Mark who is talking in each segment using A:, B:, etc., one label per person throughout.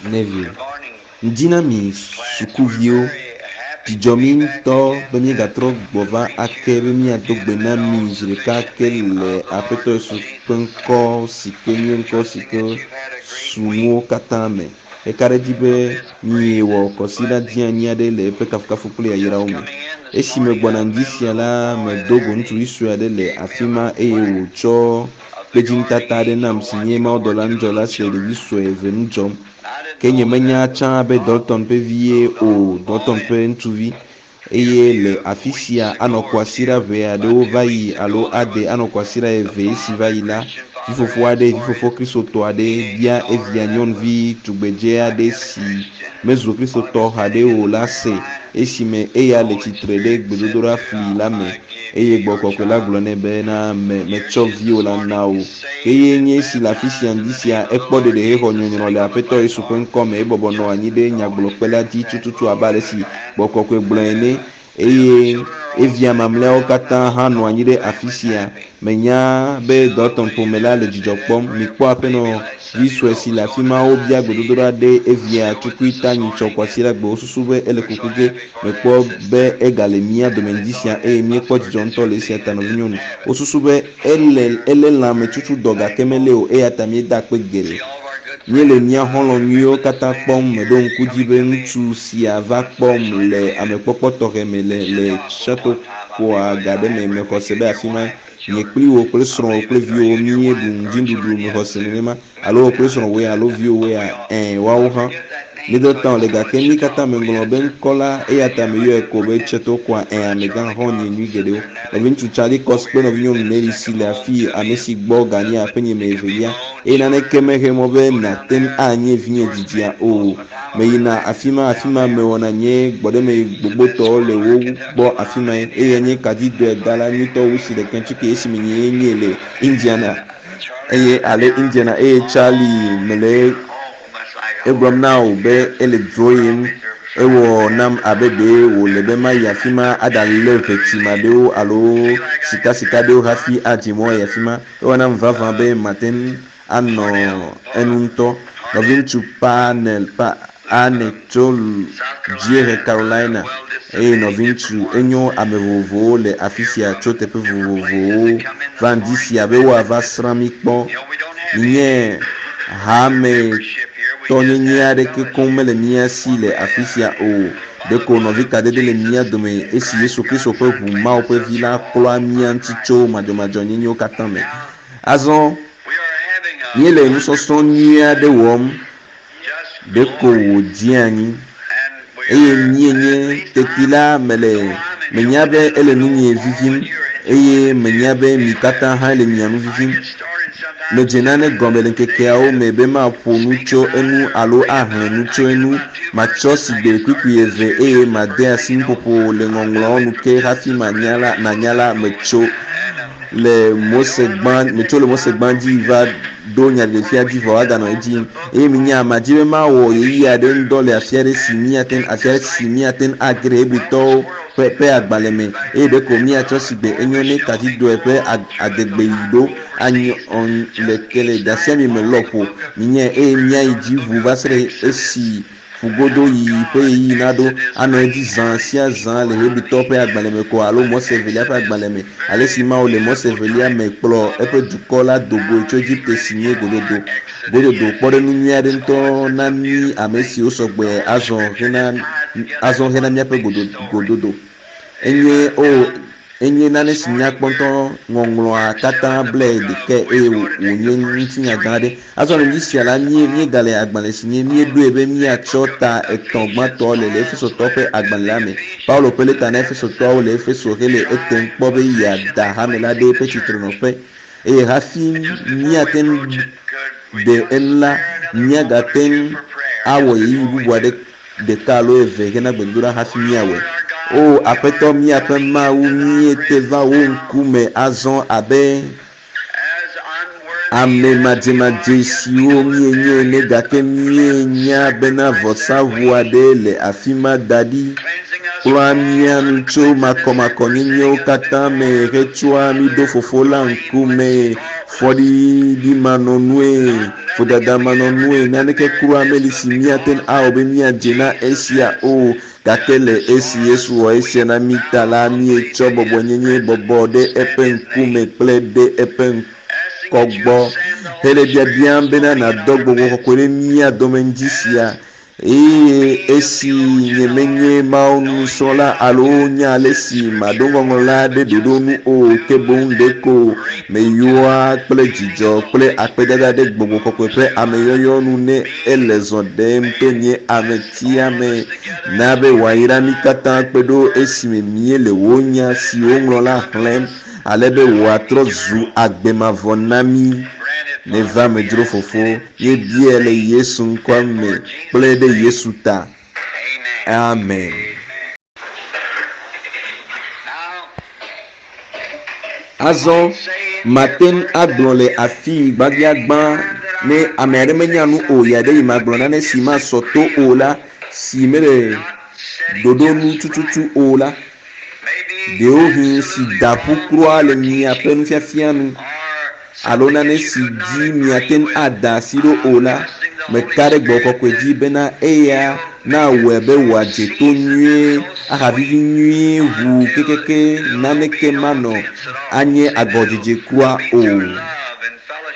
A: Neville. Ŋdi na mi sukuviwo. Dzidzɔ mí ŋutɔ be míegatrɔ gbɔ va ake be míado gbe na mi zi ɖeka ake le Aƒetɔ Yesu ƒe ŋkɔ si ke nye ŋkɔ si ke su nuwo katã me. Eka ɖe edzi be miewɔ kɔsiɖa dzeani aɖe le eƒe kafukafu kple yayrawo me. Esi megbɔna ŋdi sia la, medo go ŋutsuvi sue aɖe le afi ma eye wòtsɔ kpedzinutata aɖe nam si nye mawudɔla ŋudzɔla si le ɖevi sue eve ŋu dzɔm. Ke nyemenya tsã be Dalton ƒe vie o, Dalton ƒe ŋutsuvi. Eye le afi sia anɔ kwasiɖa ʋɛ aɖewo va yi alo ade anɔ kwasiɖa eve esi va yi la, vifofo aɖe, vifofo Kristotɔ aɖe bia evia nyɔnuvi tugbedze aɖe si mezu Kristotɔ haɖe o la se esime eya le tsitre ɖe gbedodoɖa fli la me. Eye Gbɔgbɔ Kɔkɔe la gblɔ nɛ bena, Me, metsɔ viwò la na wò. Ke eye nye esi le afi sia ŋdi sia, ekpɔ ɖeɖe hexɔ nyɔnyrɔ le Aƒetɔ Yesu ƒe ŋkɔ me, ebɔbɔ nɔ anyi ɖe nyagblɔkpe la dzi tututu abe ale si Gbɔgbɔ Kɔkɔe gblɔe ene. Eye evia mamlɛawo katã hã nɔ anyi ɖe afi sia. Menya be Dalton ƒome la le dzidzɔ kpɔm. Mikpɔ aƒenɔ vi sue si le afi ma wobia gbedodoɖa ɖe evia tukui ta nyitsɔ kwasiɖagbe. Wosusu be ele kuku ge. Mekpɔ be egale mía dome ŋdi sia eye míekpɔ dzidzɔ ŋutɔ le esia ta, nɔvinyɔnu. Wosusu be ele elé lãmetsutsu dɔ gake melée o eya ta míeda akpe geɖe. Míele mía xɔlɔ̃ nyuiwo katã kpɔm. Meɖo ŋku dzi be ŋutsu sia va kpɔm le amekpɔkpɔ tɔxɛ me le le Chautauqua ga ɖe me. Mexɔ se be afi ma nye kpli wò kple srɔ̃wò kple viwòwo míeɖu ŋdinuɖuɖu. Mexɔ se nenema. Alo wò kple srɔ̃wòe alo viwòwoea? Ɛ̃, woawo hã. Middletown le gake mí katã meŋlɔ be ŋkɔ la eya ta meyɔe ko be Chautauqua. Ɛ̃, amegã, xɔ̃nye nyui geɖewo. Nɔviŋutsu Charlie Cox kple nɔvinyɔnu Nellie si le afii, ame si gbɔ ganye aƒenye me evelia. Eye naneke mexe mɔ be nàte ŋu anye vinye didia o. Meyina afi ma, afi ma mewɔna nye gbɔɖeme gbogbotɔ le wo gbɔ afi mae. Eye nye kaɖidɔedala nyuitɔ wu si le Kentucky esime nyee nye le Indiana. Eye ale Indiana eye Charlie mele egblɔm na wò be ele dzroyem. Ewɔ nam abe ɖe wòle be mayi afi ma aɖalé ʋetima ɖewo alo sikasika ɖewo hafi adze mɔ ayi afi ma. Ewɔ nam vavã be mate ŋu anɔ enu ŋutɔ. Nɔviŋutsu Parnell, pa, Arne tso Dziehe Carolina eye nɔviŋutsu enyo ame vovovowo le afi sia tso teƒe vovovowo va ŋdi sia be woava srã mí kpɔ. Nye hametɔnyenye aɖeke koŋ mele mía si le afi sia o. Ɖeko nɔvi kadede le mía dome esi Yesu Kristo ƒe ʋu Mawu ƒe Vi la klɔa mía ŋuti tso madzɔmadzɔnyenyewo katã me. Azɔ míele nusɔsrɔ̃ nyui aɖe wɔm. Ɖeko wòdze anyi eye míenye teti la mele menya be ele nunye vivim eye menya be mi katã hã le mia nu vivim. Medze nane gɔme le ŋkekeawo me be maƒo nu tso enu alo ahlẽ nu tso enu. Matsɔ sigbe kpukpui eve eye made asi nuƒoƒo le ŋɔŋlɔawo nu ke hafi manya la nanya la metso le Mose gbã metso le Mose gbã dzi va ɖo nyaɖeɖefia dzi vɔ aganɔ edzi yim. Eye minya madzi be mawɔ ɣeyiɣi aɖe ŋudɔ le afi aɖe si míate ŋu afi aɖe si míate ŋu age ɖe Hebritɔwo ƒe ƒe agbalẽ me eye ɖeko míatsɔ sigbe enyo ne kadzidoe ƒe adegbe yi ɖo anyɔ le ke le dasiami me lɔƒo. Minyae eye míayi dzi ʋuu va se ɖe esi ƒugodo yiyi ƒe ɣeyiɣi naɖo anɔ edzi zã sia zã le Hebritɔwo ƒe agbalẽ me ko alo Mose Evelia ƒe agbalẽ me, alesi Mawu le Mose Evelia me kplɔ eƒe dukɔ la do goe tso Egipte si nye gododo. Gododo kpɔɖeŋu nyui aɖe ŋutɔ na mí ame siwo sɔ gbe azɔ hena azɔ hena míaƒe gododo. Enye o Enye nane si nyakpɔ ŋutɔ. Ŋɔŋlɔa katã blae ɖekae eye wònye ŋutinya gã aɖe. Azɔ le ŋdi sia la, mí, míegale agbalẽ si nye Míeɖoe be míatsɔ ta etɔ̃ gbãtɔ le le Efesotɔwo ƒe agbalẽ la me. Paulo ƒe lɛta na Efesotɔawo le Efeso hele etem kpɔ be yeada hame la ɖe eƒe tsitrenɔƒe. Eye hafi míate ŋu ɖe enu la, míagate ŋu awɔ ɣeyiɣi bubu aɖe ɖeka alo eve hena gbedodoɖa hafi míawɔe. O Aƒetɔ míaƒe Mawu, míete va wò ŋkume azɔ abe ame madzemadze siwo míenye ene, gake míenya bena vɔsaʋu aɖe le afi ma da ɖi, kplɔa mía nu tso makɔmakɔnyenyewo katã me hetsɔa mí ɖo Fofo la ŋkume fɔɖiɖimanɔnue. Vodadamanɔnue naneke kura meli si míate ŋu awɔ be míadze na esia o. Gake le esi Yesu wɔ esia na mí ta la, míetsɔ bɔbɔnyenye bɔbɔ ɖe eƒe ŋkume kple ɖe eƒe ŋkɔ gbɔ hele biabiam bena nàdɔ gbɔgbɔ kɔkɔe ɖe mía dome ŋdi sia. Eye esi nyemenye Mawu nusrɔ̃la alo nya ale si maɖo ŋɔŋlɔ la ɖe ɖoɖo nu o, ke boŋ ɖeko meyɔa kple dzidzɔ kple akpedada ɖe gbɔgbɔ kɔkɔe ƒe ameyɔyɔ nu ne ele zɔ ɖem to nye ametia me. Na be wòayra mí katã kpe ɖo esime míele wò nya si woŋlɔ la xlẽm ale be wòatrɔ zu agbe mavɔ na mí. Neva me dzro Fofo, míebiae le Yesu ŋkɔa me kple ɖe Yesu ta. Amen. Azɔ mate ŋu agblɔ le afii gbãgbiagbã ne ame aɖe menya nu o ya ɖe yi magblɔ nane si masɔ to o la, si mele ɖoɖo nu tututu o la, ɖewohĩ si da ƒu kura le miaƒe nufiafia nu alo nane si dzi miate ŋu ada asi ɖo o la, meka ɖe Gbɔgbɔ Kɔkɔe dzi bena eya nawɔe be wòadze to nyuie ahavivi nyuie ʋuu kekeake naneke manɔ anye agɔdzedze kura o.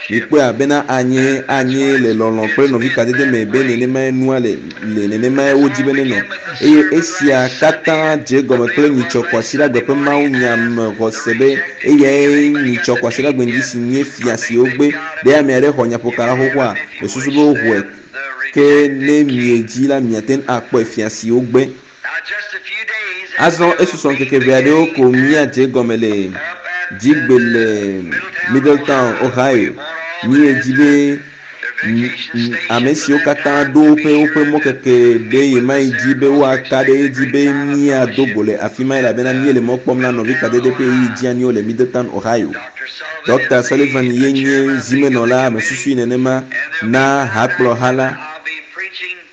A: Mikpɔea bena anye anye le lɔlɔ̃ kple nɔvikadede me be nenemae nua le le nenemae wodi be nenɔ. Eye esia katã dze egɔme kple nyitsɔ kwasiɖagbe ƒe mawunya me xɔse be eyae nyitsɔ kwasiɖagbe ŋdi si nye fia si wogbe. Ɖe ame aɖe xɔ nyaƒoka la xoxoa? Mesusu be woxɔe. Ke ne miedzi la miate ŋu akpɔe fia si wogbe. Azɔ esusɔ ŋkeke ʋɛ aɖewo ko míadze egɔme le dzigbe le Middletown, Ohio. Míedzi be ame siwo katã ɖo woƒe woƒe mɔkeke ɖe ɣemaɣi dzi be woaka ɖe edzi be míado go le afi ma elabena míele mɔ kpɔm na nɔvi kadede ƒe ɣeyiɣi dzeaniwo le Middletown, Ohio. Ɖɔkta Sullivan ye nye zimenɔla, mesusui nenema, na hakplɔha la.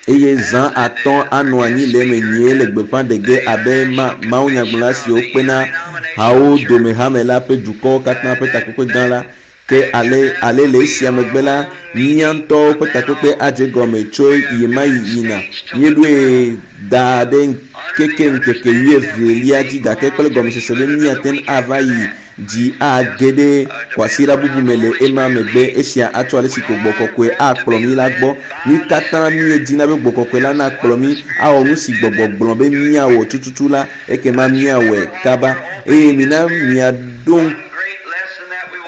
A: Eye zã atɔ anɔ anyi le eme nyuie le gbeƒã ɖe ge abe ma, mawunyagblɔla siwo kpena hawo dome hame la ƒe dukɔwo katã ƒe takpekpe gã la. Ke ale, ale le esia megbe la, mía ŋutɔwo ƒe takpekpe adze egɔme tso ɣemaɣi yina. Míeɖoe da ɖe ŋkeke ŋkeke wuievelia dzi gake kple gɔmesese be míate ŋu ava yi dzi age ɖe kwasiɖa bubu me le ema megbe. Esia atsɔ ale si ko Gbɔgbɔ Kɔkɔe akplɔ mí la gbɔ. Mí katã míedina be Gbɔgbɔ Kɔkɔe la nakplɔ mí awɔ nu si Gbɔgbɔ gblɔ be míawɔ tututu la, ekema míawɔe kaba. Eye mina miaɖo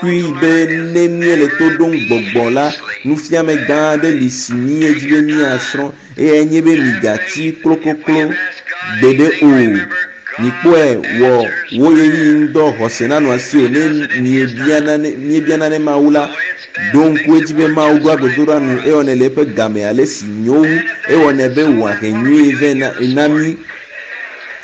A: ŋkui be ne míele to ɖom Gbɔgbɔ la, nufiame gã aɖe li si míedi be míasrɔ̃. Eyae nye be migatsi klokoklo gbeɖe o. Mikpɔe, wɔ wò ɣeyiɣi ŋudɔ xɔse nanɔ asiwò. Ne miebia nane, míebia nane Mawu la, ɖo ŋku edzi be Mawu ɖoa gbedoɖa nu. Ewɔnɛ le eƒe game ale si nyo wu. Ewɔnɛ be wòahe nyuie vɛ na, na mí.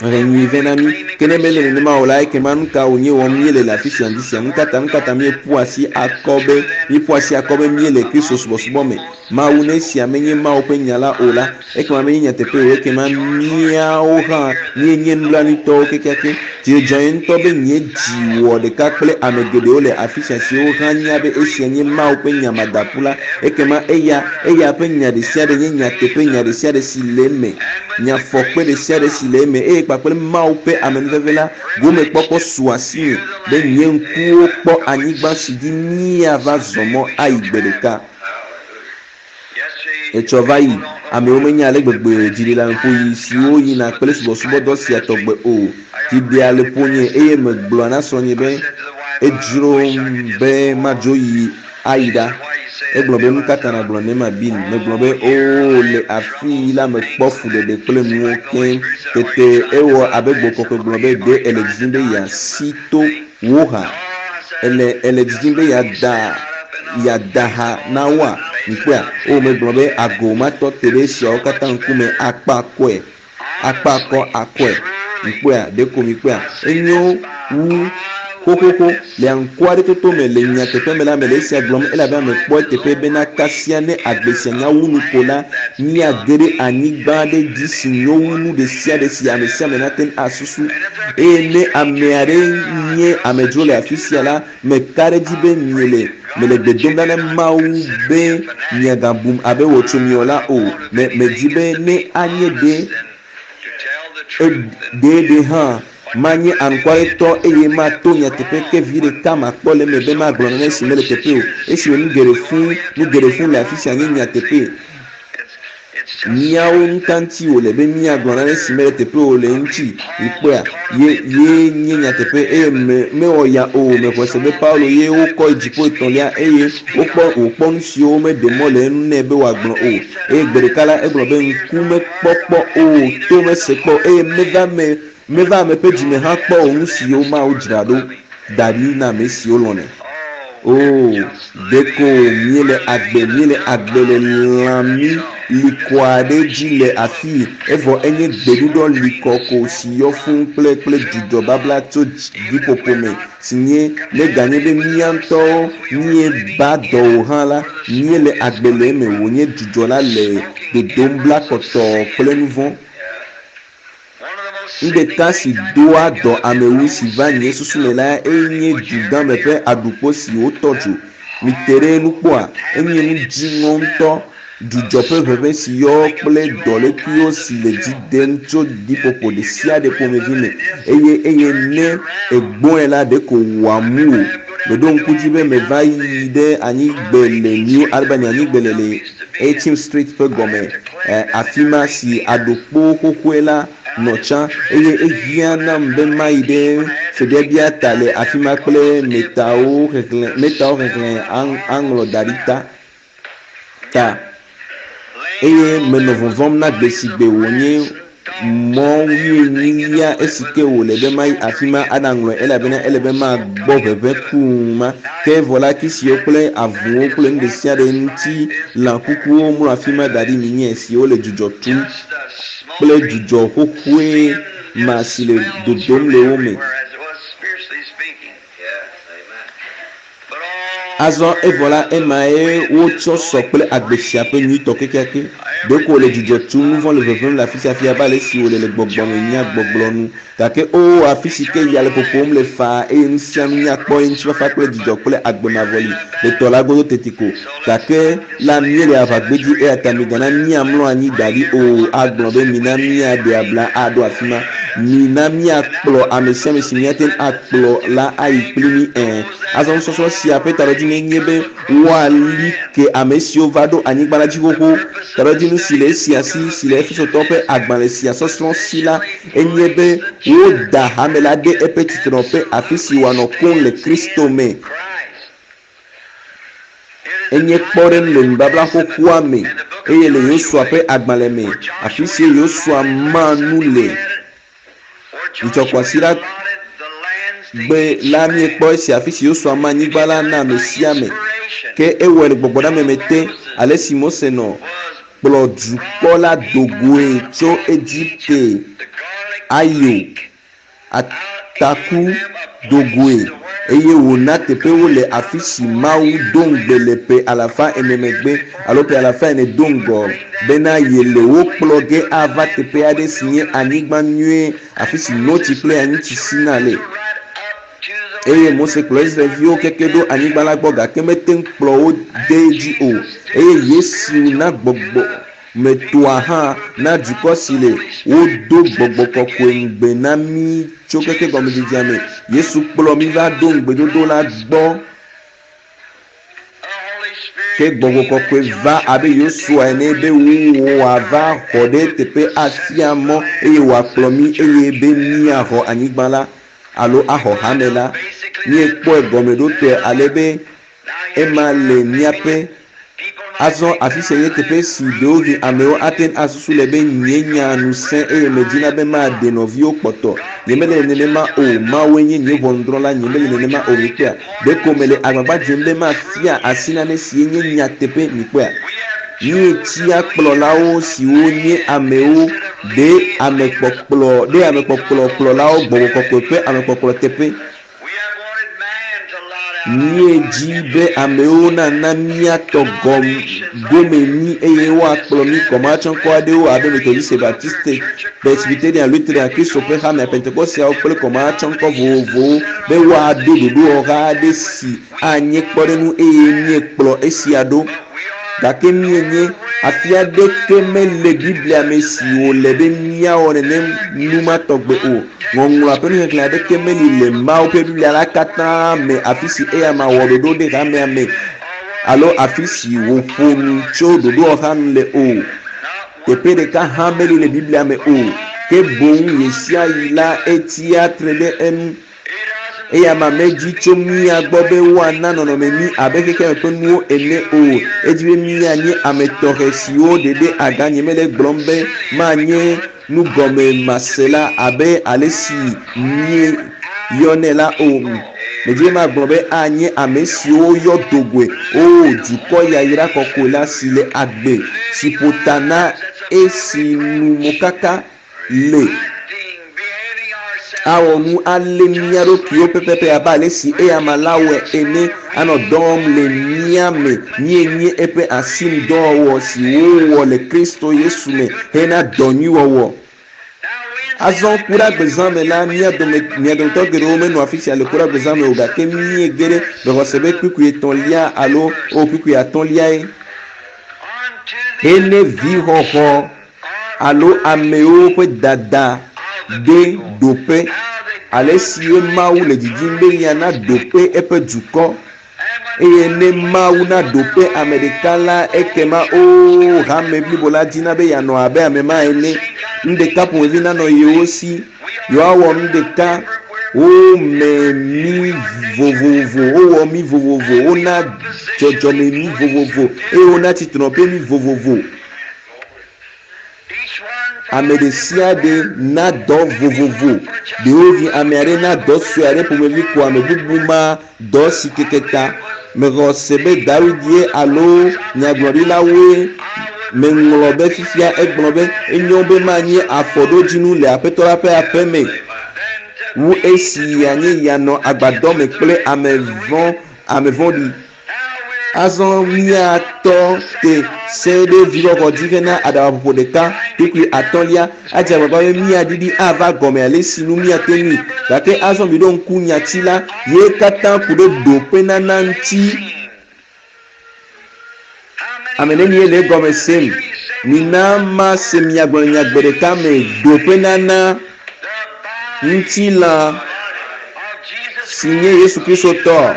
A: He nyui vɛ na mí. Ke ne mele nenema o la, ekema nu ka wònye wɔm míele le afi sia ŋdi sia? Nu ka ta, nu ka ta míeƒu asi akɔ be, míeƒu asi akɔ be míele Kristo subɔsubɔ me? Mawu, ne esia menye Mawu ƒe nya la o la, ekema menye nyateƒe o, ekema míawo hã míenye nublanuitɔwo kekeake. Dzi dzɔ nye ŋutɔ be nye dzi wɔ ɖeka kple ame geɖewo le afi sia siwo hã nya be esia nye Mawu ƒe nya madaƒu la, ekema eya, eya ƒe nya ɖesiaɖe nye nyateƒe, nya ɖesiaɖe si le eme. Nyafɔkpe ɖesiaɖe si le eme eye kpakple Mawu ƒe amenuveve la, gomekpɔkpɔ su asinye be nye ŋkuwo kpɔ anyigba si dzi míava zɔ mɔ ayi gbeɖeka. Etsɔ va yi, amewo menya ale gbegbe dziɖeleameƒoɣi siwo yina kple subɔsubɔdɔ sia tɔgbe o. Dzi ɖea le ƒonye eye megblɔa na srɔ̃nye be, Edzrom be madzo yi ayi ɖa. Egblɔ be, Nukata nàgblɔ nenema, Bill? Megblɔ be, Oo, le afii la mekpɔ fuɖeɖe kple nuwo keŋ. Tete ewɔ abe Gbɔgbɔ Kɔkɔe gblɔ be, Ɖe èle didim be yeasi to wò ha? Èle, èle didim be yeada, yeada ha na woa? Mikpɔea? Oo, megblɔ be, Ago matɔ te ɖe esiawo katã ŋkume akpa akɔe, akpa akɔ akɔe. Mikpɔea? Ɖeko mikpɔea? Enyo wu. Xoxoxo, le anukware me le nyateƒe me la mele esia gblɔm elabena mekpɔ eteƒe bena kasia ne agbe sia nya wu nu ko la, míage ɖe anyigba aɖe dzi si nyo wu nu ɖe sia ɖe si ame sia ame nate ŋu asusu. Eye ne ame aɖe nye amedzro le afi sia la, meka ɖe edzi be miele mele gbe dom ɖa na Mawu be miagabum abe wɔtsomiwɔ la o. Me medi be ne anye ɖe ɖe hã manye anukwaretɔ eye mato nyateƒe ke vi ɖeka makpɔ le eme be magblɔ nane si mele teƒe o. Esi nu geɖe fũu nu geɖe fũu le afi sia nye nyateƒe. Míawo ŋutɔ ŋuti wòle be míagblɔ nane si mele teƒe o le ŋuti. Mikpɔea? Ye ye nye nyateƒe eye me mewɔ ya o. Mexɔe se be Paulo ye wokɔ yi dziƒo etɔ̃lia eye wokpɔ wòkpɔ nu siwo womeɖe mɔ le enu nɛ be wòagblɔ o. Eye gbe ɖeka la egblɔ be ŋku mekpɔ kpɔ o, to mese kpɔ o eye meva me meva ame ƒe dzime hã kpɔ o nu siwo Mawu dzra ɖo da ɖi na ame siwo lɔ̃nɛ. O, ɖeko míele agbe míele agbe le lãmi likɔ aɖe dzi le afii evɔ enye gbeɖuɖɔ likɔ ko si yɔ fũu kple kple dzudzɔ babla tso ɖiƒoƒo me si nye neganye be mía ŋutɔwo míeba dɔ o hã la, míele agbe le eme wònye dzudzɔ la le dodom bla kɔtɔɔ kple nu vɔ̃. Nu ɖeka si doa dɔ ame wu si va nye susu me la enye dugãme ƒe aɖukpo si wotɔ dzo. Mite ɖe nukpɔa, enye nu dziŋɔ ŋutɔ. Dzudzɔ ƒe ʋeʋẽ si yɔ kple dɔlékuiwo si le dzi dem tso ɖiƒoƒo ɖe sia ɖe ƒomevi me eye eye ne egbɔe la ɖeko wòamu wò. Meɖo ŋku dzi be meva yi ɖe anyigbe le New Albany anyigbe le le 18th Street ƒe gɔme afi ma si aɖukpo xoxoe la nɔ tsã eye ehiã nam be mayi ɖe febiabia ta le afi ma kple metawo xexlẽ metawo xexlẽ aŋlɔ da ɖi ta ta eye menɔ vɔvɔ̃m na gbe si gbe wònye mɔ wuienyilia esi ke wòle be mayi afi ma aɖaŋlɔe elabena ele be magbɔ ʋeʋẽ kuu ma ke vɔ la kisiwo kple avuwo kple nu ɖe sia ɖe ŋuti lã kukuwo mlɔ afi ma da ɖi minye siwo le dzudzɔ tum kple dzudzɔ xoxoe ma si le dodom le wo me. Azɔ evɔ la emae wotsɔ sɔ kple agbe sia ƒe nyuitɔ kekeake. Ɖeko wòle dzudzɔ tum, nu vɔ̃ le ʋeʋẽm le afi sia afi abe ale si wòle le gbɔgbɔme nyagbɔgblɔ nu. Gake o afi si ke ya le ƒoƒom le faa eye nu sia nu nyakpɔ ye ŋutifafa kple dzidzɔ kple agbe mavɔ li le tɔ la godo teti ko. Gake la míele aʋagbedzi eya ta migana míamlɔ anyi da ɖi o agblɔ be mina míaɖe abla aɖo afi ma. Mina míakplɔ ame sia ame si míate ŋu akplɔ la ayi kpli mí ẽ. Azɔ nusɔsrɔ̃ sia ƒe taɖodzinu nye be woali ke ame siwo va ɖo anyigba la dzi xoxo. Taɖodzinu si le esia si si le Efesotɔwo ƒe agbalẽ sia sɔsrɔ̃ si la enye be woda hame la ɖe eƒe tsitrenɔƒe afi si wòanɔ koŋ le Kristo me. Enye kpɔɖeŋu le nubabla xoxoa me eye le Yosua ƒe agbalẽ me afi si Yosua ma nu le. Nyitsɔ kwasiɖa gbe la míekpɔ esi afi si Yosua ma anyigba la na ame sia ame. Ke ewɔe le gbɔgbɔɖame me te ale si Mose nɔ kplɔ dukɔ la dogoe tso Egipte ayo ataku dogoe eye wòna teƒewo le afi si Mawu do ŋugbe le ƒe alafa ene megbe alo ƒe alafa ene do ŋgɔ bena yele wo kplɔ ge ava teƒe aɖe si nye anyigba nyuie afi si notsi kple anyitsi sina le. Eye Mose kplɔ Israelviwo keke ɖo anyigba la gbɔ gake mete ŋu kplɔ wo de edzi o. Eye Yesu na gbɔgbɔ metoa hã na dukɔ si le wodo gbɔgbɔ kɔkɔe ŋugbe na mí tso keke gɔmedzedzea me. Yesu kplɔ mí va ɖo ŋugbedodo la gbɔ. Ke gbɔgbɔ kɔkɔe va abe Yosua ene be wòava xɔ ɖe teƒe afia mɔ eye wòakplɔ mí eye be míaxɔ anyigba la alo axɔ hame la. Míekpɔe gɔmeɖotɔe ale be ema le míaƒe azɔ afi sia nye teƒe si ɖewohĩ amewo ate ŋu asusu le be nye nya nu sẽ eye medina be maɖe nɔviwo kpɔtɔ. Nyemele nenema o. Mawue nye nye ʋɔnudrɔ̃la. Nyemele nenema o. Mikpɔea? Ɖeko mele agbagba dzem be mafia asi nane si nye nyateƒe. Mikpɔea? Míetia kplɔlawo siwo nye amewo ɖe amekpɔkplɔ ɖe amekpɔkplɔ kplɔlawo gbɔgbɔ kɔkɔe ƒe amekpɔkplɔ teƒe. Míedzi be amewo nana míatɔ gome mí eye woakplɔ mí kɔmahatsɔŋkɔ aɖewo abe Methodiste, Baptiste, Presbyterian, Lutheran, Kristo ƒe hame, Pentekosteawo kple kɔmahatsɔŋkɔ vovovowo be woaɖo ɖoɖowɔha aɖe si anye kpɔɖeŋu eye míekplɔ esia ɖo. Gake míenye afi aɖeke mele Biblia me si wòle be míawɔ nenem nu ma tɔgbe o. Ŋɔŋlɔa ƒe nuxexlẽ aɖeke meli le Mawu ƒe Biblia la katã me afi si eyama wɔ ɖoɖo ɖe hamea me alo afi si wòƒo nu tso ɖoɖowɔha nu le o. Teƒe ɖeka hã meli le Biblia me o. Ke boŋ ɣesiaɣi la etsia tre ɖe enu. Eyama medzi tso mía gbɔ be woana nɔnɔme mí abe xexeame ƒe nuwo ene o. Edzi be míanye ame tɔxɛ siwo ɖeɖe aga. Nyemele egblɔm be manye nugɔmemasela abe alesi míeyɔnɛ la o. Medzi be magblɔ be anye ame siwo woyɔ do goe. Oo, dukɔ yayra kɔkɔe la si le agbe, si ƒo ta na esi nu mokaka le awɔ nu alé mía ɖokuiwo pɛpɛpɛ abe ale si eyama la wɔe ene anɔ dɔ wɔm le mía me. Míenye eƒe asinudɔwɔwɔ si wowɔ le Kristo Yesu me hena dɔ nyui wɔwɔ. Azɔ Kuɖagbezã me la, mía dome, mia dometɔ geɖewo menɔ afi sia le Kuɖagbezã me o, gake míege ɖe mexɔ se be kpukpui etɔ̃lia alo o kpukpui atɔ̃liae hene vixɔxɔ alo amewo ƒe dada ɖe ɖoƒe, alesie Mawu le didim be yeana ɖoƒe eƒe dukɔ. Eye ne Mawu na ɖoƒe ame ɖeka la, ekema oo, hame blibo la dina be yeanɔ abe ame ma ene. Nu ɖeka ƒomevi nanɔ yewo si, yewoawɔ nu ɖeka. Wome mí vovovo, wowɔ mí vovovo, wona dzɔdzɔme mí vovovo, eye wona tsitrenɔƒe mí vovovo. Ame ɖe sia ɖe na dɔ vovovo. Ɖewohĩ ame aɖe na dɔ sue aɖe ƒomevi ko ame bubu ma dɔ si keke ta. Mexɔ se be Dawid ye alo nyagblɔɖilawoe meŋlɔ be fifia egblɔ be, Enyo be manye afɔɖodzinu le Aƒetɔ la ƒe aƒe me wu esi yeanye yeanɔ agbadɔ me kple ame vɔ̃ɖi. Azɔ míatɔ te se ɖe vixɔxɔ dzi hena aɖabaƒoƒo ɖeka, kpukpui atɔ̃lia. Adze agbagba be míaɖiɖi ava gɔme alesi nu míate ŋui. Gake azɔ miɖo ŋku nyati la ye katã ku ɖe ɖoƒenana ŋuti. Ame nenie le egɔme sem? Mina mase mia gblɔ le nya gbe ɖeka me, ɖoƒenana ŋutilã si nye Yesu Kristo tɔ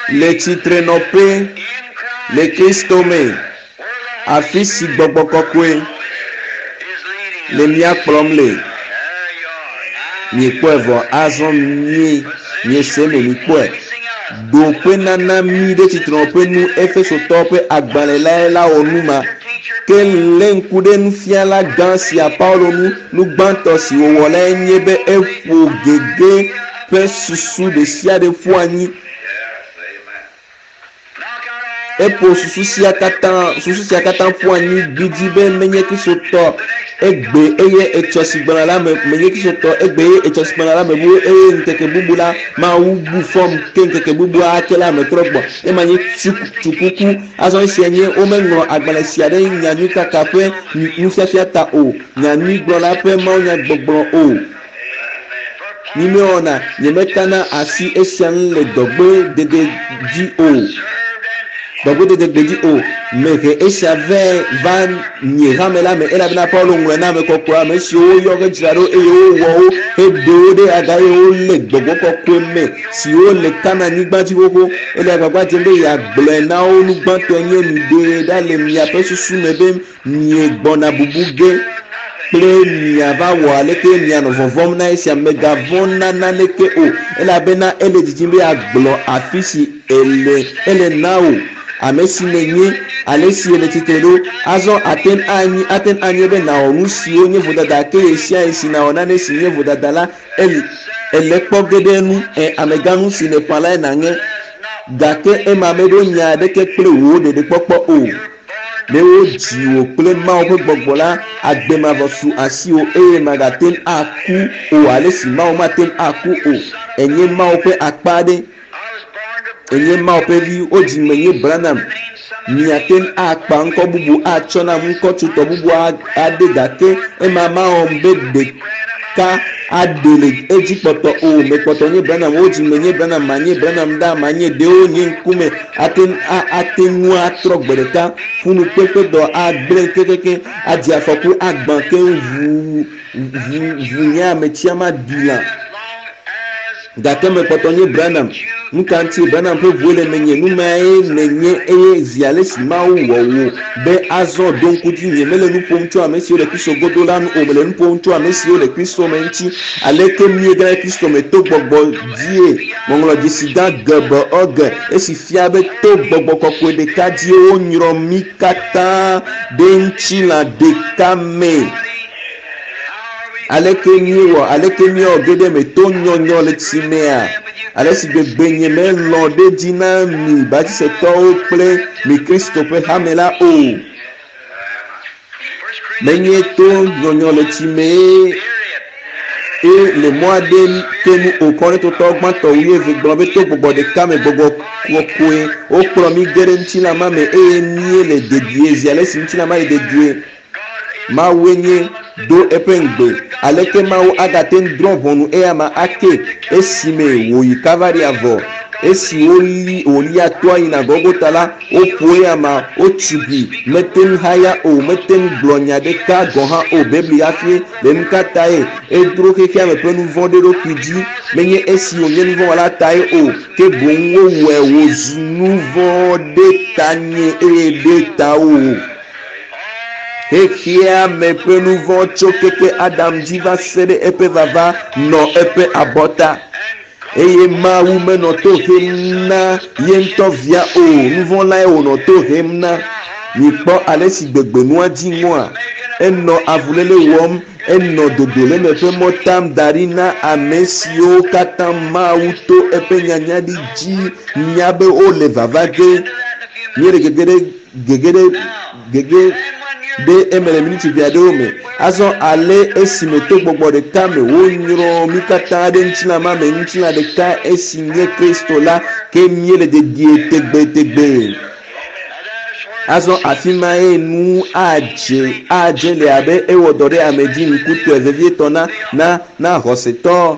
A: le tsitrenɔƒe le Kristo me, afi si Gbɔgbɔ Kɔkɔe le mía kplɔm le. Miekpɔe vɔ azɔ mie miese eme mikpɔe. Ɖoƒenana mí ɖe tsitrenɔƒe nu Efesotɔwo ƒe agbalẽ lae la wɔ nu ma. Ke lé ŋku ɖe nufiala gã sia Paulo ŋu. Nu gbãtɔ si wòwɔ lae nye be eƒo gege ƒe susu ɖesiaɖe ƒu anyi. Eƒo susu sia katã, susu sia katã ƒu anyi gbidzi be menye Kristotɔ egbe eye etsɔ si gbɔna la me, menye Kristotɔ egbe eye etsɔ si gbɔna la mebu eye ŋkeke bubu la Mawu bu fɔm ke ŋkeke bubu ake la metrɔ gbɔ. Ema nye tsukuku. Azɔ esia nye womeŋlɔ agbalẽ sia ɖe nyanyuikaka ƒe nufiafia ta o, nyanyuigblɔla ƒe mawunyagbɔgblɔ o. Mímewɔna, nyemetana asi esia ŋu le dɔgbedede dzi o, dɔgbedede gbedzi o. Mehe esia vɛ va nye hame la me, elabena Paulo ŋlɔe na ame kɔkɔe, ame siwo woyɔ hedzra ɖo eye wowɔ wo heɖe wo ɖe aga eye wole gbɔgbɔ kɔkɔe me, siwo le Kanaan-nyigba dzi xoxo. Ele agbagba dzem be yeagblɔe na wo nu gbãtɔe nye miɖee ɖa le miaƒe susu me be Miegbɔna bubu ge kple miava wɔ aleke mianɔ vɔvɔ̃m na esia. Mègavɔ̃ na naneke o, elabena ele didim be yeagblɔ afi si ele, ele na wò, ame si nènye, ale si èle tsitre ɖo. Azɔ ate ŋu anyi, ate ŋu anye be nàwɔ nu siwo nye vodada, ke ɣesiaɣi si nàwɔ nane si nye vodada la, ele, èle kpɔ ge ɖe enu. Ẽ, amegã, nu si nèƒã lae nàŋe. Gake ema meɖo nya aɖeke kple wò ɖeɖekpɔkpɔ o. Ne wodzi wò kple Mawu ƒe gbɔgbɔ la, agbe mavɔ su asiwò eye màgate ŋu aku o ale si Mawu mate ŋu aku o. Ènye Mawu ƒe akpa aɖe. Enye Mawu ƒe vi, wodzi menye Branham. Miate ŋu akpa ŋkɔ bubu atsɔ nam ŋkɔ tsotɔ bubu aɖe gake ema mawɔm be ɖeka aɖe le edzi kpɔtɔ o. Mekpɔtɔ nye Branham, wodzi menye Branham, manye Branham ɖaa, manye ɖewo nye ŋkume ate ŋu ate ŋu atrɔ gbe ɖeka. Ƒunukpeƒedɔ agblẽ kekeake, adze afɔku agbã keŋ ʋuu ʋu ʋu nye ametsia maɖi lã. Gake mekpɔtɔ nye Branham. Nuka ŋutie Branham ƒe ʋue le menye? Nu mae nènye eye zi ale si Mawu wɔ wò be azɔ ɖo ŋku dzi. Nyemele nu ƒom tso ame siwo le Kristo godo la ŋu o, mele nu ƒom tso ame siwo le Kristo me ŋuti. Aleke míegena ɖe Kristo me to gbɔgbɔ dzie? Ŋɔŋlɔdzesi gã GBOG, esi fia be to gbɔgbɔ kɔkɔe ɖeka dzie wonyrɔ mí katã ɖe ŋutilã ɖeka me. Aleke míewɔ, aleke míewɔ ge ɖe eme to nyɔnyɔ le tsi mea? Ale si gbegbe nyemelɔ̃ ɖe edzi na mi Batisetɔwo kple mi Kristo ƒe hame la o. Menye to nyɔnyɔ le tsi mee e le mɔ aɖe ke nu o. Korintotɔ gbãtɔ wuieve gblɔ be to gbɔgbɔ ɖeka me, gbɔgbɔ kɔkɔe, wokplɔ mí ge ɖe ŋutilã ma me eye míele dedie zi ale si ŋutilã ma le dedie. Mawue nye do eƒe ŋugbe. Aleke Mawu agate ŋu drɔ̃ ʋɔnu eyama ake esime wòyi Kalvaria vɔ? Esi woli, wòlia toa yina Golgota la, woƒo eyama, wotugui, mete ŋu haya o, mete ŋu gblɔ nya ɖeka gɔ̃ hã o. Biblia fie be nukatae edro xexeame ƒe nuvɔ̃ ɖe eɖokui dzi? Menye esi wònye nuvɔ̃wɔla tae o, ke boŋ wowɔe wòzu nuvɔ̃ ɖe tanye eye ɖe tawò. Xexea me ƒe nu vɔ̃ tso keke Adam dzi va se ɖe eƒe vava nɔ eƒe abɔta. Eye Mawu menɔ to hem na ye ŋutɔ via o, nu vɔ̃ lae wònɔ to hem na. Mikpɔ ale si gbegbe nua dzi ŋɔa? Enɔ avuléle wɔm, enɔ dodoleme ƒe mɔ tam da ɖi na ame siwo katã Mawu to eƒe nyanyaɖi dzi nya be wole vava ge. Míele gege ɖe gege ɖe gege ɖe eme le miniti ʋɛ aɖewo me. Azɔ ale esime to gbɔgbɔ ɖeka me wonyrɔ mí katã ɖe ŋutilã ma me, ŋutilã ɖeka esi nye Kristo la, ke míele dedie tegbetegbe. Azɔ afi mae nu adze adze le abe ewɔ dɔ ɖe ame dzi ŋkutɔe vevietɔ na na na xɔsetɔ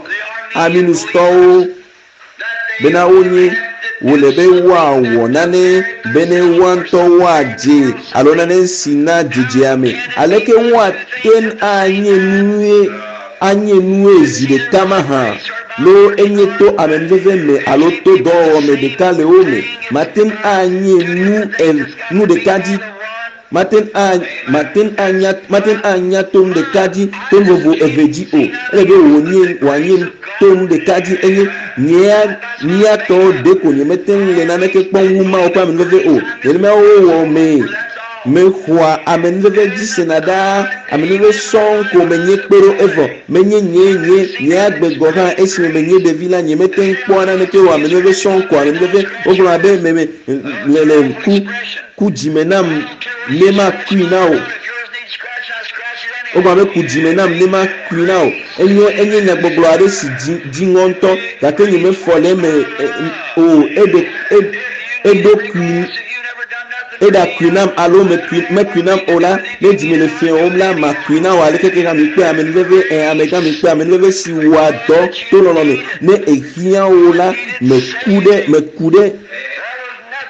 A: aminustɔwo bena wonye wòle be woawɔ nane bene woa ŋutɔ woadze alo nane si na dzedze ame. Aleke woate ŋu anye nue anye nue zi ɖeka mahã? Loo enye to amenuveve me alo to dɔwɔwɔ me ɖeka le wo me. Mate ŋu anye nu e nu ɖeka dzi Mate ŋu a, mate ŋu anya, mate ŋu anya to nu ɖeka dzi to nu vovo eve dzi o. Ele be wònye, wòanye to nu ɖeka dzi enye nyea, mía tɔwo ɖeko nyemete ŋu le naneke kpɔm wu Mawu ƒe amenuveve o. Nenema wowɔ mee. Mexɔa amenuveve dzi sena ɖaa. Amenuveve sɔŋ ko menye kpe ɖo evɔ. Menye nye, nye, nye agbe gɔ̃ hã esime menye ɖevi la, nyemete ŋu kpɔa naneke o. Amenuveve sɔŋ ko amenuveve. Wogblɔna be me, me, le, le ku. Ku dzime nam ne makui na wò. Wogblɔ be ku dzime nam ne makui na wò. Enye enye nyagbɔgblɔ aɖe si dzi dziŋɔ ŋutɔ gake nyemefɔ le eme o. Eɖe e eɖokui eɖakui nam alo mekui mekui nam o la, ne dzime le fiẽwòm la, makui na wò aleke ke hã mikpe amenuveve ẽ amegã mikpe amenuveve si wɔa dɔ to lɔlɔ̃ me. Ne ehiã wò la, meku ɖe meku ɖe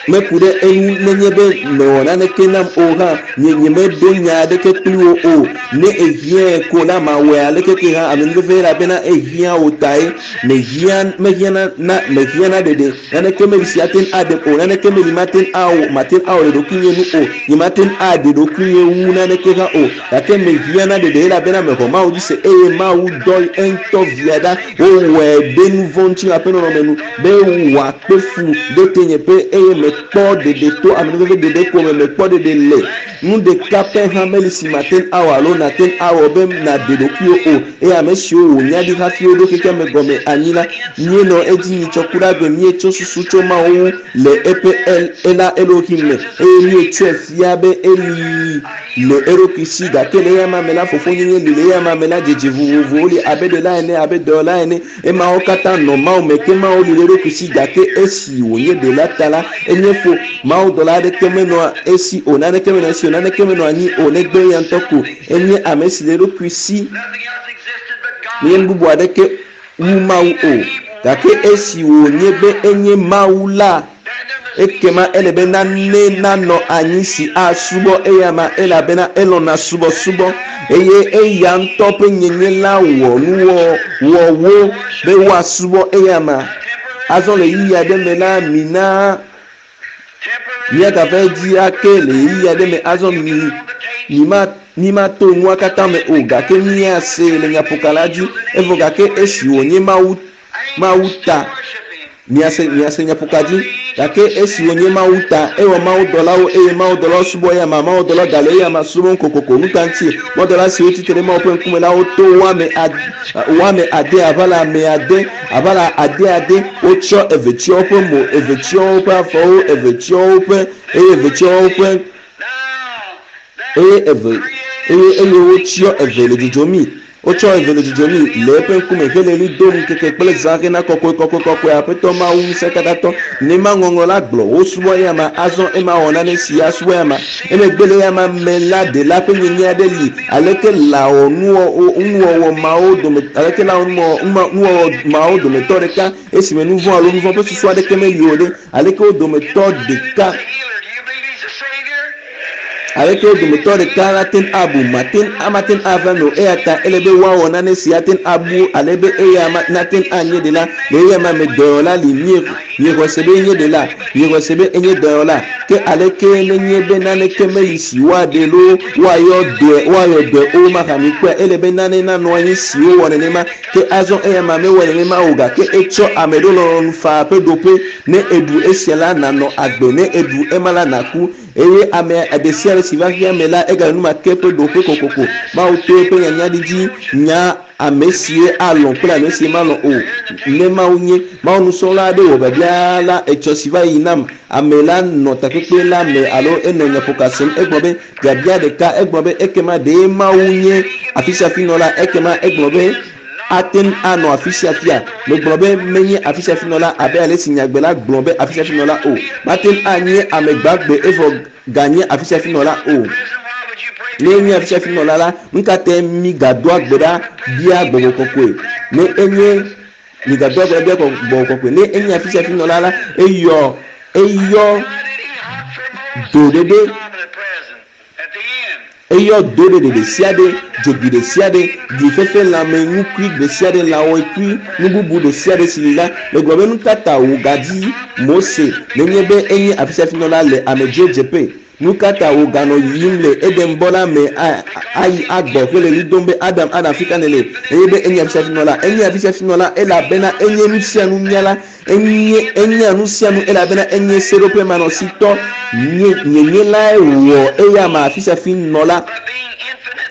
A: Meku ɖe eŋu nenye be mèwɔ naneke nam o hã, nye nyemeɖo nya aɖeke kpli wò o. Ne èhiãe ko la, mawɔe aleke ke hã, amenuveve elabena ehiã wò tae. Mehiã, mehiã na, na, mehiã na ɖeɖe. Naneke meli si ate ŋu aɖem o, naneke meli mate ŋu awɔ, mate ŋu awɔ le ɖokuinye nu o. Nyemate ŋu aɖe ɖokuinye wu naneke hã o. Gake mehiã na ɖeɖe elabena mexɔ Mawu dzi se eye Mawu dɔ eŋutɔ Via ɖa wowɔe ɖe nu vɔ̃ ŋutilã ƒe nɔnɔme nu be wòakpe fu ɖe tenyeƒe eye mekpɔ ɖeɖe to amenuveve ɖeɖe ko me, mekpɔ ɖeɖe le. Nu ɖeka pɛ hã meli si mate ŋu awɔ alo nàte ŋu awɔ be nàɖe ɖokuiwò o. Eye ame siwo wònya ɖi hafi woɖo xexea me gɔme anyi la, míenɔ edzi nyitsɔ ku ɖe agbe, míetsɔ susu tso Mawu ŋu le eƒe El, Ela Elohim me, eye míetsɔe fia be eli le eɖokui si. Gake le eya ma me la, fofonyenye li, le eya ma me la, dzedze vovovowo li abe ɖela ene, abe dɔyɔla ene. Emawo katã nɔ Mawu me, ke Mawu li le eɖokui si. Gake esi wònye ɖela ta la, enye fo. Mawudɔla aɖeke menɔa esi o, naneke menɔ esi o, naneke menɔ anyi o, negbe eya ŋutɔ ko. Enye ame si le eɖokui si. Menye nu bubu aɖeke wu Mawu o. Gake esi wònye be enye Mawu la, ekema ele be nane nanɔ anyi si asubɔ eyama elabena elɔ̃na subɔsubɔ eye eya ŋutɔ ƒe nyenye la wɔ nuwɔwɔwo be woasubɔ eyama. Azɔ le ɣeyiɣi aɖe me la, mina míagava edzi ake le ɣeyiɣi aɖe me. Azɔ mi mima mímato nua katã me o, gake míasee le nyaƒoka la dzi. Evɔ gake esi wònye Mawu Mawu ta, miase miase nyaƒoka dzi. Gake esi wònye Mawu ta, ewɔ mawudɔlawo eye mawudɔlawo subɔ eyama, mawudɔlawo gale eyama subɔm kokoko. Nu ka ŋuti? Mawudɔla siwo tsitre ɖe Mawu ƒe ŋkume la woto wo ame ad wo ame ade aʋala ame ade aʋala ade ade. Wotsɔ eve tsyɔ woƒe mo, eve tsyɔ woƒe afɔwo, eve tsyɔ woƒe eye eve tsyɔ woƒe eye eve eye eye wotsyɔ eve le dzodzom mi. Wotsɔ eve le dzodzom mi le eƒe ŋkume hele ɣli dom ŋkeke kple zã hena kɔkɔe kɔkɔe kɔkɔe Aƒetɔ Mawu Ŋusẽkatãtɔ. Nema ŋɔŋlɔ la gblɔ, wosubɔ eyama, azɔ ema wɔ nane si asubɔ eyama. Emegbe le eyama me la ɖela ƒe nyenye aɖe li. Aleke lawɔ nuwɔwɔ mawo dome aleke lawɔ nuwɔwɔ mawo dometɔ ɖeka esime nu vɔ̃ alo nu vɔ̃ ƒe susu aɖeke meli o ɖe? Aleke wo dometɔ ɖeka Aleke wo dometɔ ɖeka ate ŋu abu? Mate ŋu amate ŋu ava eme o. Eya ta ele be woawɔ nane si ate ŋu abu ale be eya nate ŋu anye ɖela. Le eya ma me dɔyɔla li. Mie, miexɔe se be enye ɖela? Miexɔe se be enye dɔyɔla? Ke aleke nenye be naneke meli si woaɖe loo woayɔ dɔe, woayɔ dɔe o mahã? Mikpɔe, ele be nane nanɔ anyi si wowɔ nenema. Ke azɔ eya ma mewɔe nenema o, gake etsɔ ame ɖo lɔlɔ̃nu faa ƒe ɖoƒe. Ne èɖu esia la, nànɔ agbe, ne èɖu ema la, nàku. Eye ame ɖe sia ɖe si va xexea me la, egale nu ma ke ƒe ɖoƒe kokoko. Mawu to eƒe nyanya ɖi dzi nya ame sie alɔ̃ kple ame si malɔ̃ o. Ne Mawu nye Mawu nusrɔ̃la aɖe wɔ biabia la etsɔ si va yi nam, ame la nɔ takpekpe la me alo enɔ nyaƒoka sem, egblɔ be, Biabia ɖeka, egblɔ be, Ekema ɖe Mawu nye afisiafinɔla? Ekema egblɔ be, Ate ŋu anɔ afisiafia. Megblɔ be menye afisiafinɔla abe ale si nyagbe la gblɔ be afisiafinɔla o. Mate ŋu anye ame gbagbe evɔ ganye afisiafinɔla o. Ne enye afisiafinɔla la, nu ka tae migadoa gbe ɖa bia gbɔgbɔ kɔkɔe? Ne enye migadoa gbe ɖa bia gbɔgbɔ kɔkɔe. Ne enye afisiafinɔla la, eyɔ eyɔ do ɖeɖe. Eyɔ do ɖeɖe ɖesiaɖe, dzobi ɖesiaɖe, glifefe lãme, nukui ɖesiaɖe, lãwɔekui, nu bubu ɖesiaɖe si li la. Megblɔ be nukata wògadzi Mose nenye be enye afisiafinɔla le amedzrodzeƒe? Nukata wòganɔ yiyim le Edenbɔ la me ayi agbɔ hele ɣli dom be, Adam, Adam, fika nèle? Nenye be enye afisiafinɔla. Enye afisiafinɔla elabena enye nusianunyala. Enye, enya nusianu elabena enye seɖoƒemanɔsitɔ. Nye, nyenye lae wɔ eyama afisiafinɔla.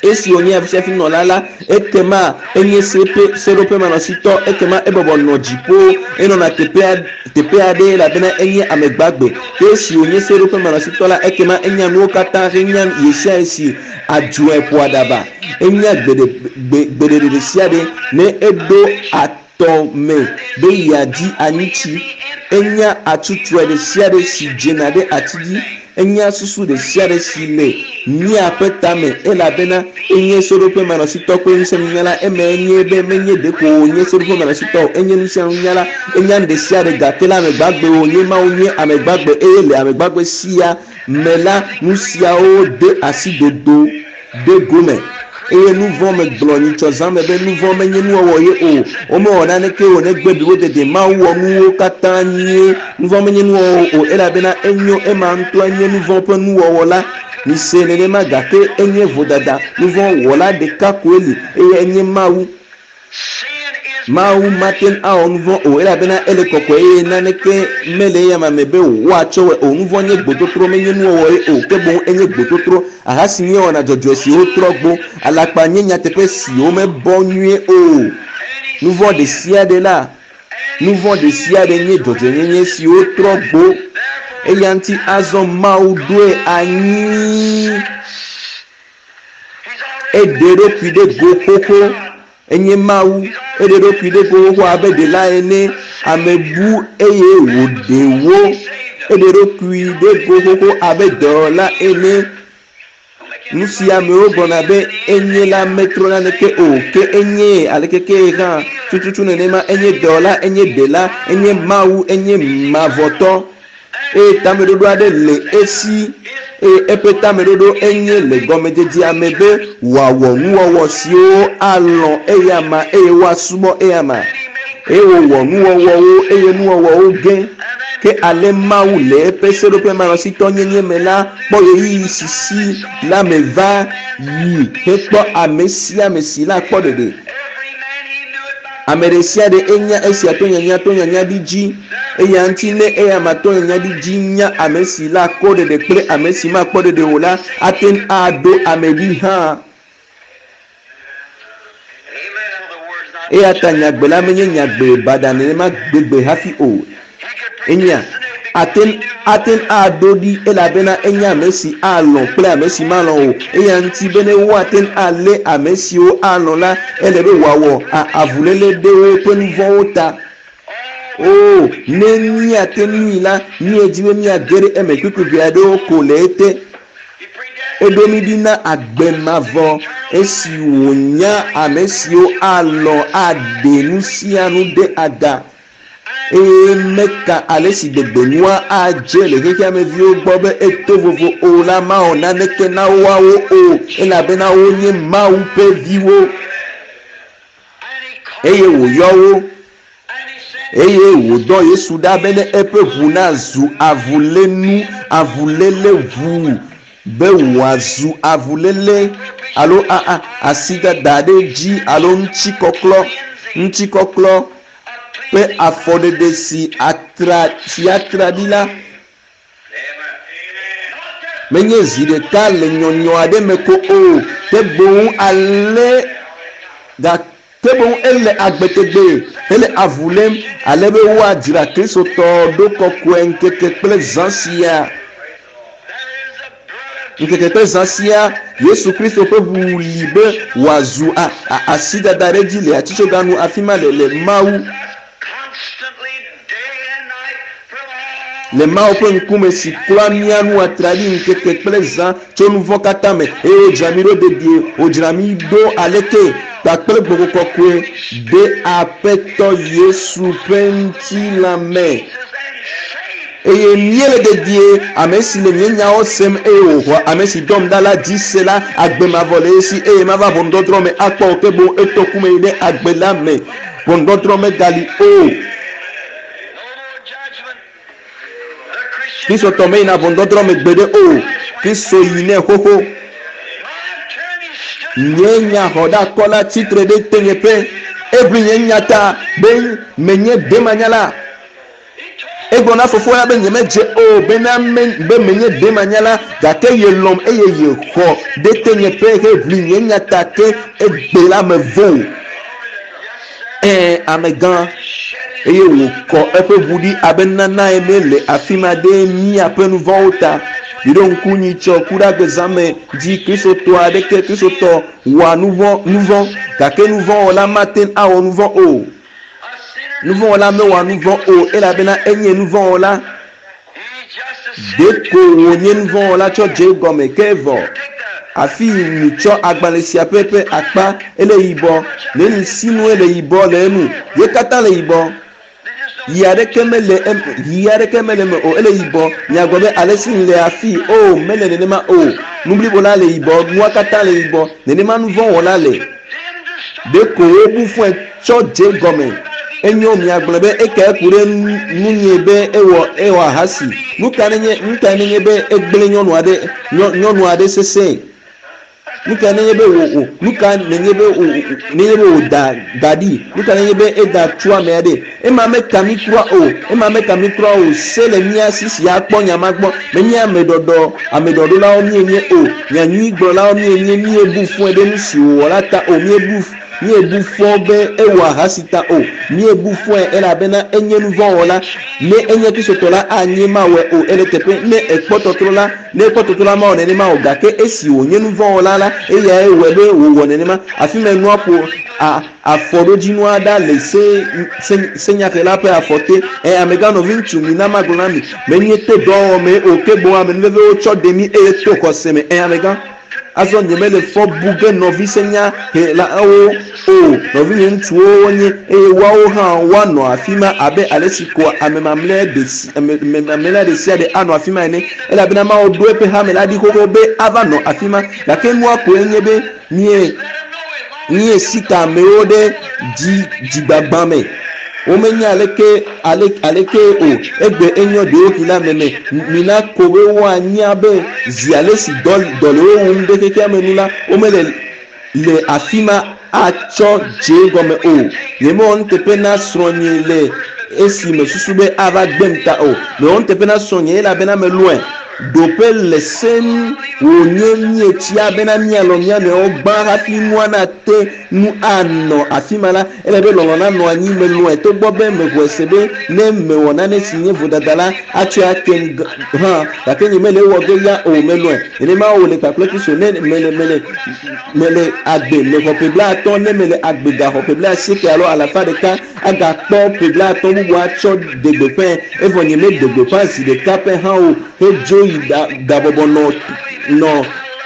A: Esi wònye afisiafinɔla la, ekema enye seƒe, seɖoƒemanɔsitɔ. Ekema ebɔbɔ nɔ dziƒo, enɔna teƒea, teƒe aɖe elabena enye ame gbagbe. Ke esi wònye seɖoƒemanɔsitɔ la, ekema enya nuwo katã henya ɣesiaɣi si adzɔe ƒo aɖaba. Enya gbeɖe, gbe, gbeɖeɖe ɖesiaɖe ne eɖo at tɔ me be yeadi anyitsi. Enya atsutsrɔe ɖesiaɖe si dzena ɖe ati dzi. Enya susu ɖesiaɖe si le míaƒe tame elabena enye seɖoƒemanɔsitɔ kple ŋusẽnunyala. Eme enye be menye ɖeko wònye seɖoƒemanɔsitɔ o, enye nusianunyala. Enya nu ɖesiaɖe gake le ame gbagbe wònye. Mawu nye ame gbagbe eye le ame gbagbe sia me la, nusiawo de asi dodo ɖe gome. Eye nu vɔ̃ megblɔ nyitsɔ zã me be nu vɔ̃ menye nuwɔwɔ ye o. Womewɔ naneke o negbe blibo dede. Mawu wɔ nuwo katã nyuie. Nu vɔ̃ menye nuwɔwɔ o elabena enyo ema ŋutɔe nye nu vɔ̃ ƒe nuwɔwɔ la. Mise nenema gake enye vodada. Nu vɔ̃ wɔla ɖeka koe li eye enye Mawu. Mawu mate ŋu awɔ nu vɔ̃ o elabena ele kɔkɔe eye naneke mele eyama me be woatsɔ wɔe o. Nu vɔ̃ nye gbototro, menye nuwɔwɔ ye o, ke boŋ enye gbototro. Aha si míewɔna dzɔdzɔe si wotrɔ gbo. Alakpa nye nyateƒe si womebɔ nyuie o. Nu vɔ̃ ɖesiaɖe la, nu vɔ̃ ɖesiaɖe nye dzɔdzɔenyenye si wotrɔ gbo. Eya ŋuti azɔ Mawu ɖoe anyi. Eɖe eɖokui ɖe go xoxo. Enye Mawu. Eɖe eɖokui ɖe go xoxo abe ɖela ene. Ame bu eye wòɖe wo. Eɖe eɖokui ɖe go xoxo abe dɔwɔla ene. Nu si amewo gblɔna be enye la metrɔ naneke o, ke enyee aleke kee hã. Tututu nenema enye dɔwɔla, enye ɖela, enye Mawu, enye mavɔtɔ. Eye tameɖoɖo aɖe le esi, eye eƒe tameɖoɖo enye le gɔmedzedzea me be wòawɔ nuwɔwɔ siwo alɔ̃ eyama eye woasubɔ eyama. Eye wòwɔ nuwɔwɔwo eye nuwɔwɔwo ge. Ke ale Mawu le eƒe seɖoƒe manɔsitɔnyenye me la kpɔ ɣeyiɣi si si la me va yi hekpɔ ame sia ame si la kpɔ ɖeɖe. Ame ɖe sia ɖe enya esia to nyanya to nyanya ɖi dzi. Eya ŋuti ne eyama to nyanya ɖi dzi nya ame si la kpɔ ɖeɖe kple ame si makpɔ ɖeɖe o la, ate ŋu aɖo ame ɖi hã. Eya ta nyagbe la menye nyagbe baɖa nenema gbegbe hafi o. Enya ate ŋu ate ŋu aɖo ɖi elabena enya ame si alɔ̃ kple ame si malɔ̃ o. Eya ŋuti be ne woate ŋu alé ame siwo alɔ̃ la, ele be wòawɔ avuléle ɖe woƒe nu vɔ̃wo ta. Oo, ne míate ŋui la, míedi be míage ɖe eme kpukpui ʋɛ aɖewo ko le ete. Eɖo mí ɖi na agbe mavɔ esi wònya ame siwo alɔ̃ aɖe nu sia nu ɖe aga eye meka ale si gbegbe nua adze le xexea me viwo gbɔ be eto vovo o la mawɔ naneke na woawo o elabena wonye Mawu ƒe viwo. Eye wòyɔ wo eye wòdɔ Yesu ɖa bene eƒe ʋu nazu avulénu, avuléle ʋu, be wòazu avuléle alo a, a, asidada ɖe edzi alo ŋutikɔklɔ, ŋutikɔklɔ ƒe afɔɖeɖe si atra, si atra ɖi la. Menye zi ɖeka le nyɔnyɔ aɖe me ko o, ke boŋ ale gake boŋ ele agbe tegbee hele avu lém ale be woadzra Kristotɔ ɖo kɔkɔe ŋkeke kple zã sia. Ŋkeke kple zã sia, Yesu Kristo ƒe ʋu li be wòazu a, a, asidada ɖe edzi le atitsoga nu afi ma le, le Mawu Le Mawu ƒe ŋkume si klɔa mía nu atraɖii ŋkeke kple zã tso nu vɔ̃ katã me, eye wodzra mí ɖo dedie, wodzra mí ɖo aleke? Kpakple Gbɔgbɔ Kɔkɔe ɖe Aƒetɔ Yesu ƒe ŋutilã me. Eye míele dedie, ame si le nye nyawo sem eye wòxɔa ame si dɔm ɖa la dzi se la, agbe mavɔ le esi eye mava ʋɔnudɔdrɔ̃ me akpɔ o, ke boŋ eto ku me yi ɖe agbe la me. Ʋɔnudɔdrɔ̃ megali o. Kristotɔ meyina ʋɔnudɔdrɔ̃ me gbeɖe o. Kristo yi nɛ xoxo. Nye nyaxɔɖakɔla tsitre ɖe tenyeƒe. Eʋli nye nya ta be menye demanyala. Egblɔ na fofoa la be nyemedze o bena me, be menye demanyala, gake yelɔ̃m eye yexɔ ɖe tenyeƒe heʋli nye nya ta ke egbe la mevo o. Ɛ̃, amegã, eye wòkɔ eƒe ʋu ɖi abe nana ene le afi ma ɖe míaƒe nu vɔ̃wo ta. Miɖo ŋku nyitsɔ kuɖagbe zã me dzi Kristotɔ aɖeke Kristotɔ wɔa nu vɔ̃, nu vɔ̃, gake nu vɔ̃ wɔla mate ŋu awɔ nu vɔ̃ o. Nu vɔ̃ wɔla mewɔa nu vɔ̃ o elabena enye nu vɔ̃ wɔla. Ɖeko wònye nu vɔ̃ wɔla tsɔ dze egɔme ke evɔ. Afii mitsɔ agbalẽ sia ƒe ƒe akpa ele yibɔ. Neni sinue le yibɔ le enu. Ye katã le yibɔ. Ɣi aɖeke mele eme, ɣi aɖeke mele eme o. Ele yibɔ. Miagblɔ be alesi le afii. O, mele nenema o. Nu blibo la le yibɔ. Nua katã le yibɔ. Nenema nu vɔ̃ wɔla le. Ɖeko wobu fɔe tsɔ dze egɔme. Enyo, miagblɔ be ekae ku ɖe nunye be ewɔ ewɔ ahasi? Nu ka nenye, nu kae nenye be egblẽ nyɔnu aɖe, nyɔ, nyɔnu aɖe sesẽe? Nu ka nenye be wò wò nu ka nenye be wò nenye be wòda da ɖi? Nu ka nenye be eda tso ame aɖe? Ema meka mí kura o. Ema meka mí kura o. Se le mía si si akpɔ nya ma gbɔ. Menye ame ɖɔɖɔ ame ɖɔɖolawo míenye o. Nyanyuigblɔlawo míenye. Míebu fɔe ɖe nu si wòwɔ la ta o. Míebu Míebu fɔ be ewɔ ahasi ta o. Míebu fɔe elabena enye nuvɔ̃wɔla. Ne enye Kristotɔ la, anye mawɔe o. Ele teƒe ne ekpɔ tɔtrɔ la, ne ekpɔ tɔtrɔ la, mawɔ nenema o. Gake esi wònye nuvɔ̃wɔla la, eyae wɔe be wòwɔ nenema. Afi mae nua ƒo a, afɔɖodzinua ɖa le se, se, senyahela ƒe afɔ te. Ẽ, amegã nɔviŋutsu, mina magblɔ na mi, menye to dɔwɔwɔ mee o, ke boŋ amenuveve wotsɔ ɖe mí eye to xɔse me. Ẽ, amegã. Azɔ nyemele fɔ bu ge nɔvi senyahelawo o, nɔvinye ŋutsuwo wonye, eye woawo hã woanɔ afi ma abe ale si ko ame mamlɛ ɖe sia ɖe anɔ afi ma ene, elabena Mawu ɖo eƒe hame la ɖi xoxo be ava nɔ afi ma. Gake nua koe nye be mie míesi ka amewo ɖe dzi dzigbagbã me. Womenya aleke ale aleke o. Egbe enyɔ ɖewohĩ la meme. Mina ko be woanya be zi ale si dɔ dɔ le wo wum ɖe xexea me nu la, womele le afi ma atsɔ dze gɔme o. Nyemewɔ nuteƒe na srɔ̃nye le esi mesusu be ava gbem ta o. Mewɔ nuteƒe na srɔ̃nye elabena melɔ̃e. Ɖoƒe le se nu wònye míetsia bena míalɔ̃ mía nɔewo gbã hafi nua nate ŋu anɔ afi ma la, ele be lɔlɔ̃ nanɔ anyi. Melɔ̃e togbɔ be mexɔe se be ne mewɔ nane si nye vodada la, atsɔe akem hã, gake nyemele ewɔ ge ya o. Melɔ̃e. Nenema wòle kpakple Kristo. Ne mele, mele, mele agbe, mexɔ ƒe blaatɔ̃, ne mele agbe gaxɔ ƒe blaasieke alo alafa ɖeka, agakpɔ ƒe blaatɔ̃ bubu atsɔ ɖe gbeƒãe, evɔ nyemeɖe gbeƒã zi ɖeka pɛ hã o hedzo yi ɖabɔbɔ nɔ nɔ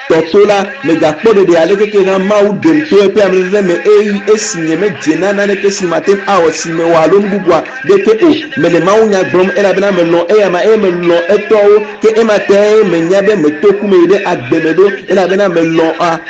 A: tɔ to la, megakpɔ ɖeɖe alekeke hã Mawu ɖem to eƒe ameveve me eye esi nyemedze na naneke si mate ŋu awɔ si mewɔ alo nu bubua ɖeke o. Mele mawunya gblɔm elabena melɔ̃ eyama eye melɔ̃ etɔwo, ke ema tae menya be meto ku me yi ɖe agbe me ɖo elabena melɔ̃a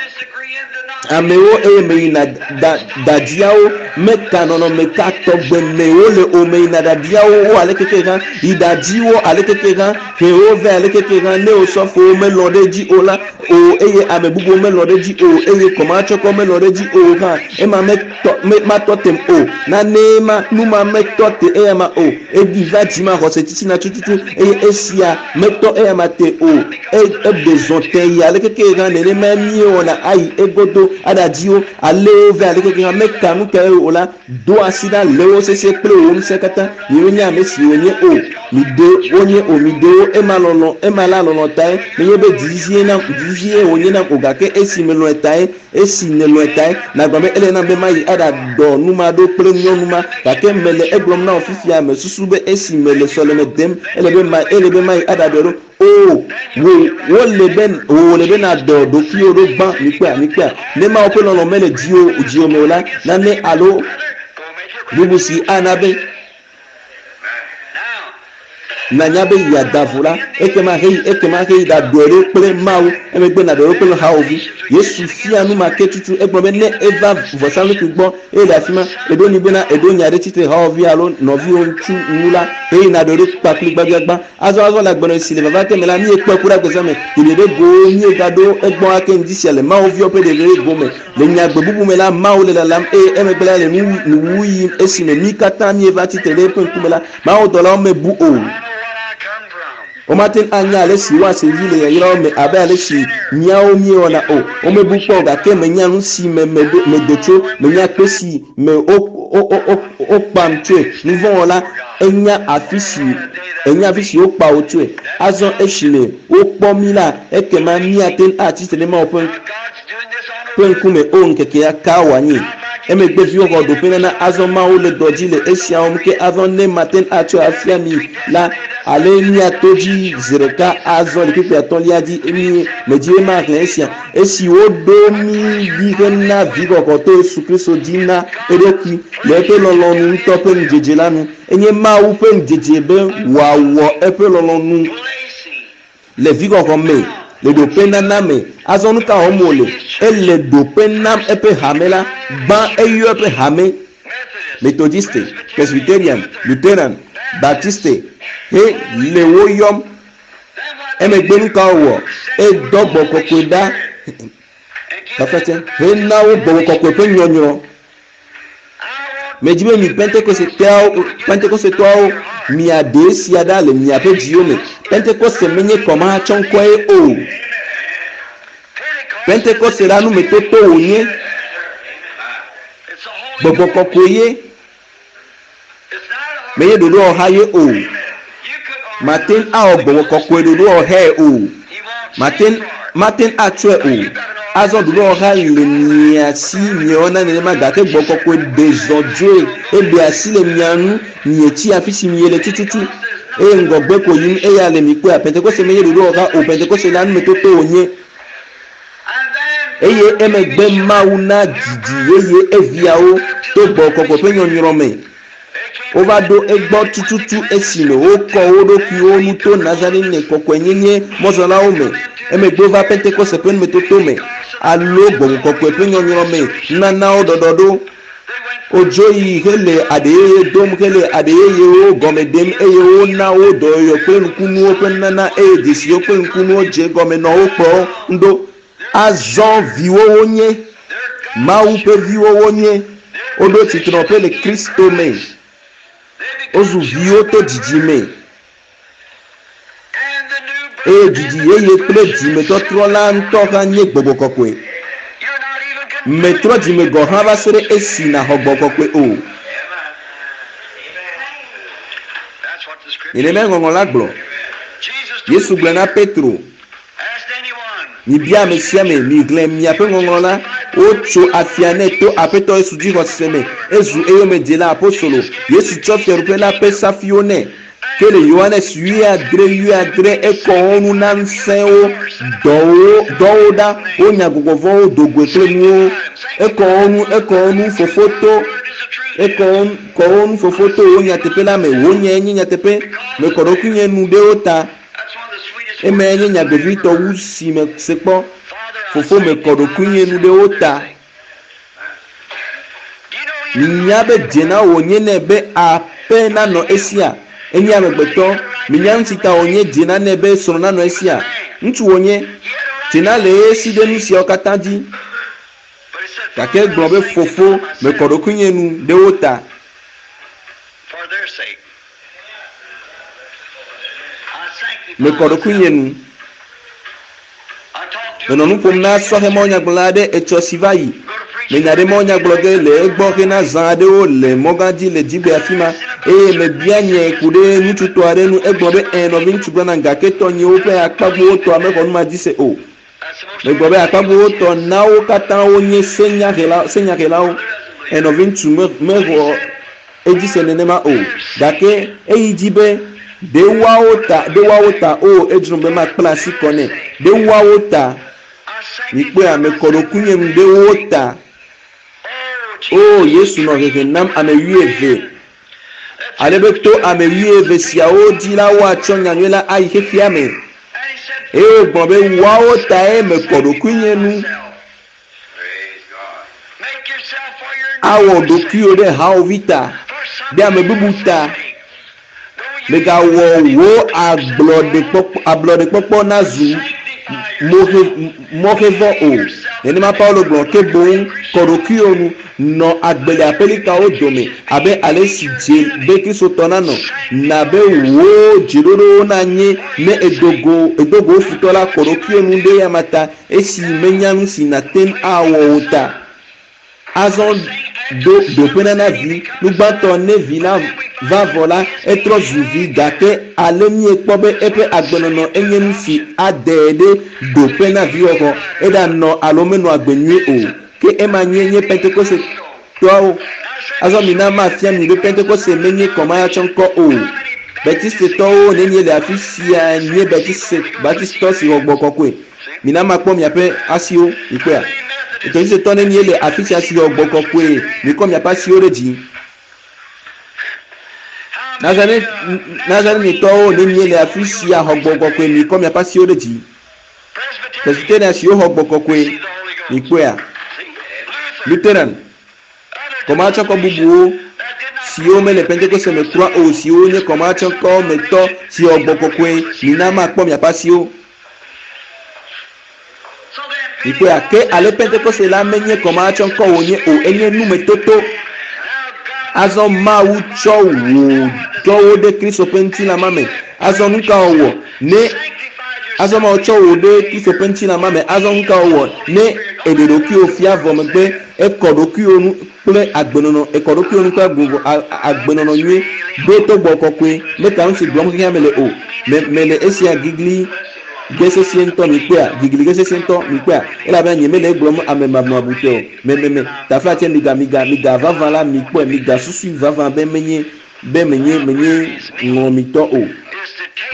A: amewo eye meyina da dadiawo meka nɔnɔme ka tɔgbe me wole o meyina dadiawo wo ale keke hã yi dadiwo ale keke hã hewo vɛ ale keke hã ne osɔfowo melɔ̃ ɖe edzi o la o eye ame bubuwo melɔ̃ ɖe edzi o eye kɔmatsɔkɔ melɔ̃ ɖe edzi o hã ema metɔ me matɔ tem o nanee ma nu ma metɔ te eya ma o eɖi va dzimaxɔse tsitsina tututu eye esia metɔ eya ma te o E, eɖe zɔ tẽ yi alekeke hã nenemae míewɔna ayi egodo aɖadzi wo, alé wo vɛ alekeke hã meka nu kae o la, do asi ɖa lé wo sesĩe kple wò ŋusẽ katã. Miemenya ame si wonye o. Miɖe wonye o, miɖe wo. Ema lɔlɔ̃, ema la lɔlɔ̃ tae. Menye be dzizizie nam, dzizizie wònye nam o, gake esi melɔ̃e tae. Esi nèlɔ̃e tae nàgblɔ be ele nam be mayi aɖaɖɔ nu ma ɖo kple nyɔnu ma. Gake mele egblɔm na wò fifia, mesusu be esi mele sɔleme dem, ele be ma, ele be mayi aɖaɖɔe ɖo. Oo, wò, wole be, wò wòle be nàdɔ ɖokuiwò ɖo gbã. Mikpɔea? Mikpɔea? Ne Mawu ƒe lɔlɔ̃ mele dziwò, dziwò me o la, nane alo bubu si ana be nànya be yeada vo la, ekema heyi, ekema heyi ɖaɖɔe ɖo kple Mawu, emegbe nàɖɔe ɖo kple hawòvi. Yesu fia nu ma ke tutu. Egblɔ be ne eva vɔsamlekpui gbɔ eye le afima, èɖo nui bena èɖo nya ɖe tsitre hawòvi alo nɔviwò ŋutsu ŋu la, heyi nàɖɔe ɖo kpakpli gbãgbiagbã. Azɔ, azɔ le agbenɔɣi si le vava ke me la, míekpɔe ku ɖe agbezã me, ɖeɖe ɖe gowo, míegaɖo egbɔ ake ŋdi sia le Mawu viwo ƒe ɖeɖe ɖe gome. Le nyagbe bubu me la, Mawu le lalam eye emegbe la le nu, nuwuwu yim esime mí katã míeva tsi tre ɖe eƒe ŋkume la, mawudɔlawo mebu o. Womate ŋu anya ale si woase vivi le yayrawo me abe ale si míawo míewɔna o. Womebu kpɔ o, gake menya nu si me meɖo, medo tso, menya kpe si me wo, wo, wo, wo, wokpam tsoe. Nuvɔ̃wɔla, enya afi si, enya afi si wokpa wò tsoe. Azɔ esime wokpɔ mí la, ekema míate ŋu atsi tre ɖe Mawu ƒe ƒe ŋkume o ŋkekea ka wòanye. Emegbe viwo xɔ ɖoƒe nana azɔ Mawu le dɔ dzi le esia wɔm ke azɔ ne mate ŋu atsɔe afia mi la ale míato dzi zi ɖeka azɔ le kpukpui atɔ̃lia dzi mí medzi be maxlẽ esia esi woɖo mí ɖi hena vixɔxɔ to Yesu Kristo dzi na eɖokui le eƒe lɔlɔ̃nu ŋutɔ ƒe ŋudzedze la nu. Enye Mawu ƒe ŋudzedze be wòawɔ eƒe lɔlɔ̃nu le vixɔxɔ me, le ɖoƒe nana me. Azɔ nu ka wɔm wòle? Ele ɖoƒe nam eƒe hame la. Gbã eyɔ eƒe hame, Metodiste, Presbyterian, Lutheran, Baptiste, he le wo yɔm. Emegbe nu ka wòwɔ? Edɔ gbɔ kɔkɔe ɖa. Taflatse hena wo gbɔgbɔ kɔkɔe ƒe nyɔnyrɔ. Medzi be mi Pentekosteawo, Pentekosetɔawo miaɖe esia ɖa le miaƒe dziwo me. Pentekoste menye kɔmahatsɔŋkɔe o. Pentekoste la numetoto wònye. Gbɔgbɔ kɔkɔe ye. Menye ɖoɖowɔha ye o. Mate ŋu awɔ gbɔgbɔ kɔkɔe ɖoɖowɔhae o. Mate ŋu, mate ŋu atsɔe o. Azɔ ɖoɖowɔha le mia si miewɔna nenema gake gbɔgbɔ kɔkɔe ɖe zɔ dzoe eɖe asi le mia ŋu mietsi afi si miele tututu eye ŋgɔgbe ko yim eya le mi kpɔea. Pentekoste menye ɖoɖowɔha o. Pentekoste la numetoto wònye. Eye emegbe Mawu na didi yeye eviawo to gbɔgbɔ kɔkɔe ƒe nyɔnyrɔ me. Wova ɖo egbɔ tututu esime wokɔ wo ɖokuiwo nu to Nazarene kɔkɔenyenye mɔzɔlawo me. Emegbe wova Pentekoste ƒe numetoto me alo gbɔgbɔ kɔkɔe ƒe nyɔnyrɔ me nunanawo ɖɔɖɔɖo. Wodzo yi hele aɖe yeye dom hele aɖe yeyewo gɔme ɖem eye wona wo dɔyɔyɔ kple nukunuwo ƒe nunana eye dzesiwo kple nukunuwo dze egɔme nɔ wo kplɔm ɖo. Azɔ viwo wonye, Mawu ƒe viwo wonye. Woɖo tsitrenɔƒe le Kristo me. Wozu viwo to dzidzime. Eye dzidzi yeye kple dzimetɔtrɔ la ŋutɔ hã nye gbɔgbɔ kɔkɔe. Mètrɔ dzime gɔ̃ hã va se ɖe esi nàxɔ gbɔgbɔ kɔkɔe o. Nenemae Ŋɔŋlɔ la gblɔ. Yesu gblɔ na Petro Mibia ame sia ame, mixlẽ miaƒe ŋɔŋlɔ la. Wotso afia nɛ to Aƒetɔ Yesu dzixɔse me. Ezu eyomedzela apostolo. Yesu tsɔ fiaɖuƒe la ƒe safuiwo nɛ. Ke le Yohanes wuiadre wuiadre ekɔ wo nu na ŋusẽwo, dɔ wo, dɔ wo ɖa, wonya gbɔgbɔ vɔ̃wo do goe kple nuwo. Ekɔ wo nu, ekɔ wo nu, Fofo to, ekɔ wo, kɔ wo nu, Fofo to wò nyateƒe la me. Wò nyae nye nyateƒe. Mekɔ ɖokuinye nu ɖe wo ta. Emae nye nya vevitɔ wu si mese kpɔ. Fofo mekɔ ɖokuinye nu ɖe wo ta. Minya be dze na wònye nɛ be aƒe nanɔ esia? Enye amegbetɔ. Minya nu si ta wònye dze na nɛ be srɔ̃ nanɔ esia? Ŋutsu wònye. Dze na le esi ɖe nu siawo katã dzi. Gake egblɔ be, Fofo, mekɔ ɖokuinye nu ɖe wo ta. Mekɔ ɖokuinye nu. Menɔ nu ƒom na sɔhɛ mawunyagblɔla aɖe etsɔ si va yi. Menya ɖe mawunyagblɔ ge le egbɔ hena zã aɖewo le mɔgã dzi le dzigbe afi ma eye mebia nye ku ɖe ŋutsutɔ aɖe ŋu. Egblɔ be, Ẽ, nɔviŋutsu Branham, gake tɔnyewo ƒe akpagbowo tɔa mexɔ nu ma dzi se o. Megblɔ be akpagbowo tɔ na wo katã wonye senyahelawo. Ẽ, nɔviŋutsu mexɔ edzi se nenema o. Gake eyi dzi be, Ɖe woawo ta, ɖe woawo ta, oo, edzrom be makpla asi kɔ nɛ. Ɖe woawo ta. Mikpɔea, mekɔ ɖokuinye nu ɖe wo ta. Oo, Yesu nɔ hehe nam ame wuieve. Ale be to ame wuieve siawo dzi la woatsɔ nyanyui la ayi xexea me. Eye wògblɔ be, Woawo tae mekɔ ɖokuinye nu. Awɔ ɖokuiwò ɖe hawòvi ta, ɖe ame bubu ta. Mègawɔ wò ablɔɖekpɔkpɔ nazu mɔxevɔ o. Nenema Paulo gblɔ, Ke boŋ kɔ ɖokuiwò nu, nɔ agbe le aƒelikawo dome abe ale si dze be Kristotɔ nanɔ. Na be wò dzeɖoɖowo nanye ne èdo go wò futɔ la, kɔ ɖokuiwò nu ɖe eyama ta, esi menya nu si nàte ŋu awɔ o ta. Azɔ ɖo ɖoƒe nana vi. Nu gbãtɔ, ne vi la va vɔ la, etrɔ zu vi, gake ale míekpɔ be eƒe agbenɔnɔ enye nu si adee ɖe ɖoƒe na viwɔwɔ, eɖanɔ alo menɔ agbe nyui o. Ke ema nye nye Pentekostetɔawo. Azɔ mina mafia mi be Pentekoste menye kɔmayatsɔŋkɔ o. Baptistetɔwo nenie le afi sia nye Baptistetɔ si xɔ Gbɔgbɔ Kɔkɔe? Mina makpɔ miaƒe asiwo, mikpɔea? Metɔdzisetɔ nenie le afi sia si xɔ Gbɔgbɔ Kɔkɔe? Mikɔ miaƒe asiwo ɖe dzi. Nazarenetɔwo nenie le afi sia xɔ Gbɔgbɔ Kɔkɔe? Mikɔ miaƒe asiwo ɖe dzi. Presbyterian siwo xɔ Gbɔgbɔ Kɔkɔe, mikpɔea? Lutheran, Kɔmahatsɔkɔ bubuwo siwo mele Pentekoste me kura o siwo nye kɔmahatsɔkɔ me tɔ si xɔ Gbɔgbɔ Kɔkɔe, mina makpɔ miaƒe asiwo. Mikpɔea? Ke ale Pentekoste la menye kɔmahatsɔ ŋkɔ wònye o, enye numetoto. Azɔ Mawu tsɔ wò dɔwo ɖe Kristo ƒe ŋutilã ma me. Azɔ nu ka wòwɔ? Ne azɔ Mawu tsɔ wò ɖe Kristo ƒe ŋutilã ma me, azɔ nu ka wòwɔ? Ne èɖe ɖokuiwò fia vɔ megbe, ekɔ ɖokuiwò nu kple agbenɔnɔ, ekɔ ɖokuiwò nu kple agbenɔnɔ nyui, ɖo to gbɔ kɔkɔe, meka nu si gblɔm xexea me le o. Me, mele esia gigli ge sesĩe ŋutɔ, mikpɔea, gigli ge sesĩe ŋutɔ, mikpɔea, elabena nyemele egblɔm ame mabumabutɔe o. Me, me, me, taflatse miga, miga, miga vavã la, mikpɔe, migasusui vavã be menye, be menye, menye ŋlɔmitɔ o.